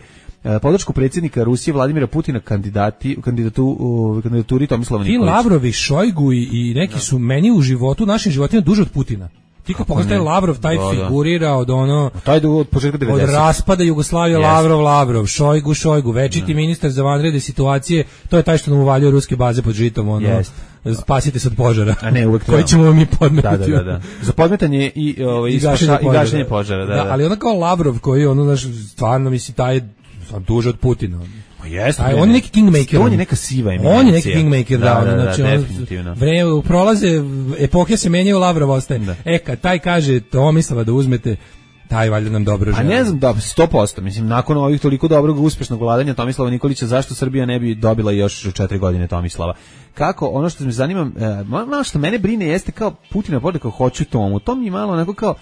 podršku predsjednika Rusije Vladimira Putina kandidati kandidatu u kandidaturi Tomislava Nikolića. Ti Lavrovi, Šojgu i, i neki da. su meni u životu, našim životima duže od Putina. Ti kao pogledaš taj Lavrov, taj da, figurira da. od ono taj od početka devedesetih. Od raspada Jugoslavije, yes. Lavrov, Lavrov, Šojgu, Šojgu, večiti da. ministar za vanredne situacije, to je taj što nam uvaljuje ruske baze pod žitom, ono. Yes. Spasite se od požara. A ne, uvek koji ćemo mi podmetati. Da, da, da, da. Za podmetanje i ovaj i gašenje požara, gašenje požara, da, da. da. Ali ona kao Lavrov koji ono naš stvarno misli taj duže od Putina. Pa jeste. On je neki kingmaker. On je neka siva eminencija. On je neki kingmaker, da, da, da, da znači da, definitivno. Vreme prolaze, epohe se menjaju, Lavrov ostaje. Da. E, kad taj kaže Tomislava da uzmete, taj valjda nam dobro želi. A ne znam, da, sto posto. Mislim, nakon ovih toliko dobrog uspešnog vladanja Tomislava Nikolića, zašto Srbija ne bi dobila još četiri godine Tomislava? Kako, ono što me zanima, e, malo što mene brine jeste kao Putina poruka, hoću tomu. To mi je malo onako kao,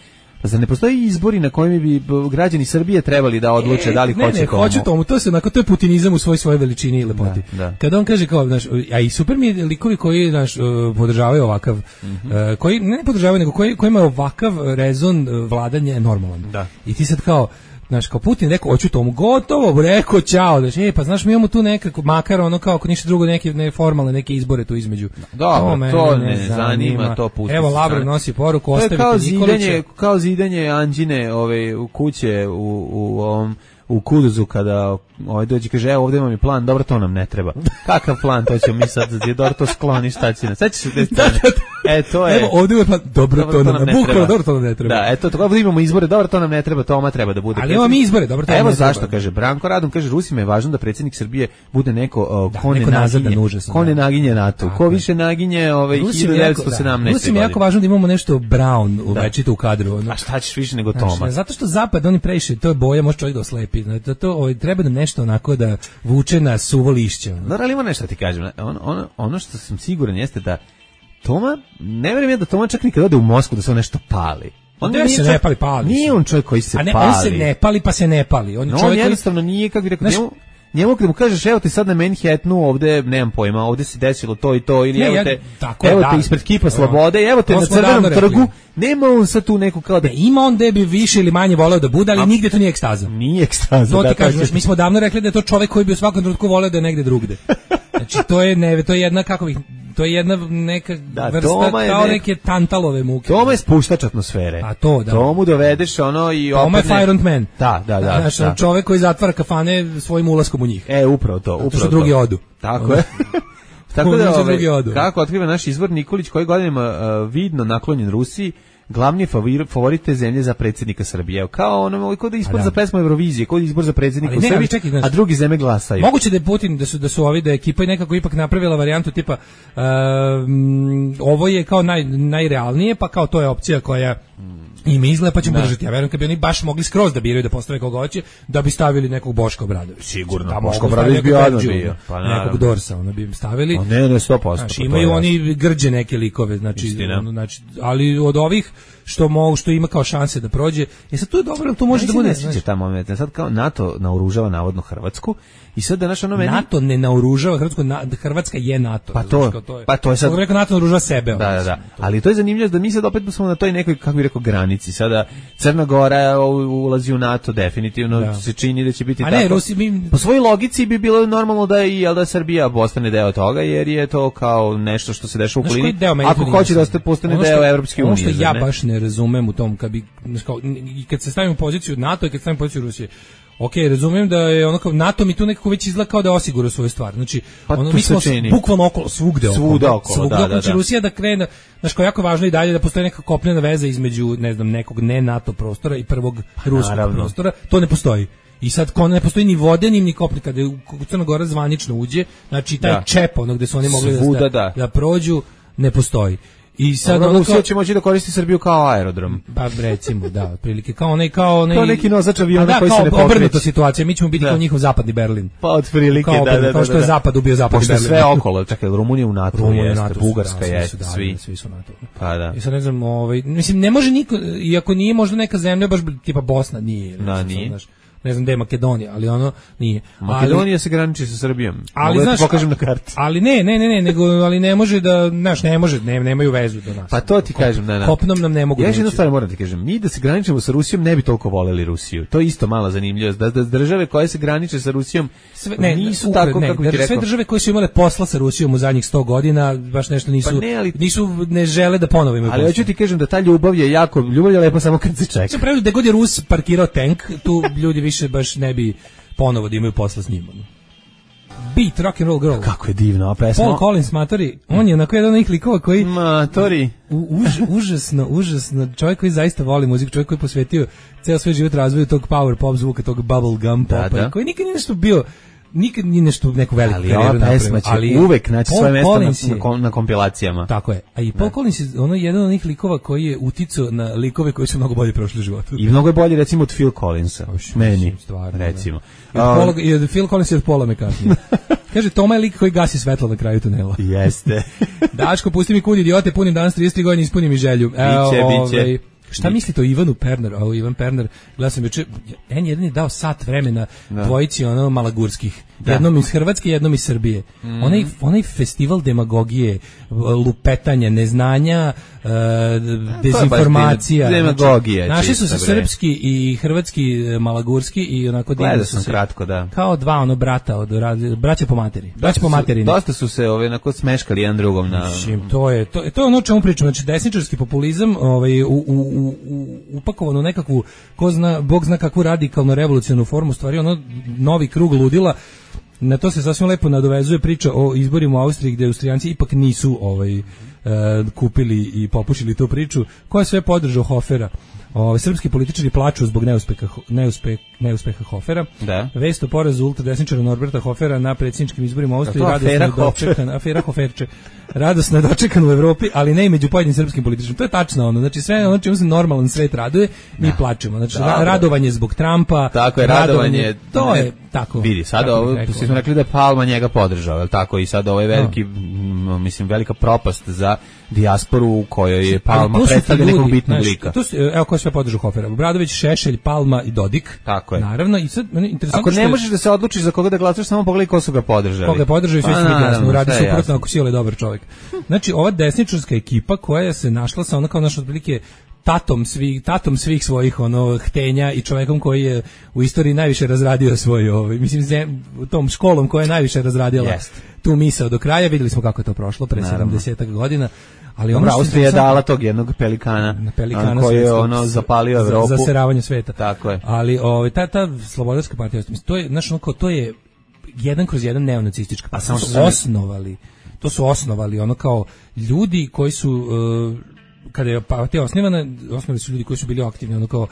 pa zar ne postoji izbori na kojima bi građani Srbije trebali da odluče e, da li ne, hoće ne, tomu? Hoću tomu, to se onako, to je putinizam u svoj svojoj veličini i lepoti. Da, da. Kada on kaže kao, znaš, a i super mi je likovi koji, znaš, podržavaju ovakav, mm-hmm. uh, koji ne podržavaju, nego koji, koji imaju ovakav rezon vladanja je normalan. Da. I ti sad kao, znaš, kao Putin rekao, hoću tomu, gotovo, rekao, čao, znači, e, pa znaš, mi imamo tu nekako, makar ono kao, ako ništa drugo, neke ne, formalne, neke izbore tu između. Dobro, to, to ne, ne zanima, zanima, to pusti. Evo, Lavrov nosi poruku, ostavite Nikolića. To je kao zidanje, kao zidanje Anđine, ove, u kuće, u, u ovom, u Kuduzu kada ovaj dođe kaže evo ovdje vam je plan, dobro to nam ne treba. Kakav plan, to ćemo mi sad dobro to skloni, šta će nas. Sećaš se te strane? E to je. Evo ovdje je plan, dobro, dobro to, to nam ne treba. Dobro to nam ne treba. Da, eto to ovdje imamo izbore, dobro to nam ne treba, Toma treba da bude. Ali imamo mi izbore, dobro to nam evo ne treba. Evo zašto kaže Branko Radon, kaže Rusima je važno da predsjednik Srbije bude neko uh, da, ko ne naginje, ko ne naginje NATO, ko više naginje ovaj hiljadu devetsto sedamnaeste. Rusima je jako važno da imamo nešto Brown u večito u kadru. A šta ćeš više nego Toma? Zato što zapad oni previše, to je boja, može čovjek da oslepi. To treba da nešto onako da vuče na suvo lišće. No, ali ima nešto ti kažem. Ono, ono, ono što sam siguran jeste da Toma, ne vjerujem ja da Toma čak nikad ode u Moskvu da se on nešto pali. On ne se čak, ne pali, pali. Nije on čovjek koji se A ne, pali. On se ne pali pa se ne pali. On, no, čovjek on jednostavno koji... nije, kako bi rekao, znaš, njemu, njemu kada mu kažeš evo ti sad na Manhattanu ovde, nemam pojma, ovde se desilo to i to, ili ne, evo ja, te, tako, evo da, te ispred Kipa Slobode, evo te na Crvenom trgu, nema on sad tu neku kao da... Ne, ima on da bi više ili manje voleo da bude, ali A, nigde to nije ekstaza. Nije ekstaza. To da, ti kažeš, mi smo davno rekli da je to čovjek koji bi u svakom trenutku voleo da je negde drugde. Znači to je ne, to je jedna kako bih to je jedna neka da, vrsta kao nek... neke tantalove muke. Toma je spuštač atmosfere. A to da. Tomu dovedeš ono i opet. Toma je Fire and Man. Da, da, da. Znaš, da. čovjek koji zatvara kafane svojim ulaskom u njih. E, upravo to, upravo to. Što drugi odu. Tako je. Tako da, ove, kako otkriva naš izvor Nikolić koji godinama uh, vidno naklonjen Rusiji, glavni favor, favorit te zemlje za predsjednika Srbije. Kao ono kod izbor da. za pesmu Evrovizije, kod izbor za predsjednika u Srbiji, čekaj, znači, a drugi zemlje glasaju. Moguće da je Putin da su da su ovi da je ekipa nekako ipak napravila varijantu tipa um, ovo je kao naj najrealnije, pa kao to je opcija koja Ime izgleda pa ćemo podržati. Ja verujem kad bi oni baš mogli skroz da biraju da postave koga hoće, da bi stavili nekog Boška Obradovića. Sigurno, da, Boško Obradović bi odmah bio. Pa nekog Dorsa, ono bi stavili. O ne, ne, sto posto. Znači, imaju oni grđe neke likove, znači, ono, znači, ali od ovih što mogu, što ima kao šanse da prođe, je sad tu je dobro, to može da bude. Ne ta moment, sad kao NATO naoružava navodno Hrvatsku i sad da naš ono meni NATO ne naoružava Hrvatsku, na, Hrvatska je NATO. Pa to, to je, pa to je sad. Rekao NATO naoružava sebe. Da, da, da. Ali to je zanimljivo da mi sad opet smo na toj nekoj, kako bih rekao, granici. Sada Crna Gora ulazi u NATO definitivno, da. Se čini da će biti a tako. Ne, Rusi, mi... Po svojoj logici bi bilo normalno da i jel da Srbija postane deo toga, jer je to kao nešto što se dešava u Klini. Ako hoće da postane deo Evropske unije. Ono što ja baš ne razumem u tom, kad bi, kao, kad se stavimo u poziciju NATO i kad se stavimo u poziciju Rusije, ok, razumijem da je ono kao NATO mi tu nekako već izgleda kao da osigura svoju stvar. Znači, pa ono, mi smo bukvalno okolo, svugde okolo. Svuda okolo, svugde da, okolo. Znači, da, da. Rusija da krene, znači, kao jako važno i dalje da postoji neka kopnena veza između, ne znam, nekog ne NATO prostora i prvog ruskog Naravno. prostora. To ne postoji. I sad ko ne postoji ni vode, ni ni kopne, kada u Crna Gora zvanično uđe, znači taj da. čep, ono gde su oni mogli Svuda, da, da. da prođu, ne postoji. I sad ono Rusija će moći da koristi Srbiju kao aerodrom. Pa recimo, da, otprilike kao onaj kao onaj kao neki nosač aviona da, koji se ne pokreće. Obrnuta situacija, mi ćemo biti da. kao njihov zapadni Berlin. Pa otprilike kao, da, da, da, kao što je da. zapad ubio zapadni Berlin. Pošto sve okolo, čekaj, Rumunija u NATO, Rumunija jeste, NATO, Bugarska da, je, svi, svi. svi su NATO. Pa da. I sad ne znam, ovaj, mislim ne može niko, iako nije možda neka zemlja baš tipa Bosna nije. Da, nije. Znaš, ne znam gde je Makedonija, ali ono nije. Makedonija ali, se graniči sa Srbijom. Ali Mogu znaš, da ti pokažem na karti. Ali ne, ne, ne, ne, nego ali ne može da, znaš, ne može, ne, nemaju vezu do nas. Pa to ti kažem, da, da. Kopnom nam ne mogu. Ja još jednu stvar moram ti kažem, mi da se graničimo sa Rusijom ne bi toliko voleli Rusiju. To je isto mala zanimljivost, da, da države koje se graniče sa Rusijom sve, ne, nisu ukre, tako ne, kako ti rekao. Sve države koje su imale posla sa Rusijom u zadnjih sto godina, baš nešto nisu, pa ne, ali, nisu ne žele da ponovo imaju. Ali hoću ti kažem da ta ljubav je jako, ljubav je lepa samo kad se čeka. Sve pravi da god je Rus parkirao tank, tu ljudi više baš ne bi ponovo da imaju posla s njim. Beat, rock and roll girl. Kako je divno, a pesma. Paul Collins, matori, on je onako jedan od onih likova koji... Matori. U, už, užasno, užasno, čovjek koji zaista voli muziku, čovjek koji je posvetio ceo svoj život razvoju tog power pop zvuka, tog bubble gum popa, da, da. Koji nikad nije nešto bio, nikad nije nešto neku veliku ali karijeru napravio. Ali ova pesma će ali uvek naći svoje mesto na, na, na kompilacijama. Tako je. A i Paul da. Collins je ono jedan od onih likova koji je uticao na likove koji su mnogo bolje prošli u životu. I mnogo je bolje recimo od Phil Collinsa. Oš, meni, stvarno, recimo. I od, Paula, i od Phil Collins i od Paula McCartney. Kaže, Toma je lik koji gasi svetlo na kraju tunela. Jeste. Daško, pusti mi kud idiote, punim danas trideset tri godine, ispunim mi želju. Biće, e, biće. Ovaj, šta mislite o Ivanu Perner? O Ivan Perner, gledao sam juče, en jedan je dao sat vremena da. dvojici ono malagurskih. Da. Jednom iz Hrvatske, jednom iz Srbije. Mm. Onaj, onaj festival demagogije, lupetanja, neznanja, uh, dezinformacija. Demagogija. Znači, našli su se srpski i hrvatski malagurski i onako gledao sam se, kratko, da. Kao dva ono brata, od, braća po materi. Braća po materini. Dosta su se ove, onako smeškali jedan drugom. Na... Mislim, to je, to, to je ono o čemu pričam. Znači, desničarski populizam ovaj, u, u, u, u, upakovan u nekakvu, ko zna, Bog zna kakvu radikalnu revolucionarnu formu, stvari ono novi krug ludila. Na to se sasvim lepo nadovezuje priča o izborima u Austriji gdje Austrijanci ipak nisu ovaj, e, kupili i popušili tu priču. Ko je sve podržao Hofera? O, srpski političari plaču zbog neuspeha, neuspeh, neuspeha Hofera. Da. Vest o porazu ultradesničara Norberta Hofera na predsjedničkim izborima u Austriji. Radosno je dočekan, afera Hoferče. Radosno je dočekan u Evropi, ali ne i među pojedinim srpskim političarima. To je tačno ono. Znači sve ono čemu se normalan svet raduje, mi da. plačemo. Znači da, radovanje zbog Trumpa. Tako je, radovanje. radovanje to je tako. Vidi, sad ovo, svi smo rekli da je Palma njega podržao, je li tako? I sad ovo je veliki, no. mislim, velika propast za dijasporu u kojoj je Palma predstavlja nekog bitnog znaš, lika. To su, evo ko sve podržao Hofera. Obradović, Šešelj, Palma i Dodik. Tako je. Naravno, i sad, interesantno ako ne možeš da se odlučiš za koga da glasaš, samo pogledaj ko su ga podržali. Koga je podržao i sve su mi jasno, uradi suprotno ako si je dobar čovjek. Znači, ova desničarska ekipa koja se našla sa ono kao naš otprilike tatom svih tatom svih svojih ono htenja i čovjekom koji je u istoriji najviše razradio svoj ovaj mislim zem, tom školom koja je najviše razradila yes. tu misao do kraja. Vidjeli smo kako je to prošlo pre sedamdeset godina. Ali ono Austrija je dala tog jednog pelikana, pelikana koji je ono zapalio Evropu za zaseravanje sveta. Tako je. Ali ovaj ta ta slobodarska partija, mislim to je znači ono to je jedan kroz jedan neonacistička. A samo su osnovali. To su osnovali ono kao ljudi koji su uh, kada je partija osnivana, osnovali su ljudi koji su bili aktivni ono kao uh,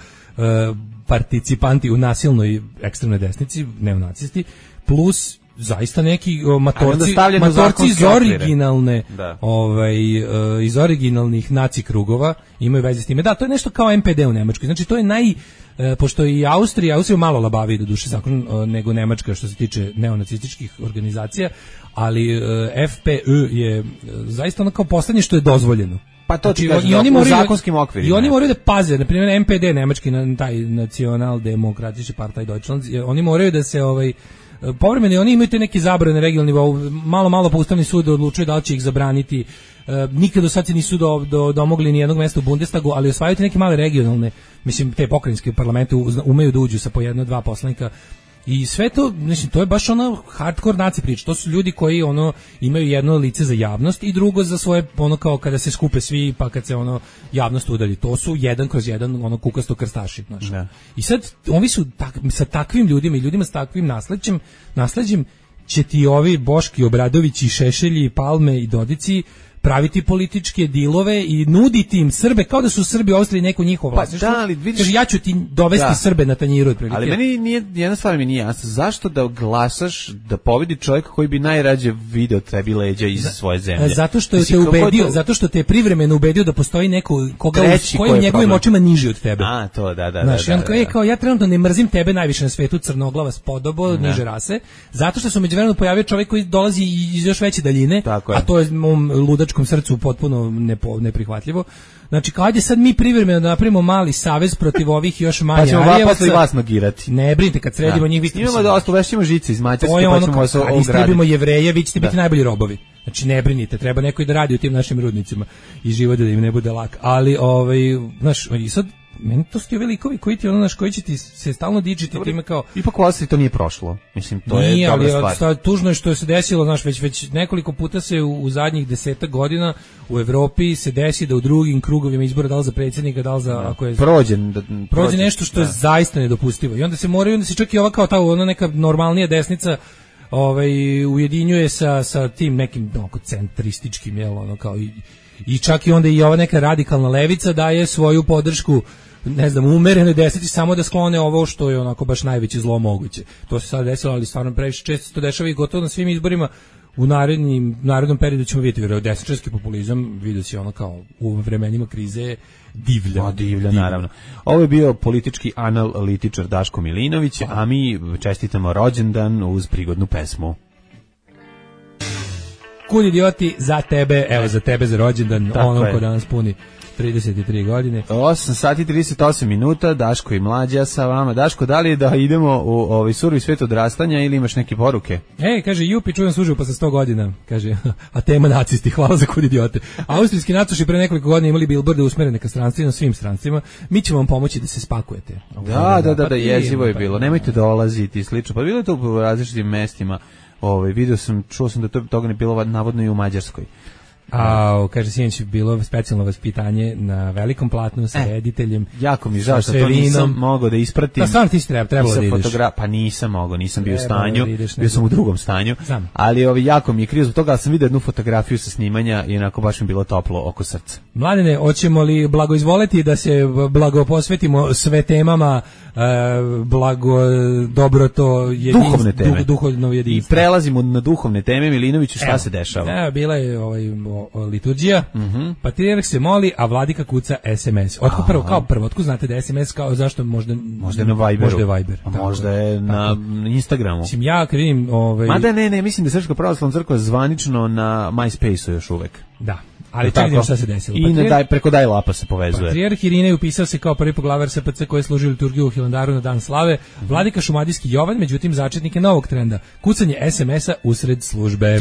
participanti u nasilnoj ekstremnoj desnici, neonacisti, plus zaista neki o, matorci, matorci iz originalne, ovaj, uh, iz originalnih naci krugova imaju veze s time. Da, to je nešto kao M P D u Nemačkoj. Znači, to je naj... Uh, pošto i Austrija, Austrija malo labavi do duše zakon uh, nego Nemačka što se tiče neonacističkih organizacija, ali uh, F P Ö je uh, zaista ono kao poslednje što je dozvoljeno. Pa to znači, ti kažem, i oni moraju, u zakonskim okvirima. I oni moraju da paze, na primjer M P D, nemački taj Nacionaldemokratische Partei Deutschland, oni moraju da se ovaj povremeno oni imaju te neke zabrane regionalni nivou, malo malo pa Ustavni sud odlučuje da li će ih zabraniti. E, nikad do sad se nisu do, do, domogli ni jednog mesta u Bundestagu, ali osvajaju te neke male regionalne, mislim te pokrajinske parlamente umeju da uđu sa po jedno, dva poslanika. I sve to, mislim, to je baš ono hardcore naci priča. To su ljudi koji ono imaju jedno lice za javnost i drugo za svoje, ono kao kada se skupe svi pa kad se ono javnost udalji. To su jedan kroz jedan ono kukasto krstaši, znaš. I sad ovi su tak, sa takvim ljudima i ljudima s takvim nasleđem, nasleđem će ti ovi Boški Obradović i Šešelji i Palme i Dodici praviti političke dilove i nuditi im Srbe kao da su Srbi u Austriji neko njihovo vlasništvo. Pa da, ali vidiš, kaže, ja ću ti dovesti da. Srbe na tanjiru otprilike. Ali meni nije, jedna stvar mi nije jasna. Zašto da glasaš da pobedi čovjek koji bi najrađe video tebi leđa iz Za, svoje zemlje? Zato što te ubedio, to... zato što te je privremeno ubedio da postoji neko koga Treći, koji je njegovim očima niži od tebe. A, to, da, da, Znaš, da. on da, kao, da. je, kao, ja trenutno ne mrzim tebe najviše na svetu, crnoglava spodobo, da. niže rase, zato što se međuvremeno pojavio čovjek koji dolazi iz još veće daljine, a to je mom ludačkom srcu potpuno Nepo, neprihvatljivo. Znači, kao ajde sad mi privremeno da napravimo mali savez protiv ovih još manje Arijevaca. Pa ćemo posle vas magirati. Ne brinite, kad sredimo da. njih, vi ste... Imamo da ostuvešćemo žice iz Mađarske, pa ono, ćemo se ograditi. Istrebimo Jevreje, vi ćete biti najbolji robovi. Znači, ne brinite, treba neko i da radi u tim našim rudnicima i život da im ne bude lak. Ali, ovaj, znaš, i sad, meni to su ti velikovi koji ti ono naš koji će ti se stalno dičiti time kao ipak u Austriji to nije prošlo. Mislim to nije, je dobra ali, stvar. Tužno je što je se desilo, znaš, već već nekoliko puta se u, u zadnjih desetak godina u Evropi se desi da u drugim krugovima izbora, da li za predsjednika, da li za da. ako je prođe da, prođe nešto što da. je zaista nedopustivo. I onda se moraju, onda se čak i ova kao ta ona neka normalnija desnica ovaj ujedinjuje sa sa tim nekim onako centrističkim, jel, ono kao i i čak i onda i ova neka radikalna levica daje svoju podršku, ne znam, umerene deseti samo da sklone ovo što je onako baš najveće zlo moguće. To se sad desilo, ali stvarno previše često to dešava i gotovo na svim izborima. U narednim, narednom periodu ćemo vidjeti vjerojatno desničarski populizam, vidio si ono kao u vremenima krize divlja. O, divlja, naravno. Ovo je bio politički analitičar Daško Milinović, a mi čestitamo rođendan uz prigodnu pesmu. Kud idioti, za tebe, evo za tebe za rođendan, ono ko danas puni trideset tri godine. osam sati i trideset osam minuta, Daško i Mlađa sa vama. Daško, da li da idemo u ovaj surovi svet odrastanja ili imaš neke poruke? Ej, kaže, Jupi, čujem služio posle sto godina, kaže, a tema nacisti, hvala za kud idiote. Austrijski nacoši pre nekoliko godina imali bilborde usmerene ka stranstvima, svim strancima, mi ćemo vam pomoći da se spakujete. Da, da, da, da, jezivo je bilo, nemojte dolaziti i slično, pa bilo je to u različitim mestima. Ovaj video sam, čuo sam da to toga ne bilo navodno i u Mađarskoj. A, kaže, sinoć bilo specijalno vaspitanje na velikom platnu sa e, rediteljem. Jako mi žao što to nisam mogao da ispratim. Pa stvarno ti si treba, trebalo da ideš. Fotogra- pa nisam mogao, nisam bio u stanju, da ideš, bio sam u drugom stanju. Znam. Ali ovi, jako mi je krivo zbog toga, ali sam vidio jednu fotografiju sa snimanja i onako baš mi bilo toplo oko srca. Mladene, hoćemo li blago izvoleti da se blago posvetimo sve temama, e, blago, dobro to jedinstvo, duhovne teme. Duh, duhovno jedinstvo. I prelazimo na duhovne teme. Milinoviću, šta Evo, se dešava? Evo, bila je ovaj, o, o, liturgija, mm-hmm. patrijarh se moli, a vladika kuca es em es. Otko prvo, kao prvo, otko znate da es em es, kao zašto možda... Možda je na Viberu. Možda je Viber. A možda je na Instagramu. Mislim, ja kad vidim... Ovaj... Mada ne, ne, mislim da je Srpska pravoslavna crkva zvanično na MySpace-u još uvek. Da. Ali čekaj šta se desilo. I Patrijar... daj, preko daj lapa se povezuje. Patrijarh Irinej upisao se kao prvi poglavar es pe ce koji je služio liturgiju u Hilandaru na dan slave. Mm-hmm. Vladika šumadijski Jovan, međutim, začetnik je novog trenda. Kucanje es em es-a usred službe.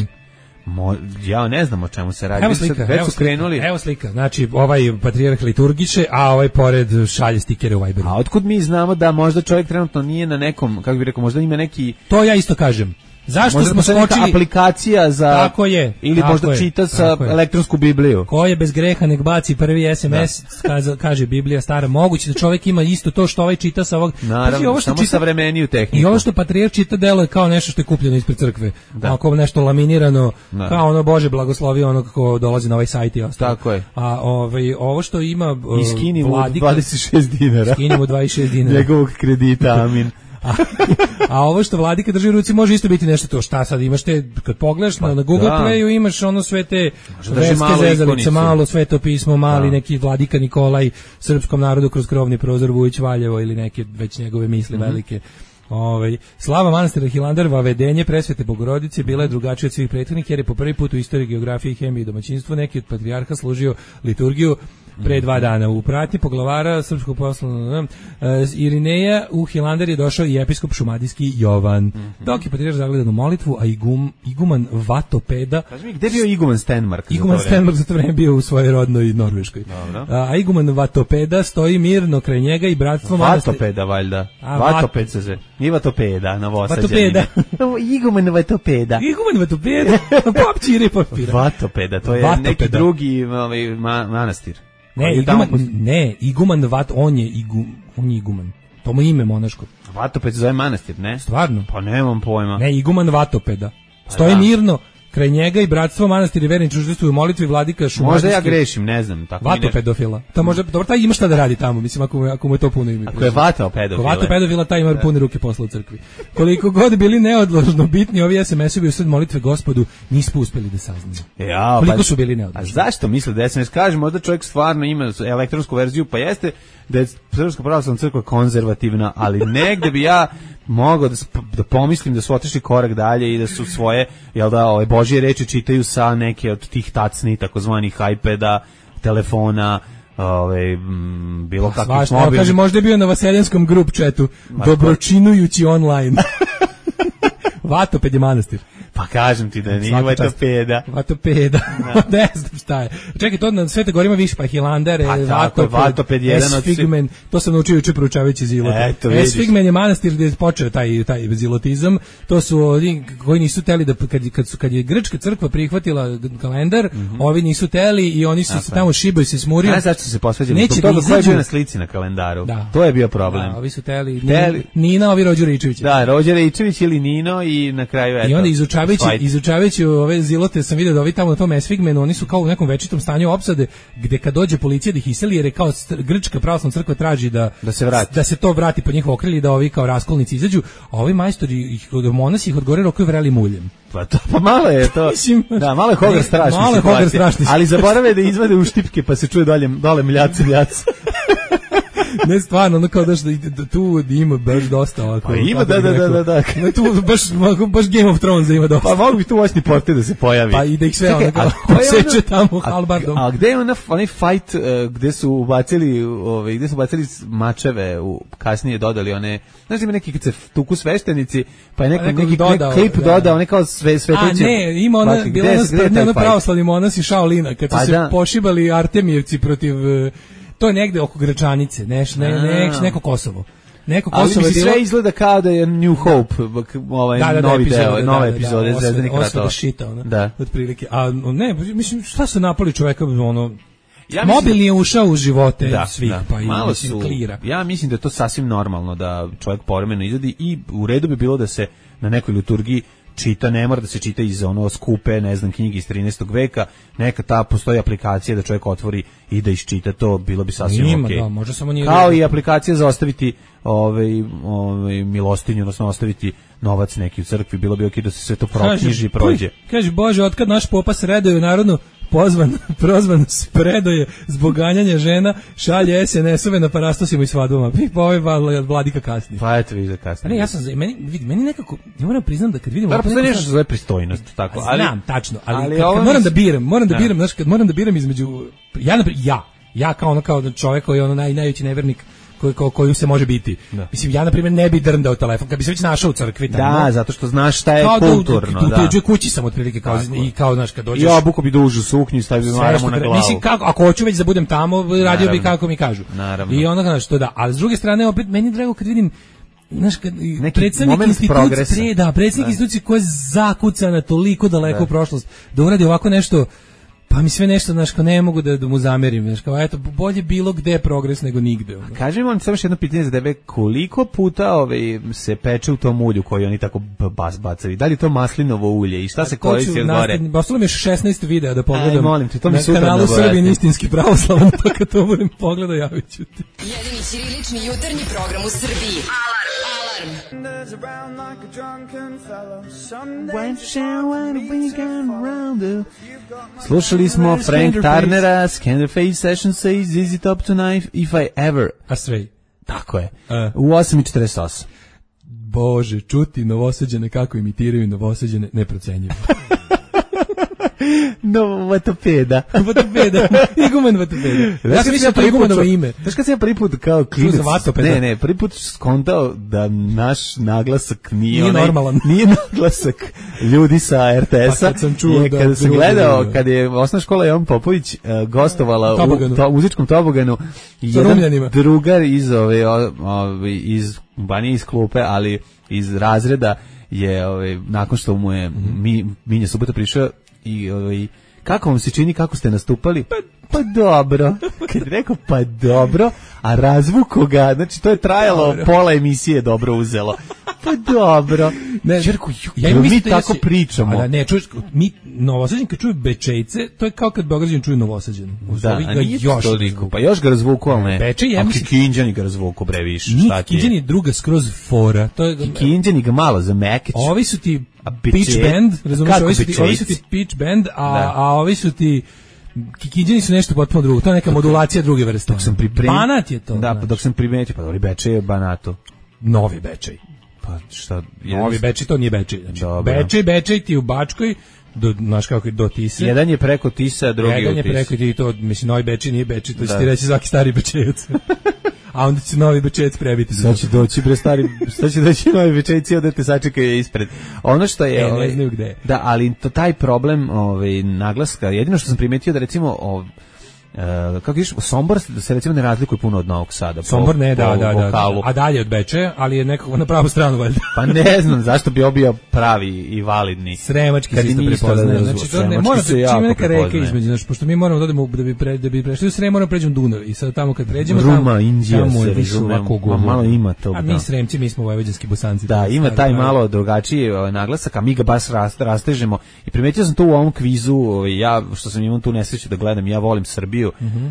Mo, ja ne znam o čemu se radi. Evo slika, već evo su slika, krenuli. Evo slika, znači ovaj patrijarh liturgiše, a ovaj pored šalje stikere u Viberu. A otkud mi znamo da možda čovjek trenutno nije na nekom, kako bih rekao, možda ima neki... To ja isto kažem. Zašto možda smo skočili aplikacija za tako je, ili tako možda je, čita sa elektronsku Bibliju. Ko je bez greha nek baci prvi es em es, kaže, kaže Biblija stara. Moguće da čovjek ima isto to što ovaj čita sa ovog. Naravno, ovo što samo čita, savremeniju tehniku. I ovo što patrijarh čita deluje kao nešto što je kupljeno ispred crkve. Da. Kao nešto laminirano, da. Kao ono Bože blagoslovi ono kako dolazi na ovaj sajt i ostalo. Tako je. A ovaj ovo što ima uh, iskinimo dvadeset šest dinara. Iskinimo dvadeset šest dinara. Njegovog kredita, amin. A, a ovo što Vladika drži u ruci može isto biti nešto to. Šta sad imaš te, kad pogledaš pa, na, na Google da. Playu imaš ono sve te verske zezalice, malo Sveto pismo, mali da. neki Vladika Nikolaj srpskom narodu kroz krovni prozor Vujić Valjevo ili neke već njegove misli mm-hmm. velike. Ovaj slava manastira Hilandar, vavedenje presvete Bogorodice bila je drugačija od svih prethodnih jer je po prvi put u istoriji geografije, hemije i domaćinstva neki od patrijarha služio liturgiju pre dva dana. U pratnji poglavara srpskog poslovnog uh, Irineja u Hilandar je došao i episkop šumadijski Jovan. Mm-hmm. Dok je patrijarh zagledan u molitvu, a igum, iguman Vatopeda... Kaži mi, gde je bio iguman Stenmark? Iguman Stenmark za to vreme bio u svojoj rodnoj Norveškoj. Uh, a iguman Vatopeda stoji mirno kraj njega i bratstvo... Vatopeda, valjda. A, Vatoped se zove. Nije Vatopeda, novosađenima. Iguman Vatopeda. Iguman Vatopeda. Popčire papira. Vatopeda, to je Vatopeda. Neki drugi ovaj, ma, manastir. Ne, iguman, ne, iguman Vat, on je, igu, on je iguman. To mu ime monaško. Vatoped se zove manastir, ne? Stvarno? Pa nemam pojma. Ne, iguman Vatopeda. Stoji pa, mirno kraj njega i bratstvo manastir i vernici učestvuju u molitvi Vladika šumadijski. Možda ja grešim, ne znam. Tako Vatopedofila. To možda, dobro, taj ima šta da radi tamo, mislim, ako mu, ako mu je to puno ime. Ako je Vatopedofila. Vatopedofila, taj ima pune ruke posla u crkvi. Koliko god bili neodložno bitni ovi es em es-ovi u sred molitve Gospodu, nismo uspeli da saznamo. Ja, koliko pa, su bili neodložni. A zašto misle da es em es kaže, možda čovjek stvarno ima elektronsku verziju, pa jeste da je Srpska pravoslavna crkva konzervativna, ali negde bi ja mogao da, da pomislim da su otišli korak dalje i da su svoje, jel da, ove Božje reči čitaju sa neke od tih tacni, takozvanih iPada, telefona, ove, m, bilo kakvih mobilnih. Kaže, možda je bio na Vaseljenskom grup chatu, dobročinujući online. Vatoped je manastir. Pa kažem ti da nije Vatopeda. Vatopeda. Ne znam šta je. Čekaj, to na Svete Gori ima više, pa Hilandar, pa Vatoped, Vatoped jedan od Esfigmen, to sam naučio juče proučavajući Zilota. Esfigmen je manastir gdje je počeo taj, taj zilotizam. To su oni koji nisu teli da, kad, kad, su, kad je grčka crkva prihvatila kalendar, mm-hmm. ovi nisu teli i oni su se tamo šibaju se smurio. Ne, zašto su se posvađali? Neće da izađu. Ko je bio na slici na kalendaru? Da. To je bio problem. Da, ovi su teli. teli. Nina, ovi Rođe Ričević. Da, Rođe Ričević ili Nino i na kraju eto. I onda izučavajući, izučavajući ove zilote sam vidio da ovi tamo na tom Esfigmenu, oni su kao u nekom večitom stanju opsade, gde kad dođe policija da ih iseli, jer je kao grčka pravoslavna crkva traži da, da, se vrati. da se to vrati pod njihov okrilje, da ovi kao raskolnici izađu, a ovi majstori, ih, monasi ih od gore rokuju vreli muljem. Pa to, pa malo je to, da, malo je hogar strašni. Malo je hogar strašni. Ali zaborave da izvade u štipke, pa se čuje dolje, dole mljaci, mljaci. Ne, stvarno, ono kao da, da tu ima baš dosta ovako. Pa ima, da, da, da, da, da. No, tu baš, baš Game of Thrones ima dosta. Pa mogu bi tu voćni portir da se pojavi. Pa i da ih sve ono kao poseče tamo halbardom. A, a gde je ona, onaj fight uh, gde su ubacili, ove, gde su ubacili mačeve, u, kasnije dodali one, znaš ima neki kad se tuku sveštenici, pa je neko, neki dodao, klip da, dodao, one kao sve, sveteće. A ne, ima ona, Baki, bila ona sprednja, ona pravoslavni monasi Shaolina, kad su pa, se da. pošibali Artemijevci protiv... To je negde oko Gračanice, neš, ne, ne, neko Kosovo. Neko Kosovo ali mi sve izgleda kao da je New Hope, ovaj da, da, novi da, deo, nove da, epizode da, Zvezdanih ratova. Osveda šita, ona, da. otprilike. A ne, mislim, šta su napali čoveka, ono, ja mobilni je ušao u živote da, svih, da, pa i malo mislim, su, klira. Ja mislim da je to sasvim normalno da čovjek povremeno izvadi i u redu bi bilo da se na nekoj liturgiji čita, ne mora da se čita iz ono skupe, ne znam, knjige iz trinaestog veka, neka ta postoji aplikacija da čovjek otvori i da iščita to, bilo bi sasvim okej. Okay. Da, može samo nije kao i aplikacija za ostaviti ovaj, ovaj, milostinju, odnosno ostaviti novac neki u crkvi, bilo bi okej okay da se sve to proknjiži i prođe. Kaže, Bože, otkad naš popa sredaju narodnu pozvan, prozvan spredoje zbog ganjanja žena, šalje es en es-ove na parastosima i svadbama. Pa ovaj Vladika kasni. Pa eto vidiš da kasni. Ne, ja sam, meni, vidi, meni nekako, ja moram priznam da kad vidim... Da, postoji nešto zove pristojnost, tako. Ali, znam, tačno, ali, ali kad, kad moram da biram, moram da, da biram, znaš, kad moram da biram između, ja, ja, ja kao ono, kao čovjek koji je ono naj, najveći nevernik, koji ko, koju se može biti. Da. Mislim, ja na primjer ne bi drndao telefon kad bi se već našao u crkvi tamo. Da, zato što znaš šta je kao kulturno, da. U tuđoj kući sam otprilike kao i kao znaš kad dođeš. Ja obuko bi dužu suknju i stavio maramo na glavu. Mislim kako ako hoću već da budem tamo, radio naravno bi kako mi kažu. Naravno. I onda znaš što da, ali s druge strane opet meni drago kad vidim znaš kad predstavnik institucije, da, predstavnik institucije koja je zakucana toliko daleko u prošlost, da uradi ovako nešto. Pa mi sve nešto, znaš, kao ne mogu da, da mu zamerim, znaš, kao, eto, bolje bilo gde progres nego nigde. Ono. Kaži mi, samo još jedno pitanje za tebe, koliko puta ove, se peče u tom ulju koji oni tako bas bacaju? Da li je to maslinovo ulje i šta se koristi od gore? Ostalo mi je šesnaest videa da pogledam. Aj, molim te, to mi sutra na kanalu Srbin istinski pravoslavan, pa kad to budem pogledao, javit ću ti. Jedini ćirilični jutarnji program u Srbiji. Alarm! Alarm! Slušali smo Frank Turnera, Scanderface Session Says, Is it up tonight if I ever... Astray. Tako je. Uh. U osam i četrdeset osam. Bože, čuti Novosađane kako imitiraju Novosađane, neprocenjivo. Novatopeda. Vatopeda. Iguman Vatopeda. Ja sam mislio prvi put ime. Znaš kad sam ja prvi put kao klinac, ne, ne, prvi put skontao da naš naglasak nije, nije onaj, normalan. Nije naglasak ljudi sa er te esa. Pa kad sam čuo je, da... Kada sam gledao, kada je osnovna škola Jovan Popović uh, gostovala Toboganu. u to, muzičkom toboganu, jedan drugar iz, ove, ove, iz Banije iz klupe, ali iz razreda je, ove, nakon što mu je mm-hmm. mi, Minja Subota prišao i ovaj, kako vam se čini, kako ste nastupali? Pa, pa dobro. Kad je rekao pa dobro, a razvuko ga, znači to je trajalo dobro. Pola emisije dobro uzelo. Pa dobro. Ne, Čerku, ja mi mi tako ja pričamo. Da, ne, čuješ, mi Novosađani kad čuju Bečejce, to je kao kad Beograđani čuju Novosađani. Da, a nije još toliko, pa još ga razvuku, ali ne. Bečej, ja mislim... A Kikinđani ga razvuku, bre, više. Kikinđani je druga skroz fora. To je... Kikinđani ga malo za Mekić. Ovi su ti Pitch Band, razumiješ, ovi su ti, ovi su ti Pitch Band, a, a ovi su ti Kikinđani su nešto potpuno drugo. To je neka modulacija druge vrste. Dok sam pripremio... Banat je to. Da, pa dok sam primetio, pa dobro, Bečej je Banato. Novi Bečej. Pa šta? Novi Bečej, to nije Bečej. Znači, Bečej, Bečej ti u Bačkoj, do, znaš kako je, do Tise. Jedan je preko Tise, a drugi Jedan u Tise. Jedan je preko ti to, mislim, Novi Bečej nije Bečej, to će ti reći svaki stari Bečejac. A onda će Novi Bečejac prebiti. Sad će doći bre stari, sad će doći Novi Bečejci, onda te sačekaju ispred. Ono što je, e, ovaj, ne znaju gde. Da, ali to taj problem, ovaj naglaska, jedino što sam primetio da recimo ovaj, Uh, kako viš, Sombor se recimo ne razlikuje puno od Novog Sada. Sombor po, ne, da, po da, da, vokalu. A dalje od Bečeja, ali je nekako na pravu stranu valjda. Pa ne znam zašto bi obio pravi i validni. Sremački se isto prepoznaje. Znači to ne mora se čime neka reka između, znači pošto mi moramo da odemo da bi pre, da bi prešli u Srem, moramo pređemo Dunav i sad tamo kad pređemo Ruma, tamo Indija, tamo se više ovako govor. Malo ima to. A mi Sremci, mi smo vojvođanski Bosanci. Da, ima taj malo drugačiji naglasak, a mi ga baš rastežemo. I primetio sam to u ovom kvizu, ja što sam imao tu nesreću da gledam, ja volim Srbiju,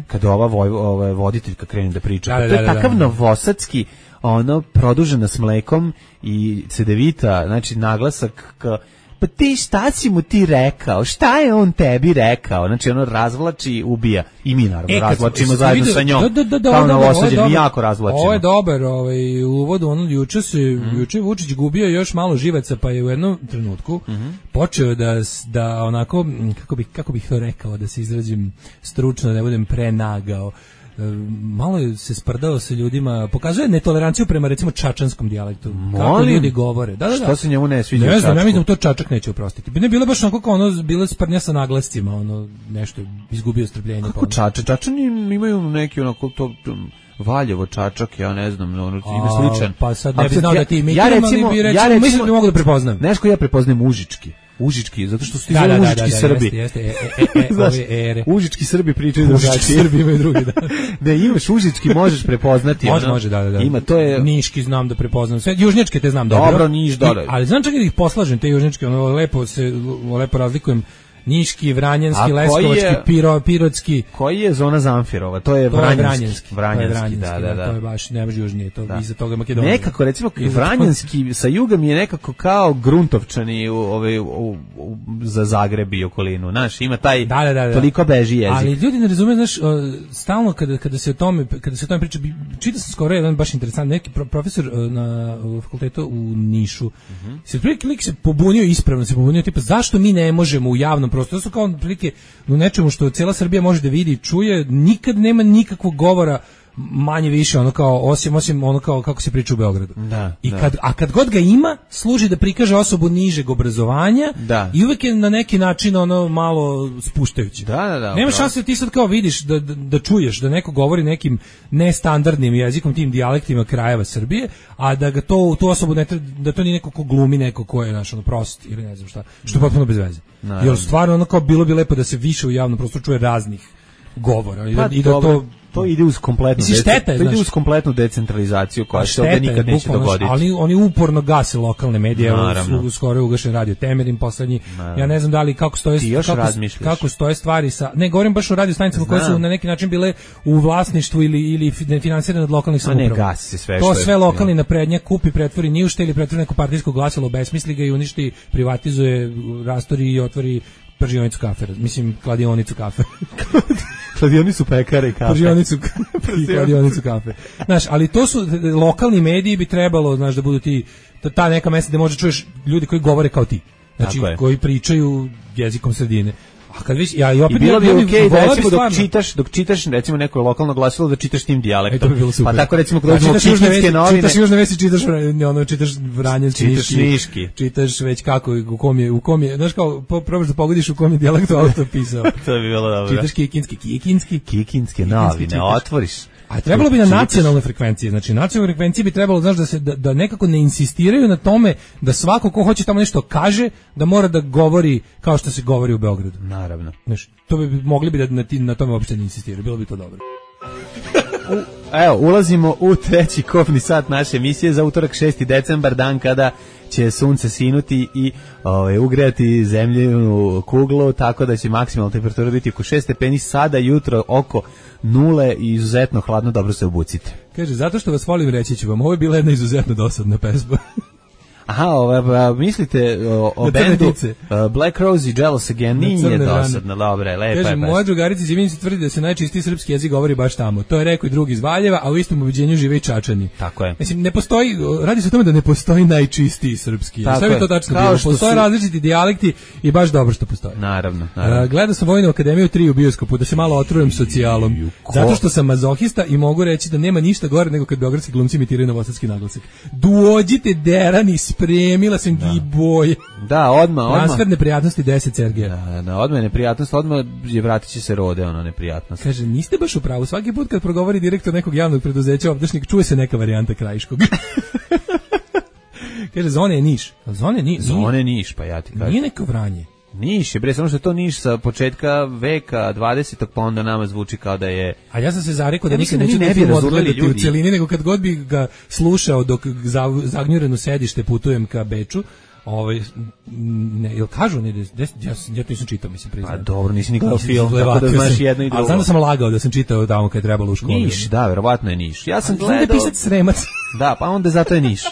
kad ova voj, ova voditeljka krene da priča. Da, da, to je da, takav da, da. novosadski, ono, produžena s mlekom i cedevita, znači naglasak ka, pa ti šta si mu ti rekao, šta je on tebi rekao, znači ono razvlači i ubija i mi naravno e, razvlačimo zajedno vidio, sa njom da, da, da, da, kao Novosađe, mi jako razvlačimo. Ovo je dobar, ovaj, uvod, ono, juče se, mm. juče Vučić gubio još malo živaca, pa je u jednom trenutku mm-hmm. počeo da, da onako, kako bih, kako bih to rekao, da se izrazim stručno, da ne budem prenagao, malo se sprdao sa ljudima, pokazuje netoleranciju prema recimo čačanskom dijalektu. Kako ljudi govore. Da, da, da. Što se njemu ne sviđa? Ne znam, ja mislim da to Čačak neće oprostiti. Bi ne bilo baš onako kao ono, bilo sprdnja sa naglascima, ono, nešto izgubio strpljenje. Kako pa Čačak? Čačani imaju neki onako to... Valjevo, Čačak, ja ne znam, ono, ime sličan. Pa sad ne bi znao ja, da ti imitiram, ja recimo, ali bi recimo, ja recimo, mislim da bi mogu da prepoznam. Nešto ja prepoznajem Užički. Užički, zato što su ti da, zove da, Užički da, da, Srbi. Jeste, jeste, e, e, e, Znaš, ove ere. Užički Srbi pričaju drugačije. Užički Srbi imaju drugi, da. Ne, imaš Užički, možeš prepoznati. Može, ono, može, da, da, da. Ima, to je... Niški znam da prepoznam. Sve, južnjačke te znam dobro. Dobro, Niš, dobro. Ali znam čak i da ih poslažem, te južnjačke, ono, lepo se, lepo razlikujem. Niški, Vranjanski, Leskovački, je, Piro, Pirotski. Koji je zona Zamfirova? To je to Vranjanski. Je Vranjanski, Vranjanski, to je Vranjanski, da, da, da. To je baš, ne baš južnije, to da. Iza toga Makedonija. Nekako, recimo, Vranjanski sa juga mi je nekako kao Gruntovčani u, ove, u, u, za Zagreb i okolinu. Znaš, ima taj, da, da, da, da. toliko beži jezik. Ali ljudi ne razume, znaš, stalno kada, kada se o tome, kada se o tome priča, čita sam skoro jedan baš interesant, neki profesor na fakultetu u Nišu, mm-hmm. se prilike lik se pobunio ispravno, se pobunio, tipa, zašto mi ne možemo u javnom prostoru, to su kao u nečemu što cijela Srbija može da vidi i čuje, nikad nema nikakvog govora manje više ono kao osim osim ono kao kako se priča u Beogradu. Da, I da. kad a kad god ga ima, služi da prikaže osobu nižeg obrazovanja da. I uvek je na neki način ono malo spuštajuće. Da, da, da. Nema šanse ti sad kao vidiš da, da, da čuješ da neko govori nekim nestandardnim jezikom, tim dijalektima krajeva Srbije, a da ga to tu osobu ne treba, da to nije neko ko glumi, neko ko je naš ono prost ili ne znam šta, što je potpuno bez veze. Jer stvarno ono kao bilo bi lepo da se više u javnom prostoru čuje raznih govora i pa, da, i da to to ide uz kompletnu Mislim, šteta je, to ide znaš, uz kompletnu decentralizaciju koja se ovde šteta je, nikad neće bukvalno, dogoditi. Ali oni uporno gase lokalne medije, Naravno. u, skoro je ugašen radio Temerin poslednji. Naravno. Ja ne znam da li kako stoje Ti još kako, razmišljaš. kako stoje stvari sa ne govorim baš o radio stanicama koje su na neki način bile u vlasništvu ili ili finansirane od lokalnih samouprava. Ne gasi se sve to što je, sve lokalni naprednjak kupi, pretvori ni u šta ili pretvori neko partijsko glasilo, besmisli ga i uništi, privatizuje, rastori i otvori pržionicu kafe, mislim kladionicu kafe. kladionicu pekare i kafe. Pržionicu i kladionicu kafe. Znaš, ali to su lokalni mediji bi trebalo, znaš, da budu ti ta neka mesta gde možeš čuješ ljudi koji govore kao ti. Znači koji pričaju jezikom sredine. A kad viš, ja i opet I bilo bi ja, okej da recimo stvarno, dok čitaš, dok čitaš recimo neko lokalno glasilo da čitaš tim dijalektom. E, bi pa tako recimo kad dođemo znači, Kikinske novine, čitaš južne vesti, čitaš ono čitaš Vranjanski, čitaš Niški, čitaš već kako u kom je u kom je, znaš kao po, probaš da pogodiš u kom je dijalektu autor pisao. To bi bilo dobro. Čitaš Kikinski, Kikinski, Kikinske novine, otvoriš. A trebalo bi na nacionalnoj frekvenciji, znači nacionalnoj frekvenciji bi trebalo, znaš, da se da, da nekako ne insistiraju na tome da svako ko hoće tamo nešto kaže, da mora da govori kao što se govori u Beogradu. Naravno. Znaš, to bi mogli bi da na, na tome uopšte ne insistiraju, bilo bi to dobro. U, evo, ulazimo u treći kofni sat naše emisije za utorak šesti decembar, dan kada će sunce sinuti i ovaj, ugrejati zemljinu kuglu, tako da će maksimalna temperatura biti oko šest stepeni, sada jutro oko nule i izuzetno hladno, dobro se obucite. Kaže, zato što vas volim, reći ću vam, ovo je bila jedna izuzetno dosadna pesma. Aha, ova, mislite o, o bendu uh, Black Rose i Jealous Again, nije dosadno, dobre, lepa je pesma. Kaže, moja drugarica iz Ivanjice tvrdi da se najčistiji srpski jezik govori baš tamo. To je rekao i drugi iz Valjeva, a u istom ubeđenju žive i Čačani. Tako je. Mislim, ne postoji, radi se o tome da ne postoji najčistiji srpski jezik. Sve bi to tačno bilo. Postoje su... različiti dijalekti i baš dobro što postoji. Naravno, naravno. Uh, gledao sam Vojnu akademiju tri u bioskopu, da se malo otrujem socijalom. Zato što sam mazohista i mogu reći da nema ništa gore nego kad beogradski glumci imitiraju novosadski naglasak. Dođite derani, spremila sam Da. Giboj. Da, odmah, odmah. Transfer neprijatnosti deset Sergeja. Da, da, odmah neprijatnost, odmah je vratit će se Rode, ono neprijatnost. Kaže, niste baš u pravu, svaki put kad progovori direktor nekog javnog preduzeća obdašnik, čuje se neka varijanta Krajiškog. Kaže, Zone je Niš. Zone, ni, Zone Niš, pa ja ti kažem. Nije neko Vranje. Niš je, bre, samo što je to Niš sa početka veka dvadesetog, pa onda nama zvuči kao da je... A ja sam se zarekao da ja nikad neću ne bi odgledati u celini, nego kad god bi ga slušao dok zagnjureno sedište putujem ka Beču, ovaj, ne, jel kažu, ne, des, ja, ja to nisam čitao, mislim, priznajem. A dobro, nisi ni gledao film, tako da znaš jedno i drugo. Ali znam da sam lagao da sam čitao tamo kad je trebalo u školi. Niš, da, verovatno je Niš. Ja sam gledao... Onda je pisac Sremac. Da, pa onda zato je Niš.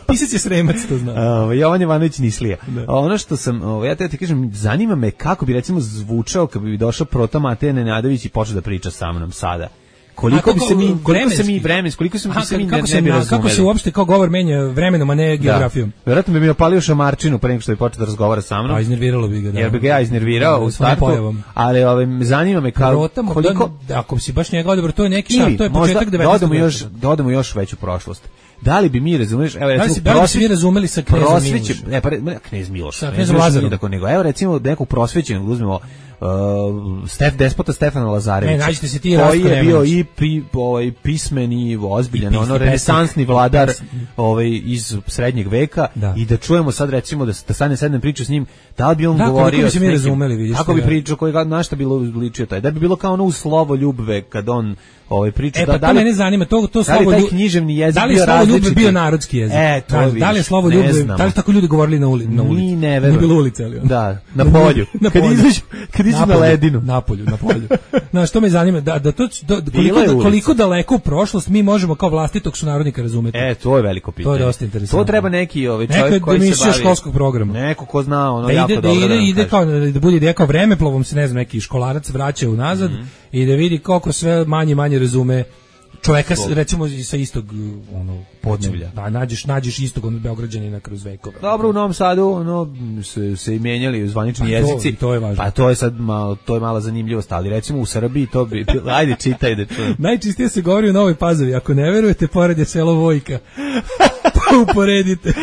Pisac je Sremac, to znam. Uh, Jovan Jovanović Nišlija. Ono što sam, uh, ja te ti kažem, zanima me kako bi recimo zvučao kad bi došao Proto Mateja Nenadović i počeo da priča sa mnom sada. Koliko bi se mi, koliko se mi vremenski, koliko se mi se mi ne, ne bi razumeli. Kako se uopšte kao govor menja vremenom, a ne geografijom? Da. Verovatno bi mi opalio šamarčinu pre nego što bi počeo da razgovara sa mnom. Pa iznerviralo bi ga, da. Jer bi ga ja iznervirao u startu. Ali ovaj zanima me kao koliko da, ako si baš njega dobro, to je neki šar, to je početak devetnaestog veka. Još dodamo još veću prošlost. Da li bi mi razumeš, evo recimo, da li bi mi razumeli sa knezom Milošem? Ne, pa knez Miloš, sa knezom Lazarom. Nego, evo recimo nekog prosvećenog uzmemo Uh, Stef despota Stefana Lazarevića. Ne, nađite se ti koji je bio i pi, ovaj pismeni, ozbiljan, ono renesansni vladar, ovaj iz srednjeg veka, da. I da čujemo sad recimo da da stane sednem priču s njim, da li bi on da, govorio kako bi mi razumeli, vidiš. Kako bi pričao, koji na šta bilo ličio taj. Da bi bilo kao ono u slovo ljubve kad on ovaj priča e, da pa da li mene zanima to to slovo ljubve književni jezik da li je slovo ljubve bio narodski jezik e, to da, da li je slovo ljubve da li tako ljudi govorili na ulici na ulici ne nije bilo ulice ali da na polju kad izađu kad izađu na ledinu na polju na polju no što me zanima da da to da, koliko da, koliko daleko u prošlost mi možemo kao vlastitog sunarodnika razumeti e to je veliko pitanje to je dosta interesantno to treba neki ovaj čovjek koji se bavi školskog programa neko ko zna ono da jako ide, dobro da ide ide kao da bude ideja kao vremeplovom se ne znam neki školarac vraća unazad i da vidi koliko sve manje manje razume čoveka recimo sa istog ono podneblja. Da nađeš nađeš istog onog Beograđanina kroz vekove. Dobro, u Novom Sadu ono se se i menjali zvanični pa jezici. To, to je važno. Pa to je sad malo to je mala zanimljivost, ali recimo u Srbiji to bi ajde čitaj da čujem. Najčistije se govori u Novoj Pazovi, ako ne verujete, pored je selo Vojka. Pa uporedite.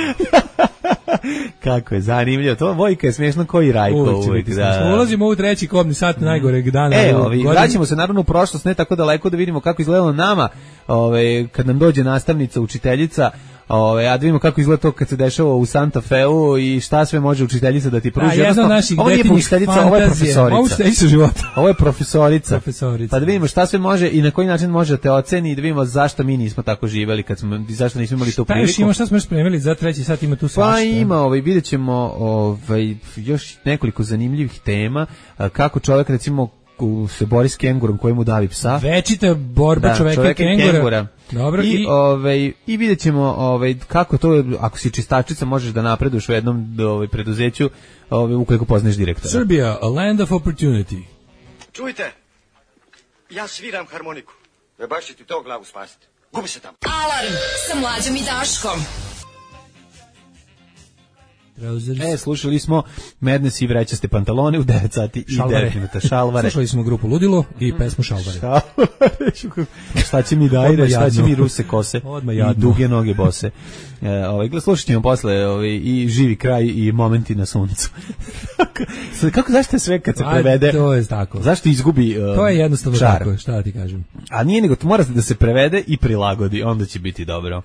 Kako je zanimljivo. To Vojka je smiješno koji Rajko uvijek. uvijek da. Ulazimo u treći kobni sat najgoreg dana. E, ovi, vraćamo se naravno u prošlost, ne tako daleko da vidimo kako izgledalo nama ovaj, kad nam dođe nastavnica, učiteljica, Ove, a da vidimo kako izgleda to kad se dešava u Santa Feu i šta sve može učiteljica da ti pruži. A, jedna naših ovo nije učiteljica, ovo je profesorica. Ovo učiteljica života. Ovo je profesorica. profesorica. Pa da vidimo šta sve može i na koji način može da te oceni i da vidimo zašto mi nismo tako živeli, kad smo, zašto nismo imali tu priliku. Šta još ima, šta smo još spremili za treći sat, ima tu svašta. Pa ima, ovaj, vidjet ćemo ovaj, još nekoliko zanimljivih tema, kako čovjek recimo se bori s kengurom koji mu davi psa. Večita borba da, čoveka, čoveka i kengura. kengura. Dobro, I, i... Ovaj, i vidjet ćemo ovaj, kako to, ako si čistačica, možeš da napreduješ u jednom ovaj, preduzeću ovaj, ukoliko poznaš direktora. Serbia, a land of opportunity. Čujte, ja sviram harmoniku. Ne baš će ti to glavu spasiti. Gubi se tamo. Alarm sa Mlađom i Daškom. E, slušali smo Madness i vrećaste pantalone u devet sati i devet minuta. Šalvare. Slušali smo grupu Ludilo i pesmu Šalvare. Šalvare. Šta će mi dajre, šta će mi ruse kose i duge noge bose. E, ovaj, slušat ćemo posle ovaj, i Živi kraj i Momenti na suncu. Kako, zašto je sve kad se prevede? A, to je tako. Zašto izgubi um, to je jednostavno čar. Tako, šta ti kažem. A nije nego, mora da se prevede i prilagodi, onda će biti dobro.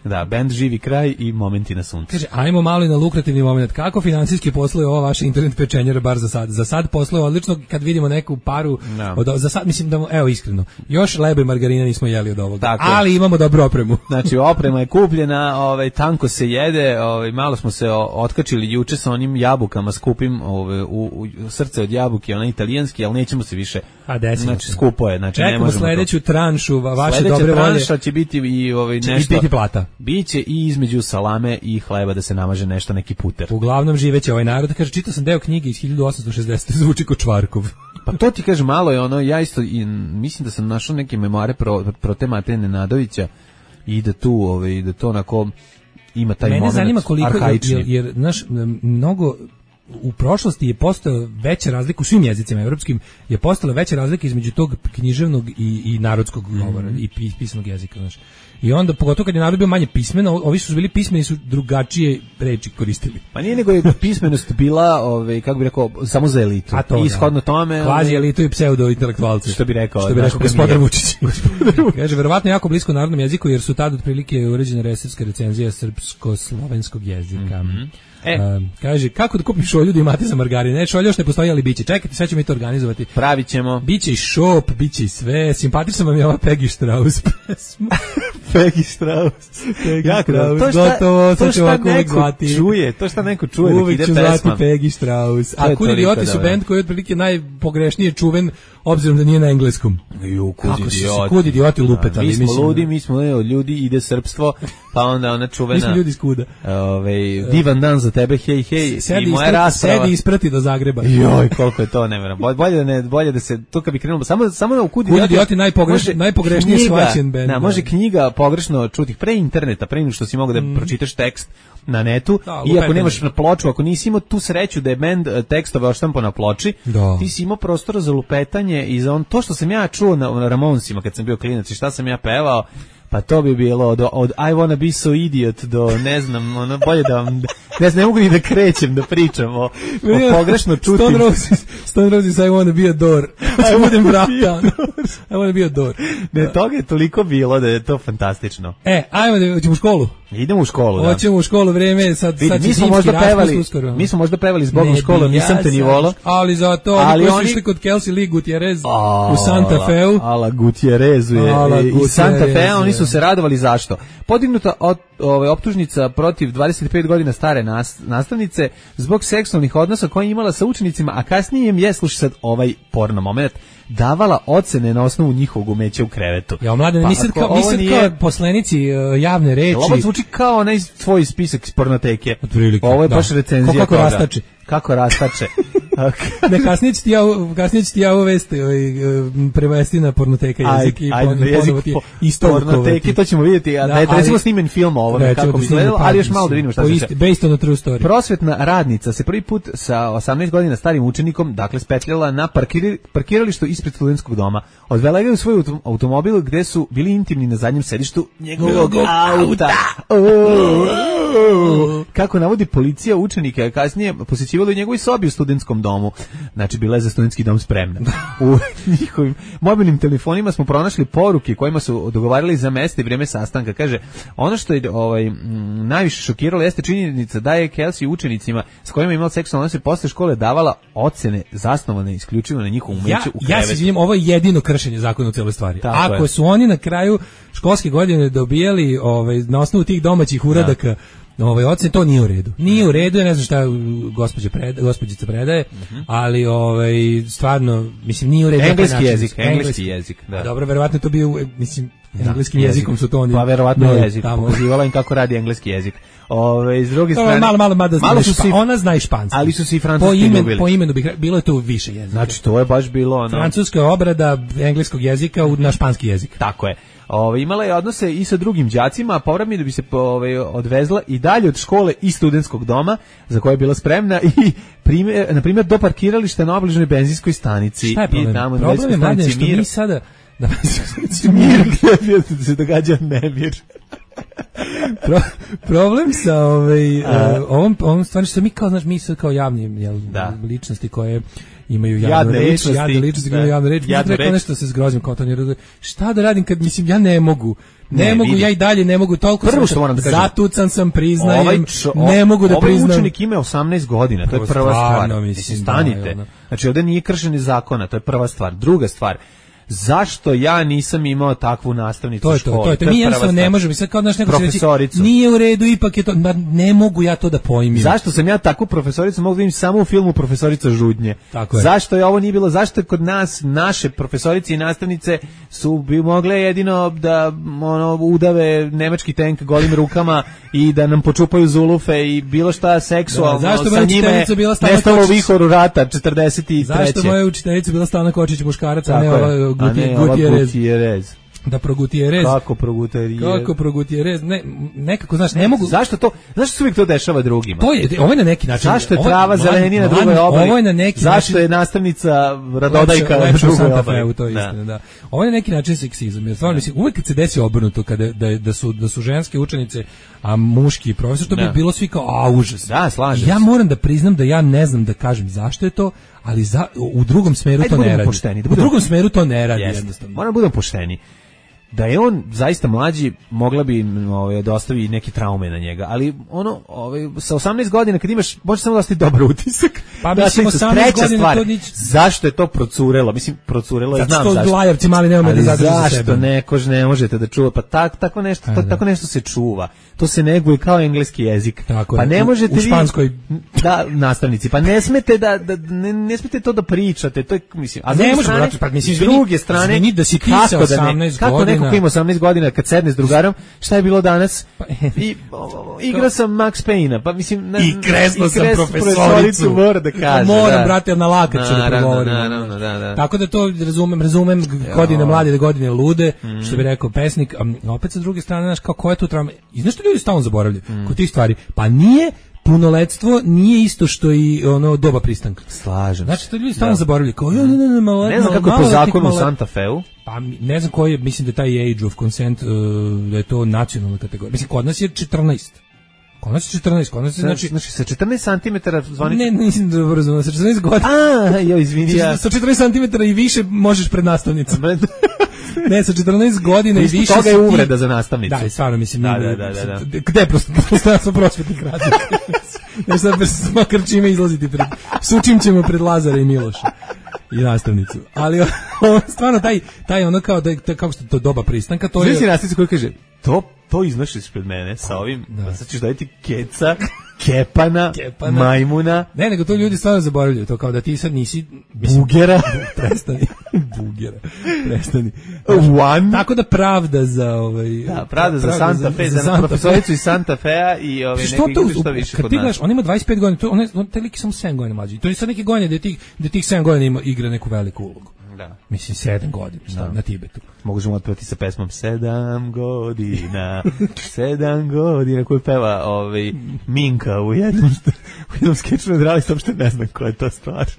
Da, bend Živi kraj i Momenti na suncu. Kaže, ajmo malo i na lukrativni moment. Kako finansijski posluje ova vaša internet pečenjera bar za sad? Za sad posluje odlično kad vidimo neku paru. No. Od, za sad mislim da, evo iskreno, još lebe i margarina nismo jeli od ovoga. Tako. Ali imamo dobru opremu. Znači, oprema je kupljena, ovaj, tanko se jede, ovaj, malo smo se otkačili juče sa onim jabukama skupim ovaj, u, u srce od jabuke, onaj italijanski, ali nećemo se više. A desimo. Znači, skupo je. Znači, čekamo sledeću to. tranšu vaše Sledeća dobre volje. Sledeća tranša će biti i ovaj, će nešto. biti plata. Biće i između salame i hleba da se namaže nešto, neki puter. Uglavnom živeće ovaj narod. Kaže, čitao sam deo knjige iz hiljadu osamsto šezdesete zvuči ko Čvarkov. Pa to ti kaže, malo je ono, ja isto i, mislim da sam našao neke memoare pro, pro te Mateje Nenadovića i da tu, ovaj, da to onako ima taj Mene moment zanima koliko, arhaični. jer, jer naš, mnogo u prošlosti je postala veća razlika u svim jezicima evropskim, je postala veća razlika između tog književnog i, i narodskog govora, mm -hmm. i pisanog jezika, znaš. I onda, pogotovo kad je narod bio manje pismen, ovi su bili pismeni, su drugačije reči koristili. Pa nije nego je pismenost bila, ovaj, kako bi rekao, samo za elitu. A to, i ishodno tome... Kvazi elitu i pseudo-intelektualci. Što bi rekao, što bi rekao gospodar Vučić. Kaže, verovatno jako blisko narodnom jeziku, jer su tad otprilike uređene resepska recenzija srpsko-slovenskog jezika. Mm -hmm. E. Uh, kaže, kako da kupim šolju da imate za margarin? Ne, šolja još ne postoji, ali biće. Čekajte, sve ćemo mi to organizovati. Pravit ćemo. Biće i šop, biće i sve. Simpatično vam je ova Peggy Strauss pesma. Peggy Strauss. Peggy jako Strauss. To šta, gotovo, to šta neko zvati. čuje, to šta neko čuje uvijek dok ide pesma. Uvijek ću zvati Peggy Strauss. A Kud idioti su band koji je otprilike najpogrešnije čuven, obzirom da nije na engleskom. Ju, Kud idioti. Kud idioti lupetali. Mi smo mislim, ludi, mi smo ne, ljudi, ide srpstvo, pa onda ona čuvena. Mi smo ljudi iz Kuda. Ove, divan dan za tebe, hej, hej. Sedi, i moja isprati, rasprava. Sedi isprati do Zagreba. Joj, koliko je to neverovatno. Bolje da ne, bolje da se to kad bi krenulo samo samo na Kud idioti. Kud idioti najpogreš, najpogrešnije shvaćen bend. Da, može knjiga pogrešno čuti pre interneta, pre nego što si mogao da mm. pročitaš tekst na netu, da, i ako nemaš na ploču, ako nisi imao tu sreću da je bend tekstove odštampo na ploči, da. Ti si imao prostora za lupetanje i za on, to što sam ja čuo na, na Ramonsima kad sam bio klinac i šta sam ja pevao, pa to bi bilo od, od I wanna be so idiot do, ne znam, ono, bolje da vam, ne znam, ne mogu ni da krećem, da pričam o, o pogrešno čutim. Stone Roses, Stone Roses, I wanna be a door. I budem vrata. I wanna be a door. Ne, toga je toliko bilo da je to fantastično. E, ajmo da ćemo u školu. Idemo u školu, da. Hoćemo u školu, vreme, sad, Vidi, sad mi smo možda pevali, mi smo možda pevali zbog u školu, nisam te ni volao. Ali zato, ali oni su išli kod Kelsey Lee Gutierrez u Santa Feu. Ala Gutierrezu je, i Santa Fe, oni su se radovali zašto? Podignuta od, ove, optužnica protiv dvadeset pet godina stare nas, nastavnice zbog seksualnih odnosa koje je imala sa učenicima, a kasnije im je, slušaj sad ovaj porno moment, davala ocene na osnovu njihovog umeća u krevetu. Ja, mlade, pa, mi sad kao, mi sad nije... kao poslenici uh, javne reči. Ovo zvuči kao onaj tvoj spisak iz pornoteke. Otprilike, ovo je da. baš recenzija. Kako toga. rastače. Kako rastače. Ne, kasnije ću ti ja, kasnije ću ti ja uvesti ovaj, prevesti na pornoteka jezik i ponovo ti pornoteke, to ćemo vidjeti. Da, da je recimo snimen film o ovome, kako bi izgledalo, ali još malo da vidimo šta se. Based on a true story. Prosvetna radnica se prvi put sa osamnaest godina starim učenikom, dakle, spetljala na parkir, parkiralištu ispred studentskog doma. Odvela ga u svoj automobil gde su bili intimni na zadnjem sedištu njegovog auta. Kako navodi policija, učenike kasnije posjećivalo u njegovoj sobi u studentskom domu. domu. Znači, bila je za studentski dom spremna. U njihovim mobilnim telefonima smo pronašli poruke kojima su dogovarali za mesto i vrijeme sastanka. Kaže, ono što je ovaj, m, najviše šokiralo jeste činjenica da je Kelsey učenicima s kojima je imala seksualne odnose posle škole davala ocene zasnovane isključivo na njihovu umeće ja, u krevetu. Ja se izvinjam, ovo je jedino kršenje zakona u celoj stvari. Tako Ako je. su oni na kraju školske godine dobijali ovaj, na osnovu tih domaćih uradaka da. ovaj, ocene, to nije u redu. Nije u redu, ja ne znam šta gospođa preda, gospođica predaje, uh-huh. ali ovaj, stvarno, mislim, nije u redu. Engleski jezik, engleski jezik. Da. Dobro, verovatno to bio, mislim, engleskim da, jezikom su to oni. Pa verovatno no, jezik, pokazivala im kako radi engleski jezik. Ove, s druge strane, malo, malo, malo, malo su si, ona zna i španski. Ali su se i francuski po imen, ljubili. Po imenu bih, bilo je to više jezika. Znači, to je baš bilo ono... Francuska obrada engleskog jezika na španski jezik. Tako je. Ove, imala je odnose i sa drugim đacima, a povrat mi da bi se ove, odvezla i dalje od škole i studentskog doma, za koje je bila spremna, i primjer, na primjer do parkirališta na obližnoj benzinskoj stanici. Šta je problem? I tamo na problem je, mladen, što Mir. mi sada... Da, mir, gdje se događa nemir. Pro, problem sa ovaj, a, ovom, ovom stvari što mi kao, znaš, mi sad kao javni jel, da. ličnosti koje imaju javnu jadne reč, ličnosti, jadne ličnosti koje imaju javnu reč, jadnu rekao nešto se zgrozim kao to ne razumije. Šta da radim kad, mislim, ja ne mogu, ne, ne mogu, vidi. Ja i dalje ne mogu, toliko prvo što moram da kažem, zatucan sam, priznajem, ovaj čo, ne mogu da ovaj priznam. Ovaj učenik ima osamnaest godina, to je prva stvar. Mislim, stanite. Da, znači, ovdje nije kršenje zakona, to je prva stvar. Druga stvar, zašto ja nisam imao takvu nastavnicu to je to, školi? to je to. Mi jednostavno ne možemo, sad kao naš neko profesoricu. Nije u redu, ipak je to, ne mogu ja to da pojmim. Zašto sam ja takvu profesoricu mogu da vidim samo u filmu Profesorica Žudnje? Tako je. Zašto je ovo nije bilo, zašto je kod nas naše profesorice i nastavnice su bi mogle jedino da ono udave nemački tank golim rukama i da nam počupaju zulufe i bilo šta seksualno, da, zašto sa njime bila nestalo u vihoru rata četrdeset treće. Zašto moja učiteljica bila Stana Kočić muškarac, a ne ova Gutierrez. Gutierrez. Da progutierez. Kako progutierez? Kako progutierez? Ne, nekako, znaš, ne mogu... Zašto to, zašto se uvijek to dešava drugima? To je, ovo je na neki način... Zašto je trava zelenija na drugoj obali? Ovo je na neki zašto način... je nastavnica Radodajka na drugoj obali? To je istina, da. Ovo je na neki način seksizam. Jer stvarno, mislim, uvijek kad se desi obrnuto, kada, da, da, su, da su ženske učenice, a muški profesor, to bi da. bilo svi kao, a, užas. Da, slažem. Ja moram da priznam da ja ne znam da kažem zašto je to, ali za, u drugom smeru Ajde, to ne radi. Pošteni, u drugom smeru to ne radi, jest. jednostavno. Moramo budemo pošteni. Da je on zaista mlađi, mogla bi ovaj, da ostavi neke traume na njega, ali ono, ovaj, sa osamnaest godina kad imaš, može samo da ostavi dobar utisak. Pa da, mislim, osamnaest godina stvar, to nič... zašto je to procurelo? Mislim, procurelo je, znam zašto. zašto. Lajavci mali ne umiju da zadrže za sebe. Zašto nekož ne možete da čuva? Pa tak, tako, nešto, to, tako nešto se čuva. To se neguje kao engleski jezik. Tako pa ne možete u, u španskoj vi, da, nastavnici, pa ne smete da, da ne, ne smete to da pričate, to je, mislim, a ne može, pa mislim, s druge strane, izvini da si ti sa osamnaest kako godina. Kako neko ko ima osamnaest godina kad sedne s drugarom, šta je bilo danas? I igra sam Max Payne-a, pa mislim... Na, I kresno i sam kres, profesoricu. Mora da kaže. Moram, da. brate, na lakat ću da progovorim. Naravno, da, da. Tako da to razumem, razumem godine mlade, godine lude, mm. što bi rekao pesnik, a opet sa druge strane, znaš, kao ko je tu trauma? I znaš što ljudi stalno zaboravljaju? Mm. Kod tih stvari, pa nije punoletstvo nije isto što i ono doba pristanka. Slažem. Znači to ljudi stalno zaboravljaju. Kao ja ne ne ne malo. Ne znam kako je po zakonu u Santa Feu. Pa ne znam koji je, mislim da taj age of consent uh, da je to nacionalna kategorija. Mislim kod nas je četrnaest. Kod nas je četrnaest, kod nas je znači znači sa četrnaest centimetara zvonica. Ne, nisam dobro razumio, sa četrnaest godina. A, joj, izvini ja. Sa četrnaest centimetara i više možeš pred nastavnicom. Ne, sa četrnaest godina i više. Toga je uvreda za nastavnicu. Da, stvarno mislim. Da, da, da, da. Gde prosto prosto prosvetnih radnika. Ja sad makar čime izlaziti pred sučim ćemo pred Lazara i Miloša i nastavnicu. Ali on, stvarno taj taj ono kao da kako što to doba pristanka, to je. Znači nastavnica koja kaže to to iznosiš pred mene sa ovim, da sad ćeš dobiti keca, kepana, kepana, majmuna. Ne, nego to ljudi stvarno zaboravljaju, to kao da ti sad nisi... Mislim, bugera. Prestani, bugera, prestani. One. Tako da pravda za... Ovaj, da, pravda za Santa Fe, za, za profesoricu iz Santa Fea i ove što neki to, što više kad kod ti nas. gledaš, on ima dvadeset pet godina, to, on, on, taj lik je samo sedam godina mlađi. To je sad neke godine da tih, da tih sedam godina ima, igra neku veliku ulogu. Da. Mislim, sedam godina, šta, na Tibetu. Možemo otpevati sa pesmom Sedam godina, sedam godina, koju peva ovaj, Minka u jednom, u jednom skeču nadrali, sam što ne znam koja je to stvar.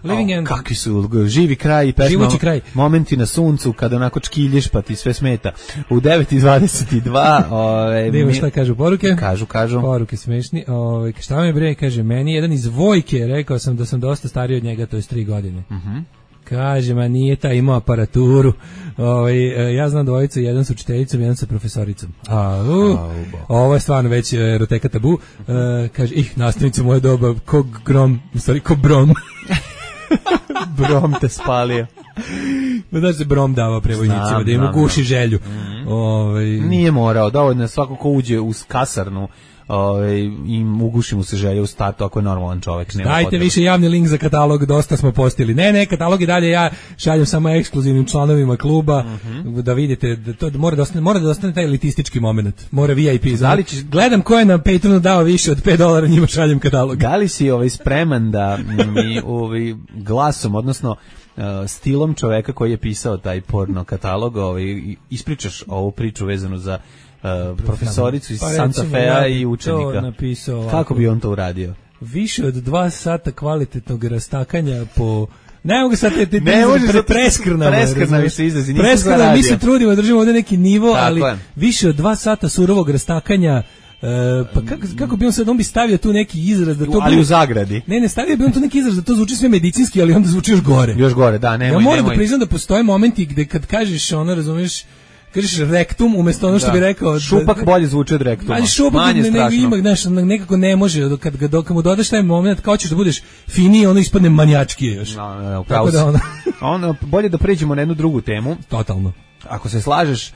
Living oh, End. Kakvi su živi kraj i pesma, kraj. momenti na suncu kada onako čkilješ pa ti sve smeta. U devet i dvadeset dva ove, mi, šta kažu poruke? Kažu, kažu. Poruke smešni. Ove, šta me bre, kaže, meni jedan iz Vojke, rekao sam da sam dosta stariji od njega, to je tri godine. Mhm. Mm Kaže, ma nije ta imao aparaturu. Ovaj ja znam dvojicu, jedan sa učiteljicom, jedan sa profesoricom. A, uh, ovo je stvarno već eroteka tabu. Uh, kaže, ih, nastavnica moje doba, ko grom, u stvari, ko brom. Brom te spalio. Da se brom dava prevojnicima, da im uguši želju. Mm-hmm. Ovaj Nije morao, dovoljno svako ko uđe u kasarnu, ovaj im uguši mu se želja u startu ako je normalan čovjek. Nema Dajte potreba. Više javni link za katalog, dosta smo postili. Ne, ne, katalog i dalje ja šaljem samo ekskluzivnim članovima kluba, mm-hmm. da vidite da to mora da ostane, mora da ostane taj elitistički momenat. Mora V I P. Znači, ćeš... Gledam ko je na Patreonu dao više od pet dolara, njima šaljem katalog. Da li si ovaj spreman da mi ovaj glasom, odnosno Uh, stilom čoveka koji je pisao taj porno katalog, ovaj, ispričaš ovu priču vezanu za uh, profesoricu iz pa Santa Fea i učenika. Kako bi on to uradio? Više od dva sata kvalitetnog rastakanja po... Ne mogu sad te, te, te pre, preskrnamo. Preskrna više izrazi. Preskrna, mi se trudimo, držimo ovdje neki nivo, tako ali je. Više od dva sata surovog rastakanja. Uh, pa kako, kako bi on sad, on bi stavio tu neki izraz da to... Ali bi, u zagradi. Ne, ne, stavio bi on tu neki izraz da to zvuči sve medicinski, ali onda zvuči još gore. Još gore, da, nemoj, ja moram nemoj. da priznam da postoje momenti gde kad kažeš ono, razumeš, kažeš rektum umjesto ono što da. Bi rekao... Šupak da, bolje zvuči od rektuma. Ali šupak manje ne, ne, ima, znaš, nekako ne može, kad, kad, kad mu dodaš taj moment, kao ćeš da budeš finiji, ono ispadne manjačkije još. No, no, no, tako da ono... ono... Bolje da pređemo na jednu drugu temu. Totalno. Ako se slažeš,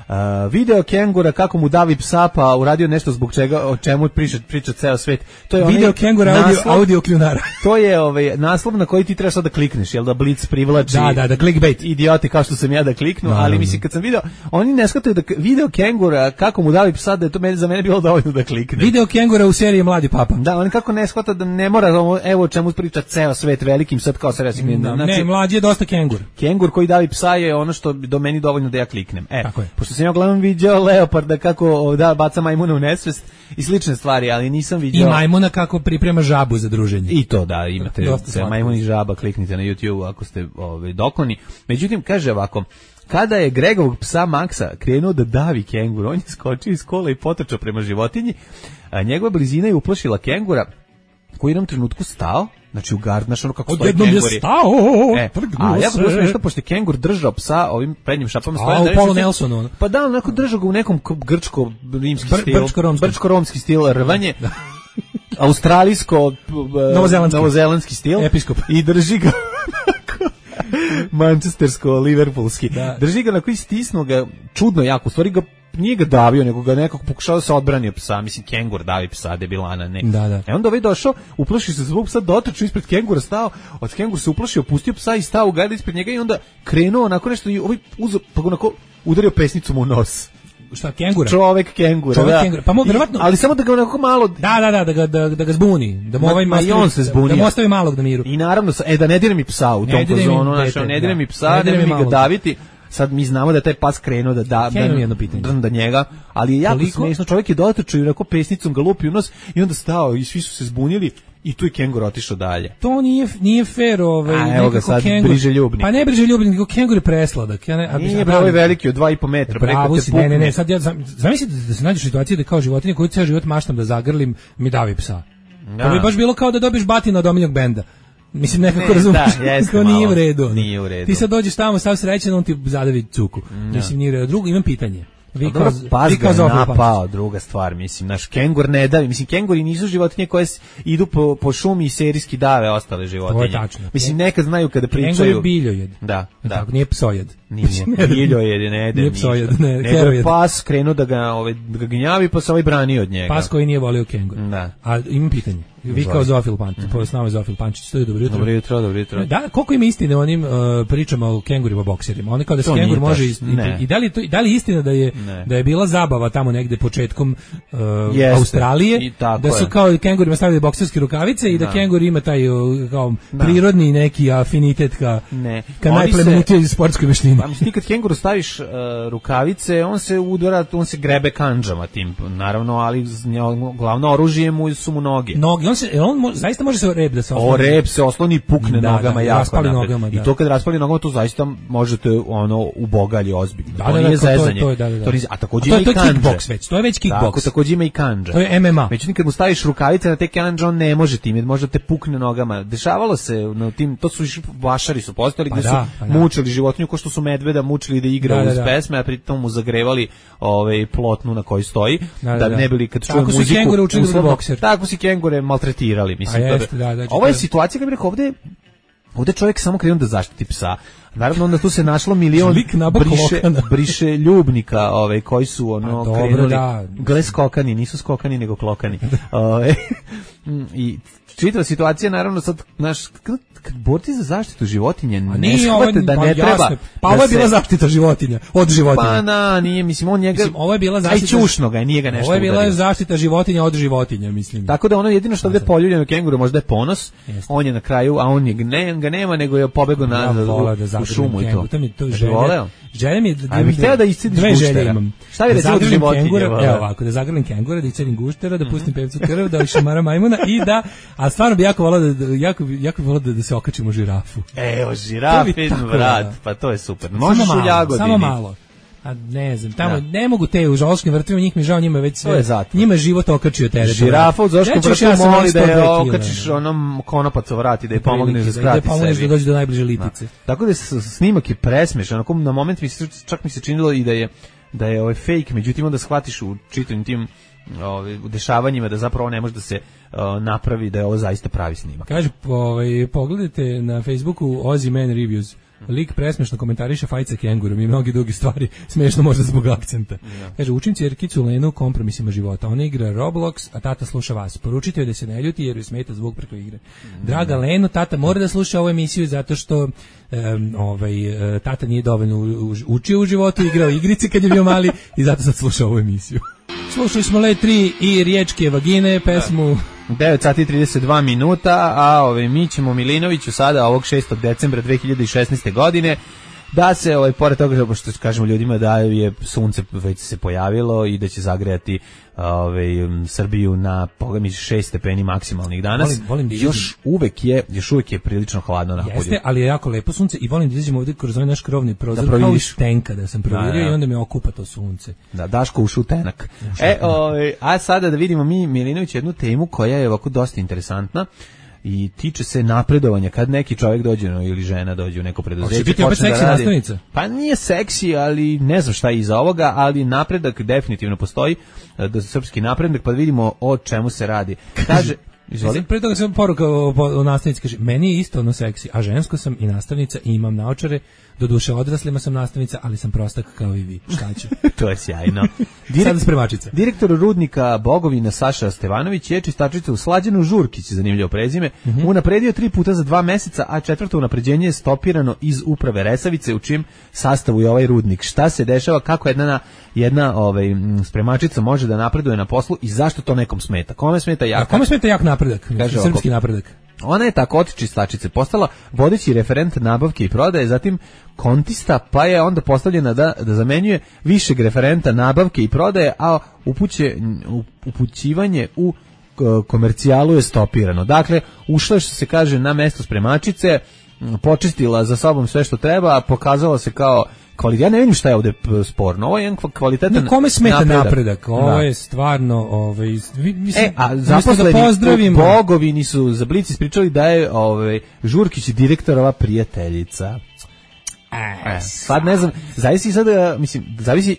Uh, video kengura kako mu davi psa pa uradio nešto zbog čega o čemu priča priča ceo svet. To je video kengura audio naslov, audio kljunara. To je ovaj naslov na koji ti trebaš sad da klikneš, jel da Blitz privlači. Da, da, da clickbait. Idioti kao što sam ja da kliknu, no, ali no, mislim kad sam video, oni ne shvataju da video kengura kako mu davi psa da je to meni za mene bilo dovoljno da kliknem. Video kengura u seriji Mladi papa. Da, oni kako ne shvata da ne mora evo o čemu priča ceo svet velikim sad kao se reći. Da, znači, ne, mlađi je dosta kengur. Kengur koji davi psa je ono što do meni dovoljno da ja kliknem. E, pošto sam ja gledam video leoparda kako da baca majmuna u nesvest i slične stvari, ali nisam vidio... I majmuna kako priprema žabu za druženje. I to da, imate majmun i žaba, kliknite na YouTube ako ste ovaj, dokoni. Međutim, kaže ovako, kada je Gregovog psa Maksa krenuo da davi kenguru, on je skočio iz kola i potrčao prema životinji, a njegova blizina je uplašila kengura koji je u jednom trenutku stao, znači u gard, znaš ono kako stoji kenguri. Odjednom je stao, e, a ja bilo smiješno, pošto je kengur držao psa ovim prednjim šapama. A, u Paul Nelsonu. Ono. Pa da, onako držao ga u nekom grčko-rimski Br, stil, brčko-romski. brčko-romski stil, rvanje, australijsko, novozelandski. novozelandski stil. Episkop. I drži ga manchestersko-liverpoolski. Da. Drži ga na koji stisnu ga, čudno jako, u stvari ga nije ga davio, nego ga nekako pokušao da se odbrani od psa, mislim kengur davi psa, debilana, ne. Da, da. E onda ovaj došao, uplašio se zbog psa, dotrčao ispred kengura, stao, od kengur se uplašio, pustio psa i stao u gardu ispred njega i onda krenuo onako nešto i ovaj uzeo, pa ga onako udario pesnicom u nos. Šta, kengura? Čovek kengura, Čovek da. Kengura. Pa mu verovatno, ali samo da ga onako malo... Da, da, da, da ga, da, da ga zbuni, da mu ma, ovaj ma i on se zbunio. Da mu ostavi malog na miru. I naravno, e, da ne dire mi psa u tom fazonu, znači, ne dire mi psa, ne dire mi ga daviti. Sad mi znamo da je taj pas krenuo da da da, da njega, ali je jako smešno, čovjek je dotrčao i onako pesnicom ga lupi u nos i onda stao i svi su se zbunili i tu je kengur otišao dalje. To nije nije fer, ovaj, a, evo ga sad kengur, briželjubnik. Pa ne briželjubnik, nego kengur je presladak. Ja ne, a nije bravo veliki od dva i po metra, preko te pukne. Ne, ne, ne, sad ja zamislite da se nađeš u situaciji da kao životinja koju ceo život maštam da zagrlim, mi davi psa. Da. To bi baš bilo kao da dobiješ batina od omiljenog benda. Mislim, nekako ne, razumiješ, da, nije u redu. Nije u redu. Ti sad dođeš tamo, stav srećan, on ti zadavi cuku. No. Mislim, nije u redu. Drugo, imam pitanje. Vi kao, pas vi kao ga napao, druga stvar, mislim, naš kengur ne davi, mislim, kenguri nisu životinje koje idu po, po šumi i serijski dave ostale životinje. To je tačno. Mislim, nekad znaju kada pričaju. Kengur je biljojed. Da, da. Tako, nije psojed. Nije, biljojed, ne jede. Nije psojed, ne, nego je pas krenuo da ga, ovaj, da ga gnjavi, pa se ovaj brani od njega. Pas koji nije volio kengur. Da. A imam pitanje. Vi kao Zofil Pančić, mm -hmm. s nama Zofil Pančić, to je dobro jutro. Dobro jutro, dobro jutro. Da, koliko ima istine o onim uh, pričama o kengurima bokserima? Oni kao da se kengur može ist, i, i da li to da li istina da je ne. da je bila zabava tamo negde početkom uh, Australije, da su je. kao kengurima stavili bokserske rukavice i da, da kengur ima taj uh, kao da. prirodni neki afinitet ka ne. ka najplemenitijoj sportskoj veštini. Pa mislim, kad kenguru staviš uh, rukavice, on se udara, on se grebe kandžama tim, naravno, ali glavno oružje mu su mu noge. Noge, on se, on mo, zaista može se o rep da se osloni. O rep se osloni i pukne da, nogama da, jako raspali nogama, da. I to kad raspali nogama, to zaista možete ono ubogalji ozbiljno. Da, to da, nije da, zezanje. To je, da, da, da. To nije, a takođe a to, ima to i kandže. To je kickboks već, to je već kickboks. Tako, takođe ima i kandže. To je M M A. Međutim, kad mu staviš rukavice na te kandže, on ne može tim, može te pukne nogama. Dešavalo se na tim, to su išli vašari su postali, gde pa su da, pa da. mučili životinju ko što su medveda mučili da igra da, da, uz da. pesme, a pritom mu zagrevali ovaj plotnu na kojoj stoji, da, da, da, da. ne bili kad čuje muziku. Tako su kengure učili da bokser. Tako su kengure maltretirali, mislim. A jeste, da, da, ovo je situacija, kad bih rekao, ovde, ovde čovjek samo krenuo da zaštiti psa. Naravno, onda tu se našlo milion briše, briše ljubnika, ovaj, koji su ono dobro, krenuli, da. gle skokani, nisu skokani, nego klokani. Ove, I čitava situacija, naravno, sad, znaš, kad, kad borci za zaštitu životinje ne shvate da ne pa, treba... Jasne. Pa ovo je bila zaštita životinja, od životinja. Pa na, nije, mislim, on njega... Mislim, ovo je bila zaštita... Aj čušno ga, nije ga nešto Ovo je bila udario. zaštita životinja od životinja, mislim. Tako da ono jedino što ovdje poljuljeno kenguru možda je ponos, Jeste. On je na kraju, a on je, ne, ga nema, nego je pobegao na, ja u, da u šumu i to. To mi to želje. želja. Želja mi da... A bih hteo da iscediš dve guštera. želje imam. Šta je recimo od životinje? Evo ovako, da zagrlim kengura, da iscedim guštera, da pustim pevcu krv, da šamara majmuna i da... A stvarno bi jako volao da, jako, jako volao da, da se okačimo žirafu. Evo, žirafin vrat, pa to je super. Možeš u Jagodini. Samo malo. A ne znam, tamo da. Ne mogu te u zoološkim vrtovima, njih mi žao, njima već sve, njima je život okačio teret. Žirafa u zoološkom vrtu ja moli da je okačiš onom konopac vrati, da je pomogneš da skrati sebi. Da je pomogneš da dođe do najbliže lipice. Da. Tako da snimak je presmešan, onako na moment mi se, čak mi se činilo i da je, da je ovaj fake, međutim onda shvatiš u čitavim tim ovaj, dešavanjima da zapravo ne može da se uh, napravi da je ovo zaista pravi snimak. Kaže, ovaj, pogledajte na Facebooku Ozzy Man Reviews. Lik presmešno komentariše fajt sa kengurom i mnogi drugi stvari, smešno možda zbog akcenta. Ja. Kaže, učim ćerkicu Lenu kompromisima života. Ona igra Roblox, a tata sluša vas. Poručite joj da se ne ljuti jer joj smeta zvuk preko igre. Mm. Draga Leno, tata mora da sluša ovu emisiju zato što um, ovaj, uh, tata nije dovoljno učio u životu, igrao igrice kad je bio mali i zato sad sluša ovu emisiju. Slušali smo Le tri i Riječke vagine, pesmu... devet sati i trideset dva minuta, a ove, mi ćemo Milinoviću sada ovog šestog decembra dve hiljade šesnaeste. godine da se, ovaj, pored toga što kažemo ljudima da je sunce već se pojavilo i da će zagrejati ovaj, Srbiju na pogledaj šest stepeni maksimalnih danas, volim, volim još uvek je još uvek je prilično hladno napolju. Jeste, ali je jako lepo sunce i volim da izađemo ovdje kroz ovaj naš krovni prozor da kao iz tenka da sam provjerio da, da. I onda me okupa to sunce. Da, Daško ušu tenak. Ušu e, ovaj, a sada da vidimo mi Milinović jednu temu koja je ovako dosta interesantna i tiče se napredovanja kad neki čovjek dođe no, ili žena dođe u neko preduzeće. Hoće biti opet seksi nastavnica? Pa nije seksi, ali ne znam šta je iza ovoga, ali napredak definitivno postoji, da srpski napredak, pa vidimo o čemu se radi. Kaže, izvoli. Pre toga sam poruka o, o nastavnici, kaže, meni je isto ono seksi, a žensko sam i nastavnica i imam naočare, do duše odraslima sam nastavnica, ali sam prostak kao i vi. Šta ću? To je sjajno. Direkt, spremačica. Direktor rudnika Bogovina Saša Stevanović je čistačica u Slađanu Žurkić, zanimljivo prezime, mm -hmm. unapredio tri puta za dva meseca, a četvrto unapređenje je stopirano iz uprave Resavice, u čim sastavu je ovaj rudnik. Šta se dešava, kako jedna, jedna ovaj, spremačica može da napreduje na poslu i zašto to nekom smeta? Kome smeta jak? A kome smeta jak napredak? Kaže, srpski napredak. Ona je tako od čistačice postala vodeći referent nabavke i prodaje, zatim kontista, pa je onda postavljena da, da zamenjuje višeg referenta nabavke i prodaje, a upuće, upućivanje u komercijalu je stopirano. Dakle, ušla je, što se kaže, na mesto spremačice, počistila za sobom sve što treba, a pokazala se kao kvalitet. Ja ne vidim šta je ovdje sporno. Ovo je jedan kvalitetan ne, kome smeta napredak. napredak. Ovo da. je stvarno... Ovaj, mislim, e, a zaposleni da pozdravimo... Bogovini su za Blic ispričali da je ovaj, Žurkić direktorova prijateljica. E, sad ne znam, zavisi sad, mislim, zavisi,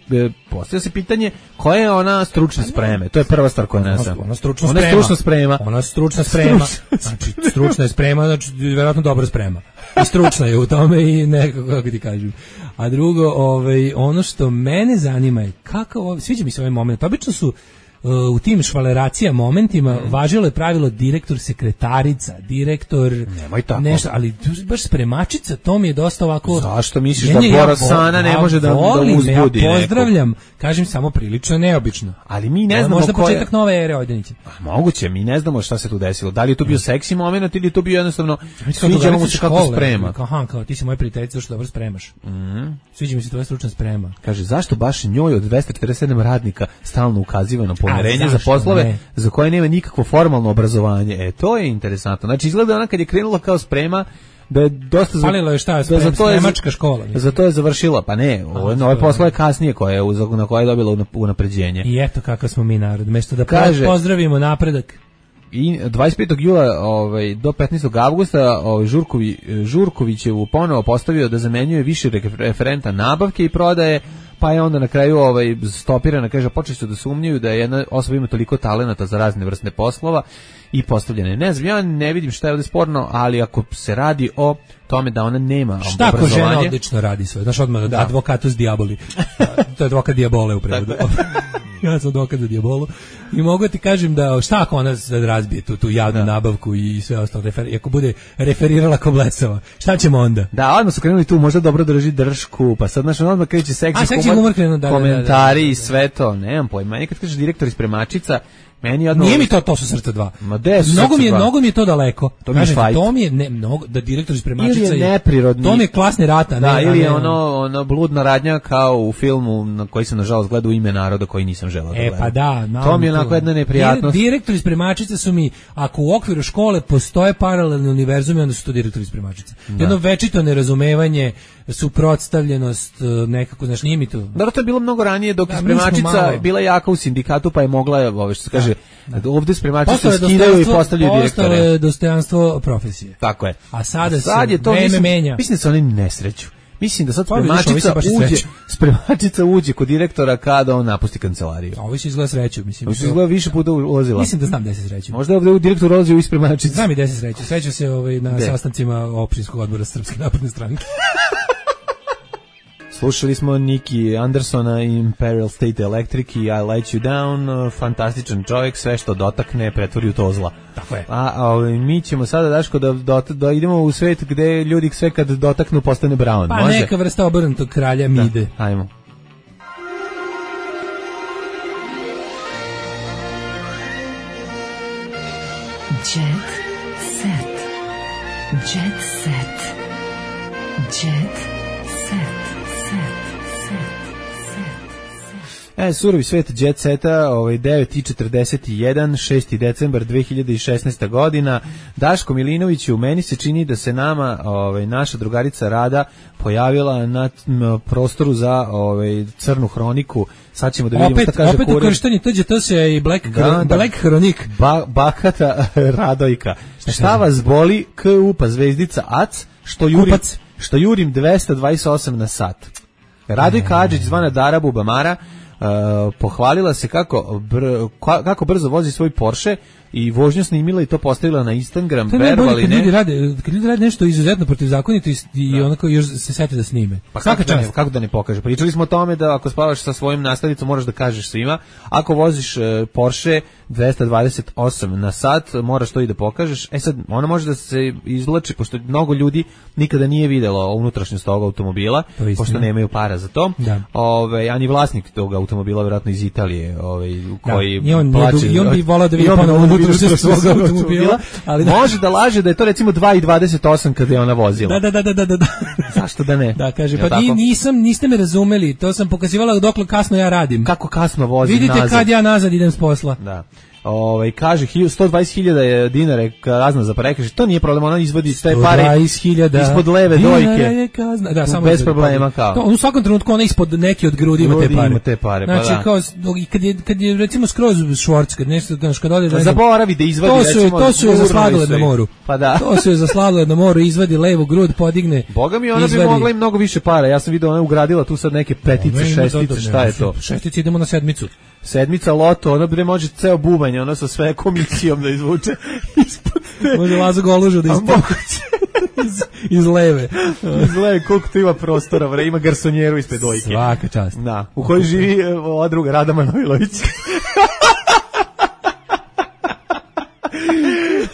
postavlja se pitanje koja je ona stručna spreme, to je prva stvar koja ne znam. Ona stručna ona sprema. Stručna sprema. Ona stručna sprema. Znači, stručna je sprema, znači, vjerojatno dobra sprema. I stručna je u tome i nekako, kako ti kažem. A drugo, ovaj, ono što mene zanima je kako, sviđa mi se ovaj moment, obično su u tim švaleracija momentima mm. važilo je pravilo direktor sekretarica, direktor nemoj tako. Nešto, ali baš spremačica, to mi je dosta ovako. Zašto misliš da Borosana ne može da, volim, da uzbudi ja pozdravljam, nekog. Kažem samo prilično neobično. Ali mi ne znamo možda koja... početak nove ere Ojdanića. Moguće, mi ne znamo šta se tu desilo. Da li je to bio seksi moment ili je to bio jednostavno sviđa mu se kako sprema. Aha, kao ti si moja prijateljica, što dobro spremaš. Mm. Sviđa mi se tvoja stručna sprema. Kaže, zašto baš njoj od dvesta četrdeset sedam radnika stalno ukaziva na poverenje A, za poslove ne? za koje nema nikakvo formalno obrazovanje. E, to je interesantno. Znači, izgleda ona kad je krenula kao sprema, da je dosta... Palilo je šta, da sprem, za to je, spremačka škola. Mislim. Za to je završila, pa ne, ove, ove poslove kasnije koje je, na koje je dobila unapređenje. I eto kakav smo mi narod. Mesto da Kaže, pozdravimo napredak. I dvadeset petog jula ovaj, do petnaestog avgusta ovaj, Žurkovi, Žurković je ponovo postavio da zamenjuje više referenta nabavke i prodaje, pa je onda na kraju ovaj, stopirana, kaže, počeli su da sumnjaju da jedna osoba ima toliko talenata za razne vrste poslova i postavljene. Ne znam, ja ne vidim šta je ovdje sporno, ali ako se radi o tome da ona nema šta ako žena odlično radi sve, znaš odmah da. Advokatus diaboli, to je advokat diabole u prevodu. Ja sam advokat za diabolu i mogu ti kažem da šta ako ona razbije tu, tu javnu da. nabavku i sve ostalo, refer, ako bude referirala ko blesava, šta ćemo onda? Da, odmah su krenuli tu, možda dobro drži dršku, pa sad znaš, odmah kreće seksi, A, seksi humor, krenu, da, komentari da, da, da, da. i sve to, nemam pojma, nekad kažeš direktor iz spremačica, meni odmah... Nije mi to, to su srca dva. Ma de su mnogo mi je, mnogo mi je to daleko. To mi je švajt. To mi je ne, mnogo, da direktor iz spremačica ili je neprirodni. To mi je klasni rata. Da, ne, ili je ne, ono, ono bludna radnja kao u filmu na koji sam nažalost gledao, Ime naroda, koji nisam želeo da e, gledam. Pa da, to mi je onako jedna neprijatnost. Direktori iz spremačice su mi, ako u okviru škole postoje paralelni univerzumi, onda su to direktori iz spremačice. Da. Jedno večito nerazumevanje, suprotstavljenost, nekako, znaš, nije mi to. Da, to je bilo mnogo ranije, dok da, je spremačica bila jaka u sindikatu, pa je mogla, ovo što se kaže, da. ovde spremačice skidaju i postavljaju direktore. Postalo je dostojanstvo profesije. Tako je. A sada sad se je to, vreme mislim, menja. Mislim da se oni nesreću. Mislim da sad pa, spremačica vidiš, uđe, spremačica uđe kod direktora kada on napusti kancelariju. A ovo se izgleda sreću, mislim. Ovo se izgleda više puta ulazila. Mislim da znam gde se sreću. Možda je ovdje direktor ulazio u spremačicu. Znam i gde se sreću. Sreću se ovaj, na de. sastancima opštinskog odbora Srpske napredne stranke. Slušali smo Niki Andersona i Imperial State Electric i I Let You Down, fantastičan čovjek, sve što dotakne pretvori u to zla. Tako je. A, a mi ćemo sada, Daško, da, da, da idemo u svet gde ljudi sve kad dotaknu postane Brown. Pa može? Neka vrsta obrnutog kralja Mide. Da, ajmo. Jet set. Jet set. Jet set. E, surovi svet jet seta, ovaj, devet i četrdeset jedan, šesti decembar dve hiljade šesnaesta godina. Daško Milinoviću, meni se čini da se nama ovaj, naša drugarica Rada pojavila na m, prostoru za ovaj, crnu hroniku. Sad ćemo da vidimo opet, šta kaže opet kurir. Opet ukrštanje T Đ T S i Black, da, da. Black Hronik. Ba, bakata Radojka. Šta, šta vas boli? K U pa zvezdica A C, što jurim, što jurim dvesta dvadeset osam na sat. Radojka Adžić, zvana Dara Bubamara, Uh, pohvalila se kako, br, kako brzo vozi svoj Porsche i vožnju snimila i to postavila na Instagram. To je najbolje kad ljudi rade, kad ljudi rade nešto izuzetno protivzakonito i, i onako još se sete da snime. Pa kako da, ne, kako da ne pokaže? Pričali smo o tome da ako spavaš sa svojim nastavnicom moraš da kažeš svima. Ako voziš uh, Porsche dvesta dvadeset osam na sat, moraš to i da pokažeš. E sad, ona može da se izvlači, pošto mnogo ljudi nikada nije videlo unutrašnjost tog automobila, pošto nemaju para za to. Da. Ove, ani vlasnik tog automobila, vjerojatno iz Italije, ovaj, koji da. I on, plaće, I on bi volao da vidi ponovo unutrašnjost svog automobila. Ali da. Može da laže da je to recimo dva i dvadeset osam kada je ona vozila. Da, da, da, da, da, da. Zašto da ne? Da, kaže, pa ni, nisam, niste me razumeli, to sam pokazivala dokle kasno ja radim. Kako kasno vozim Vidite nazad. kad ja nazad idem s posla. Da. Ovaj kaže sto dvadeset hiljada dinara kazna za prekršaj. To nije problem, ona izvodi te pare ispod leve dojke. Da, samo bez problema kao. To, u svakom trenutku ona ispod neke od grudi ima te pare. Ima te pare, znači, pa da. kao kad je kad je recimo skroz švorc, kad nešto kad ode da zaboravi da izvadi to su, recimo. To su za sladoled na moru. Pa da. To su za sladoled na moru, izvadi levu grud, podigne. Boga mi ona izvadi. Bi mogla i mnogo više para. Ja sam video ona ugradila tu sad neke petice, šestice, šta je to? Šestice, idemo na sedmicu. Sedmica loto, ono bre može ceo bubanj, ono sa sve komisijom da izvuče ispod te. Može Lazo Golužu da izvuče iz, iz leve. Iz leve, koliko tu ima prostora, bre, ima garsonjeru ispred dojke. Svaka čast. Da, u kojoj živi ova druga, Rada Manojlović.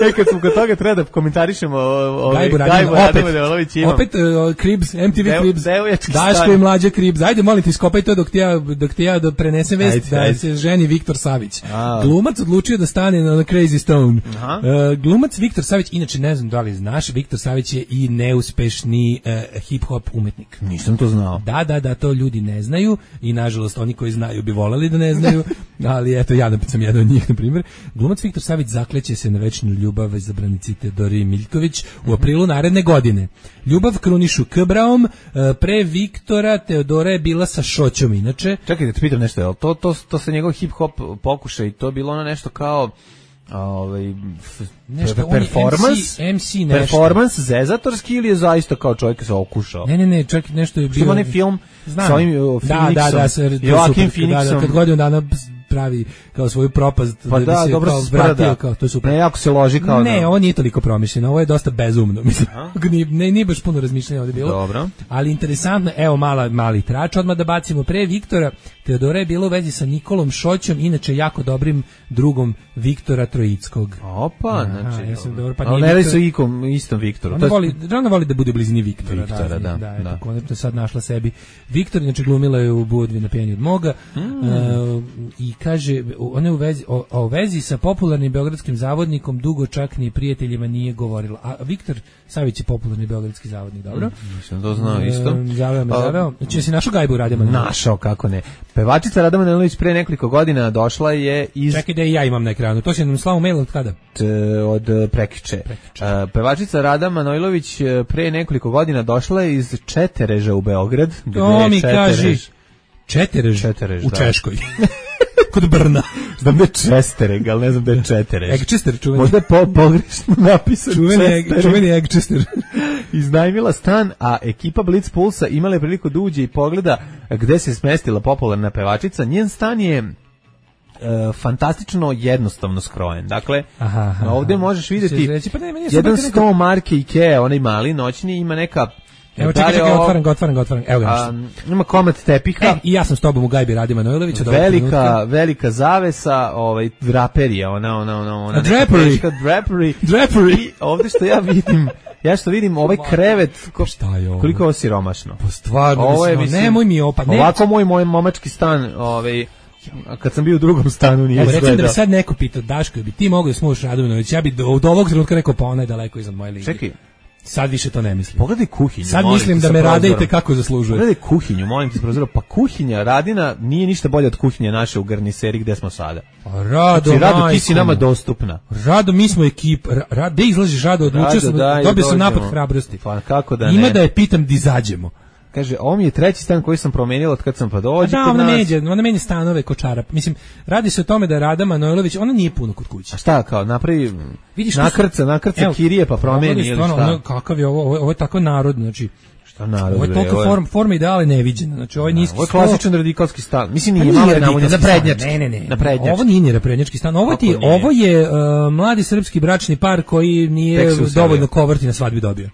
E, kad smo kod toga treba da komentarišemo ovaj Gajbu Radmanović ima. Opet uh, Cribs, M T V Dev, Cribs. Daško i mlađa Cribs. Ajde, molim te, iskopaj to dok ti ja, dok ti ja da prenesem vest ajde, da ajde. se ženi Viktor Savić. A. Glumac odlučio da stane na Crazy Stone. Uh, glumac Viktor Savić, inače ne znam da li znaš, Viktor Savić je i neuspešni uh, hip-hop umetnik. Nisam to znao. Da, da, da, to ljudi ne znaju i nažalost oni koji znaju bi voleli da ne znaju, ali eto ja sam jedan od njih, na primjer. Glumac Viktor Savić zakleće se na večnu ljubav izabranici Teodori Miljković u aprilu naredne godine. Ljubav krunišu K. Braom, pre Viktora Teodora je bila sa Šoćom inače. Čekaj da te pitam nešto, je to, to, to se njegov hip-hop pokušaj, to je bilo ono nešto kao ovaj nešto performance M C, M C performance zezatorski ili je zaista kao čovjek se okušao? Ne, ne, ne, čak nešto je bio. Onaj film znam. Sa ovim Phoenixom. Da, da, da, sa Joaquin Phoenixom. Da, kad godinu dana pravi kao svoju propast pa da, da se dobro kao vratio kao to je super. Ne, jako se loži kao ne, da. ovo nije toliko promišljeno, ovo je dosta bezumno, mislim. ne, nije baš puno razmišljanja ovdje bilo. Dobro. Ali interesantno, evo mala, mali trač, odmah da bacimo pre Viktora. Teodora je bila u vezi sa Nikolom Šoćom, inače jako dobrim drugom Viktora Trojickog. Opa, znači. Ja sam dobro, pa ali ne radi se ikom, istom Viktoru. Ona voli, ona voli da bude u blizini Viktora. Viktora, da. Da, da, da. Eto, konačno sad našla sebi. Viktor, inače glumila je u Budvi na pijanju od moga. Mm. Uh, I kaže, ona je u vezi, o, o vezi sa popularnim beogradskim zavodnikom dugo čak ni prijateljima nije govorila. A Viktor Savić je popularni beogradski zavodnik, dobro? Mm, nisam to znao isto. Uh, zaveo me, zaveo. Znači, jesi našao Gajbu Radmanović? Našao, kako ne. Pevačica Rada Manojlović pre nekoliko godina došla je iz... Čekaj da i ja imam na ekranu. To si nam slao mail od kada? T, od prekiče. prekiče. Uh, pevačica Rada Manojlović pre nekoliko godina došla je iz Četereža u Beograd. To mi kaži. Četerež, Četerež u da. Češkoj. Kod Brna. Znam da je Čestereg, ali ne znam da je Četerež. Egčester, čuveni. Možda je po, pogrešno napisan čuveni, čuveni Egčester. Iznajmila stan, a ekipa Blitz Pulsa imala je priliku da uđe i pogleda gde se smestila popularna pevačica. Njen stan je Uh, fantastično jednostavno skrojen. Dakle, aha, aha, ovdje možeš vidjeti reći, pa ne, jedan sto neka... marke Ikea, onaj mali noćni, ima neka... Evo čekaj, čekaj, otvaram ga, otvaram ga, otvaram. Evo ga. Um, ima komad tepiha. E, i ja sam s tobom u Gajbi Radi Manojlovića. Velika, velika zavesa, ovaj, draperija, ona, ona, ona, ona. Drapery. Teška drapery. Drapery. I ovdje što ja vidim, ja što vidim, ovaj krevet, ko, šta je ovo? Koliko je ovo siromašno. Pa stvarno, ovo je, mislim, nemoj mi opa. Ne. Ovako moj, moj momački stan, ovaj, kad sam bio u drugom stanu nije izgledao. Recimo da bi sad neko pitao, Daško, bi ti mogao da smuš Radovanović, ja bi od ovog trenutka rekao, pa ona je daleko iznad moje lige. Čekaj. Sad više to ne mislim. Pogledaj kuhinju. Sad mislim da me radite kako zaslužuje. Pogledaj kuhinju, molim te, prozora. Pa kuhinja Radina nije ništa bolje od kuhinje naše u Garniseri gde smo sada. Rado, znači, Rado, ti si nama dostupna. Rado, mi smo ekip. Ra, gde izlaziš Rado? Odlučio sam, dobio sam napad hrabrosti. Pa kako da ne? Ima da je pitam di izađemo. Kaže, ovo mi je treći stan koji sam promenila od kad sam pa dođe. Da, ona menja, ona menja stanove ko čarap. Mislim, radi se o tome da Rada Manojlović, ona nije puno kod kuće. A šta, kao, napravi, vidiš, nakrca, nakrca evo, kirije pa promeni ili šta? Ono, kakav je ovo, ovo, ovo je tako narod, znači, šta narod, ovo je toliko form, forma ideale neviđena, znači ovo je niski ovo je klasičan radikalski stan, mislim nije malo naprednjački, ne, ne, ne, naprednjački. Ovo nije naprednjački stan, ovo, ti, ovo je uh, mladi srpski bračni par koji nije dovoljno koverti na svadbi dobio.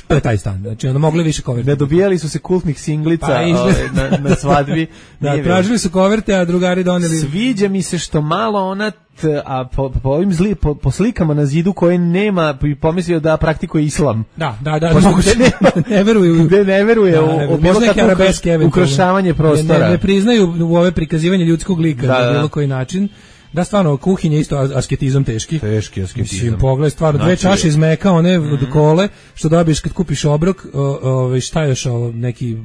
To je taj stan. Znači, ono mogli više koverte. Ne dobijali su se kultnih singlica pa, ove, na, na svadbi. Da, tražili su koverte, a drugari doneli. Sviđa mi se što malo ona, t, a po, po ovim zli, po, po slikama na zidu koje nema, bi pomislio da praktikuje islam. Da, da, da. Gde ne, ne veruju. Gde ne veruje da, u, u bilo kakvo ukrošavanje prostora. Ne, ne, ne priznaju u ove prikazivanje ljudskog lika da, na bilo koji način. Da, stvarno, kuhinja isto asketizam teški. Teški asketizam. Mislim, pogledaj, stvarno, znači, dve čaše iz meka, one mm. od kole, što dobiješ kad kupiš obrok, o, o, šta još ovo, neki,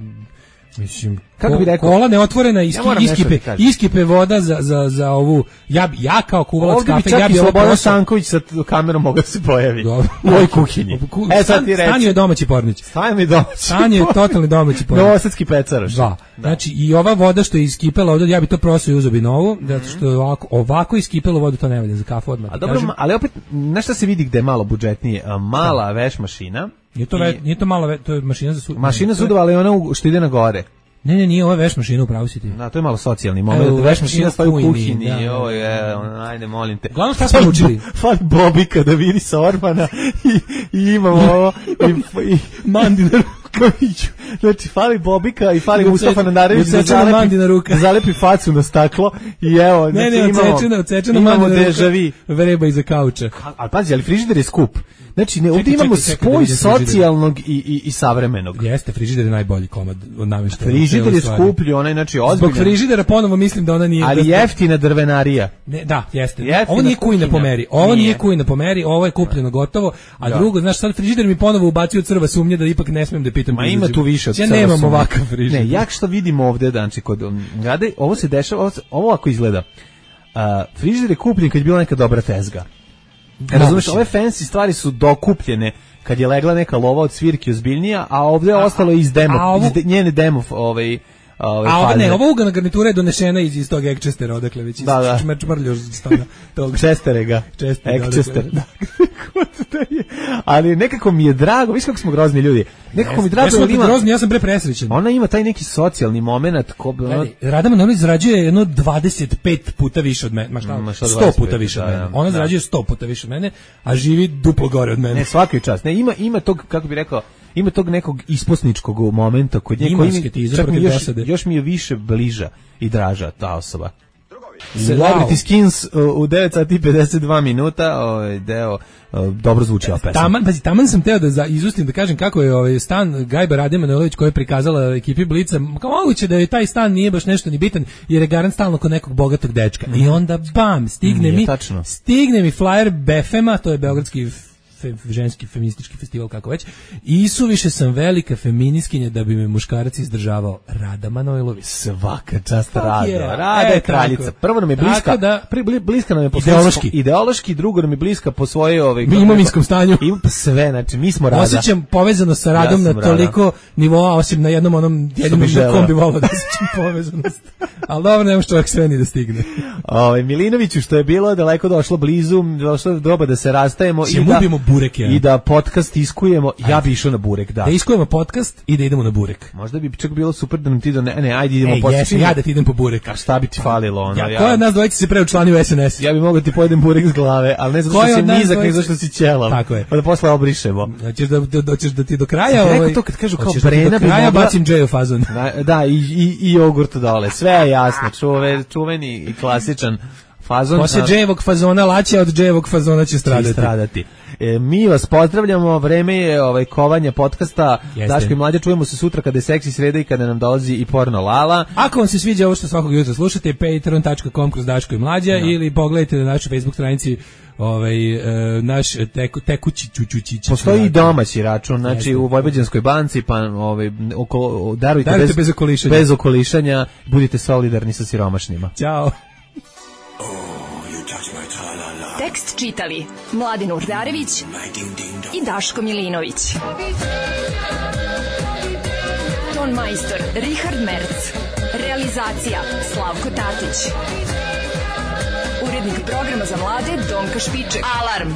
mislim, kako bi rekao, kola neotvorena, iski, ja iskipe, iskipe voda za, za, za ovu, ja, ja kao kuvalac kafe, ja bi ovo Slobodan Sanković sa kamerom mogao se pojavi u ovoj kuhinji. E, sad ti reći. Stanju je domaći pornić. Stanju je domaći. Stanju je totalni domaći pornić. Novosadski pecaroš. Da. Znači, i ova voda što je iskipela ovdje, ja bi to prosao i uzeo bi novu, zato što je ovako, ovako iskipelo vodu, to ne valja za kafu odmah. A dobro, ali opet, nešto se vidi gde je malo budžetnije, mala veš mašina. Nije to, ve, nije to mala veš, to je mašina za sudove. Mašina sudova, ali ona što ide na gore. Ne, ne, nije, ovo je veš mašina, upravo si ti. Da, to je malo socijalni moment. Veš mašina stoji u kuhinji, da, ovo je, ajde, molim te. Glavno šta smo učili? Fali Bobika da vidi sa Orbana i, i imamo ovo, i, i Mandina Rukoviću. Znači, fali Bobika i fali Mustafa Nandarević da zalepi, da zalepi facu na staklo i evo, ne, znači, ne, imamo, odsečena, odsečena imamo dežavi. Vreba iza kauča. Ali pazi, ali frižider je skup. Znači, ne, ovdje imamo čekaj, spoj čekaj, socijalnog i, i, i savremenog. Jeste, frižider je najbolji komad od namještaja. Frižider je skuplji, onaj, znači, ozbiljan. Zbog frižidera ponovo mislim da ona nije... Ali da jeftina drvenarija. Ne, da, jeste. Jeftina ovo nije kujna po meri. Ovo nije, nije kujna po meri, ovo je kupljeno gotovo. A da. Drugo, znaš, sad frižider mi ponovo ubacio crva sumnje da ipak ne smijem da pitam. Ma ima tu više od ja nemam ovakav frižider. Ne, jak što vidim ovdje, znači, kod Rade, ovo se dešava, ovo, ovo ako izgleda. Uh, frižider je kupljen kad je bila neka dobra tezga. Razumeš, ove fancy stvari su dokupljene kad je legla neka lova od svirke ozbiljnija, a ovdje je ostalo iz demo, ovo, iz de, njene demo ovaj, ovaj, a ove ne, ova ugana garnitura je donešena iz, iz tog Egchestera, odakle već iz da, da. čmrljož stana tog Chesterega, Egchester. Ali nekako mi je drago, viš kako smo grozni ljudi. Nekako mi je drago, ja, ima, grozni, ja sam bre presrećen. Ona ima taj neki socijalni momenat. Ko, ono, Rada Manojlović zarađuje jedno dvadeset pet puta više od mene, ma šta, ma šta sto puta više od mene. Da, ona da. zarađuje sto puta više od mene, a živi duplo gore od mene. Ne, svaki čas. Ne, ima, ima tog, kako bi rekao, ima tog nekog isposničkog momenta kod nje, koji mi, čak mi još, još mi je više bliža i draža ta osoba. Celebrity wow. Skins u devet sati i pedeset dva minuta, ovaj deo dobro zvuči ova pesma. Taman, pazi, taman sam teo da za, izustim da kažem kako je ovaj stan Gajba Rade Manojlović koji je prikazala ekipi Blica, kao moguće da je taj stan nije baš nešto ni bitan jer je garant stalno kod nekog bogatog dečka. Mm. I onda bam, stigne nije mi tačno. stigne mi flyer Befema, to je beogradski Fe, ženski feministički festival, kako već, i suviše sam velika feministkinja da bi me muškarac izdržavao. Rada Manojlović. Svaka čast Rada. Je. Rada je kraljica. Prvo nam je bliska, da, pri, bliska nam je po ideološki. ideološki, drugo nam je bliska po svojoj ovaj, imovinskom stanju. I sve, znači mi smo Rada. Osjećam povezano sa Radom ja na toliko Rada. nivoa, osim na jednom onom jedinom na kom bi volao da osjećam povezanost. Ali dobro, nemaš čovjek sve ni da stigne. Ovaj Milinoviću, što je bilo daleko došlo blizu, došlo doba da se rastajemo i da burek, ja. I da podcast iskujemo, ajde. Ja bi išao na burek, da. Da iskujemo podcast i da idemo na burek. Možda bi čak bilo super da nam ti do ne, ne ajde idemo Ej, podcast. Jes, ja da ti idem po burek. A šta bi ti falilo ono? Ja, ja. Ko od nas dvojice se preučlani u S N S? Ja bi mogao ti pojedem burek s glave, ali ne zato što si nizak, nego zato što si ćelav. Tako je. Pa da posle obrišemo. Hoćeš da doćeš da ti do kraja ovaj. Rekao to kad kažu kao Brena bi mogla. Bacim džeju fazon. Da, da i i i jogurt dole. Sve je jasno, čuve, čuveni i klasičan fazon. Posle džejevog fazona laće, od džejevog fazona će stradati. stradati. E, mi vas pozdravljamo, vreme je ovaj kovanja podcasta. Daško i Mlađa, čujemo se sutra kada je seksi sreda i kada nam dolazi i porno Lala. Ako vam se sviđa ovo što svakog jutra slušate, patreon dot com kroz Daško i Mlađa, no. Ili pogledajte na našoj Facebook stranici ovaj e, naš teku, tekući čučućić. Postoji i domaći račun, znači jeste. U Vojvođanskoj banci, pa ovaj oko darujte, darujte bez, bez okolišanja. Bez okolišanja, budite solidarni sa siromašnima. Ćao. Tekst čitali Mladin Urdarević i Daško Milinović. Ton majstor Richard Merc. Realizacija Slavko Tatić. Urednik programa za mlade Donka Špiček. Alarm!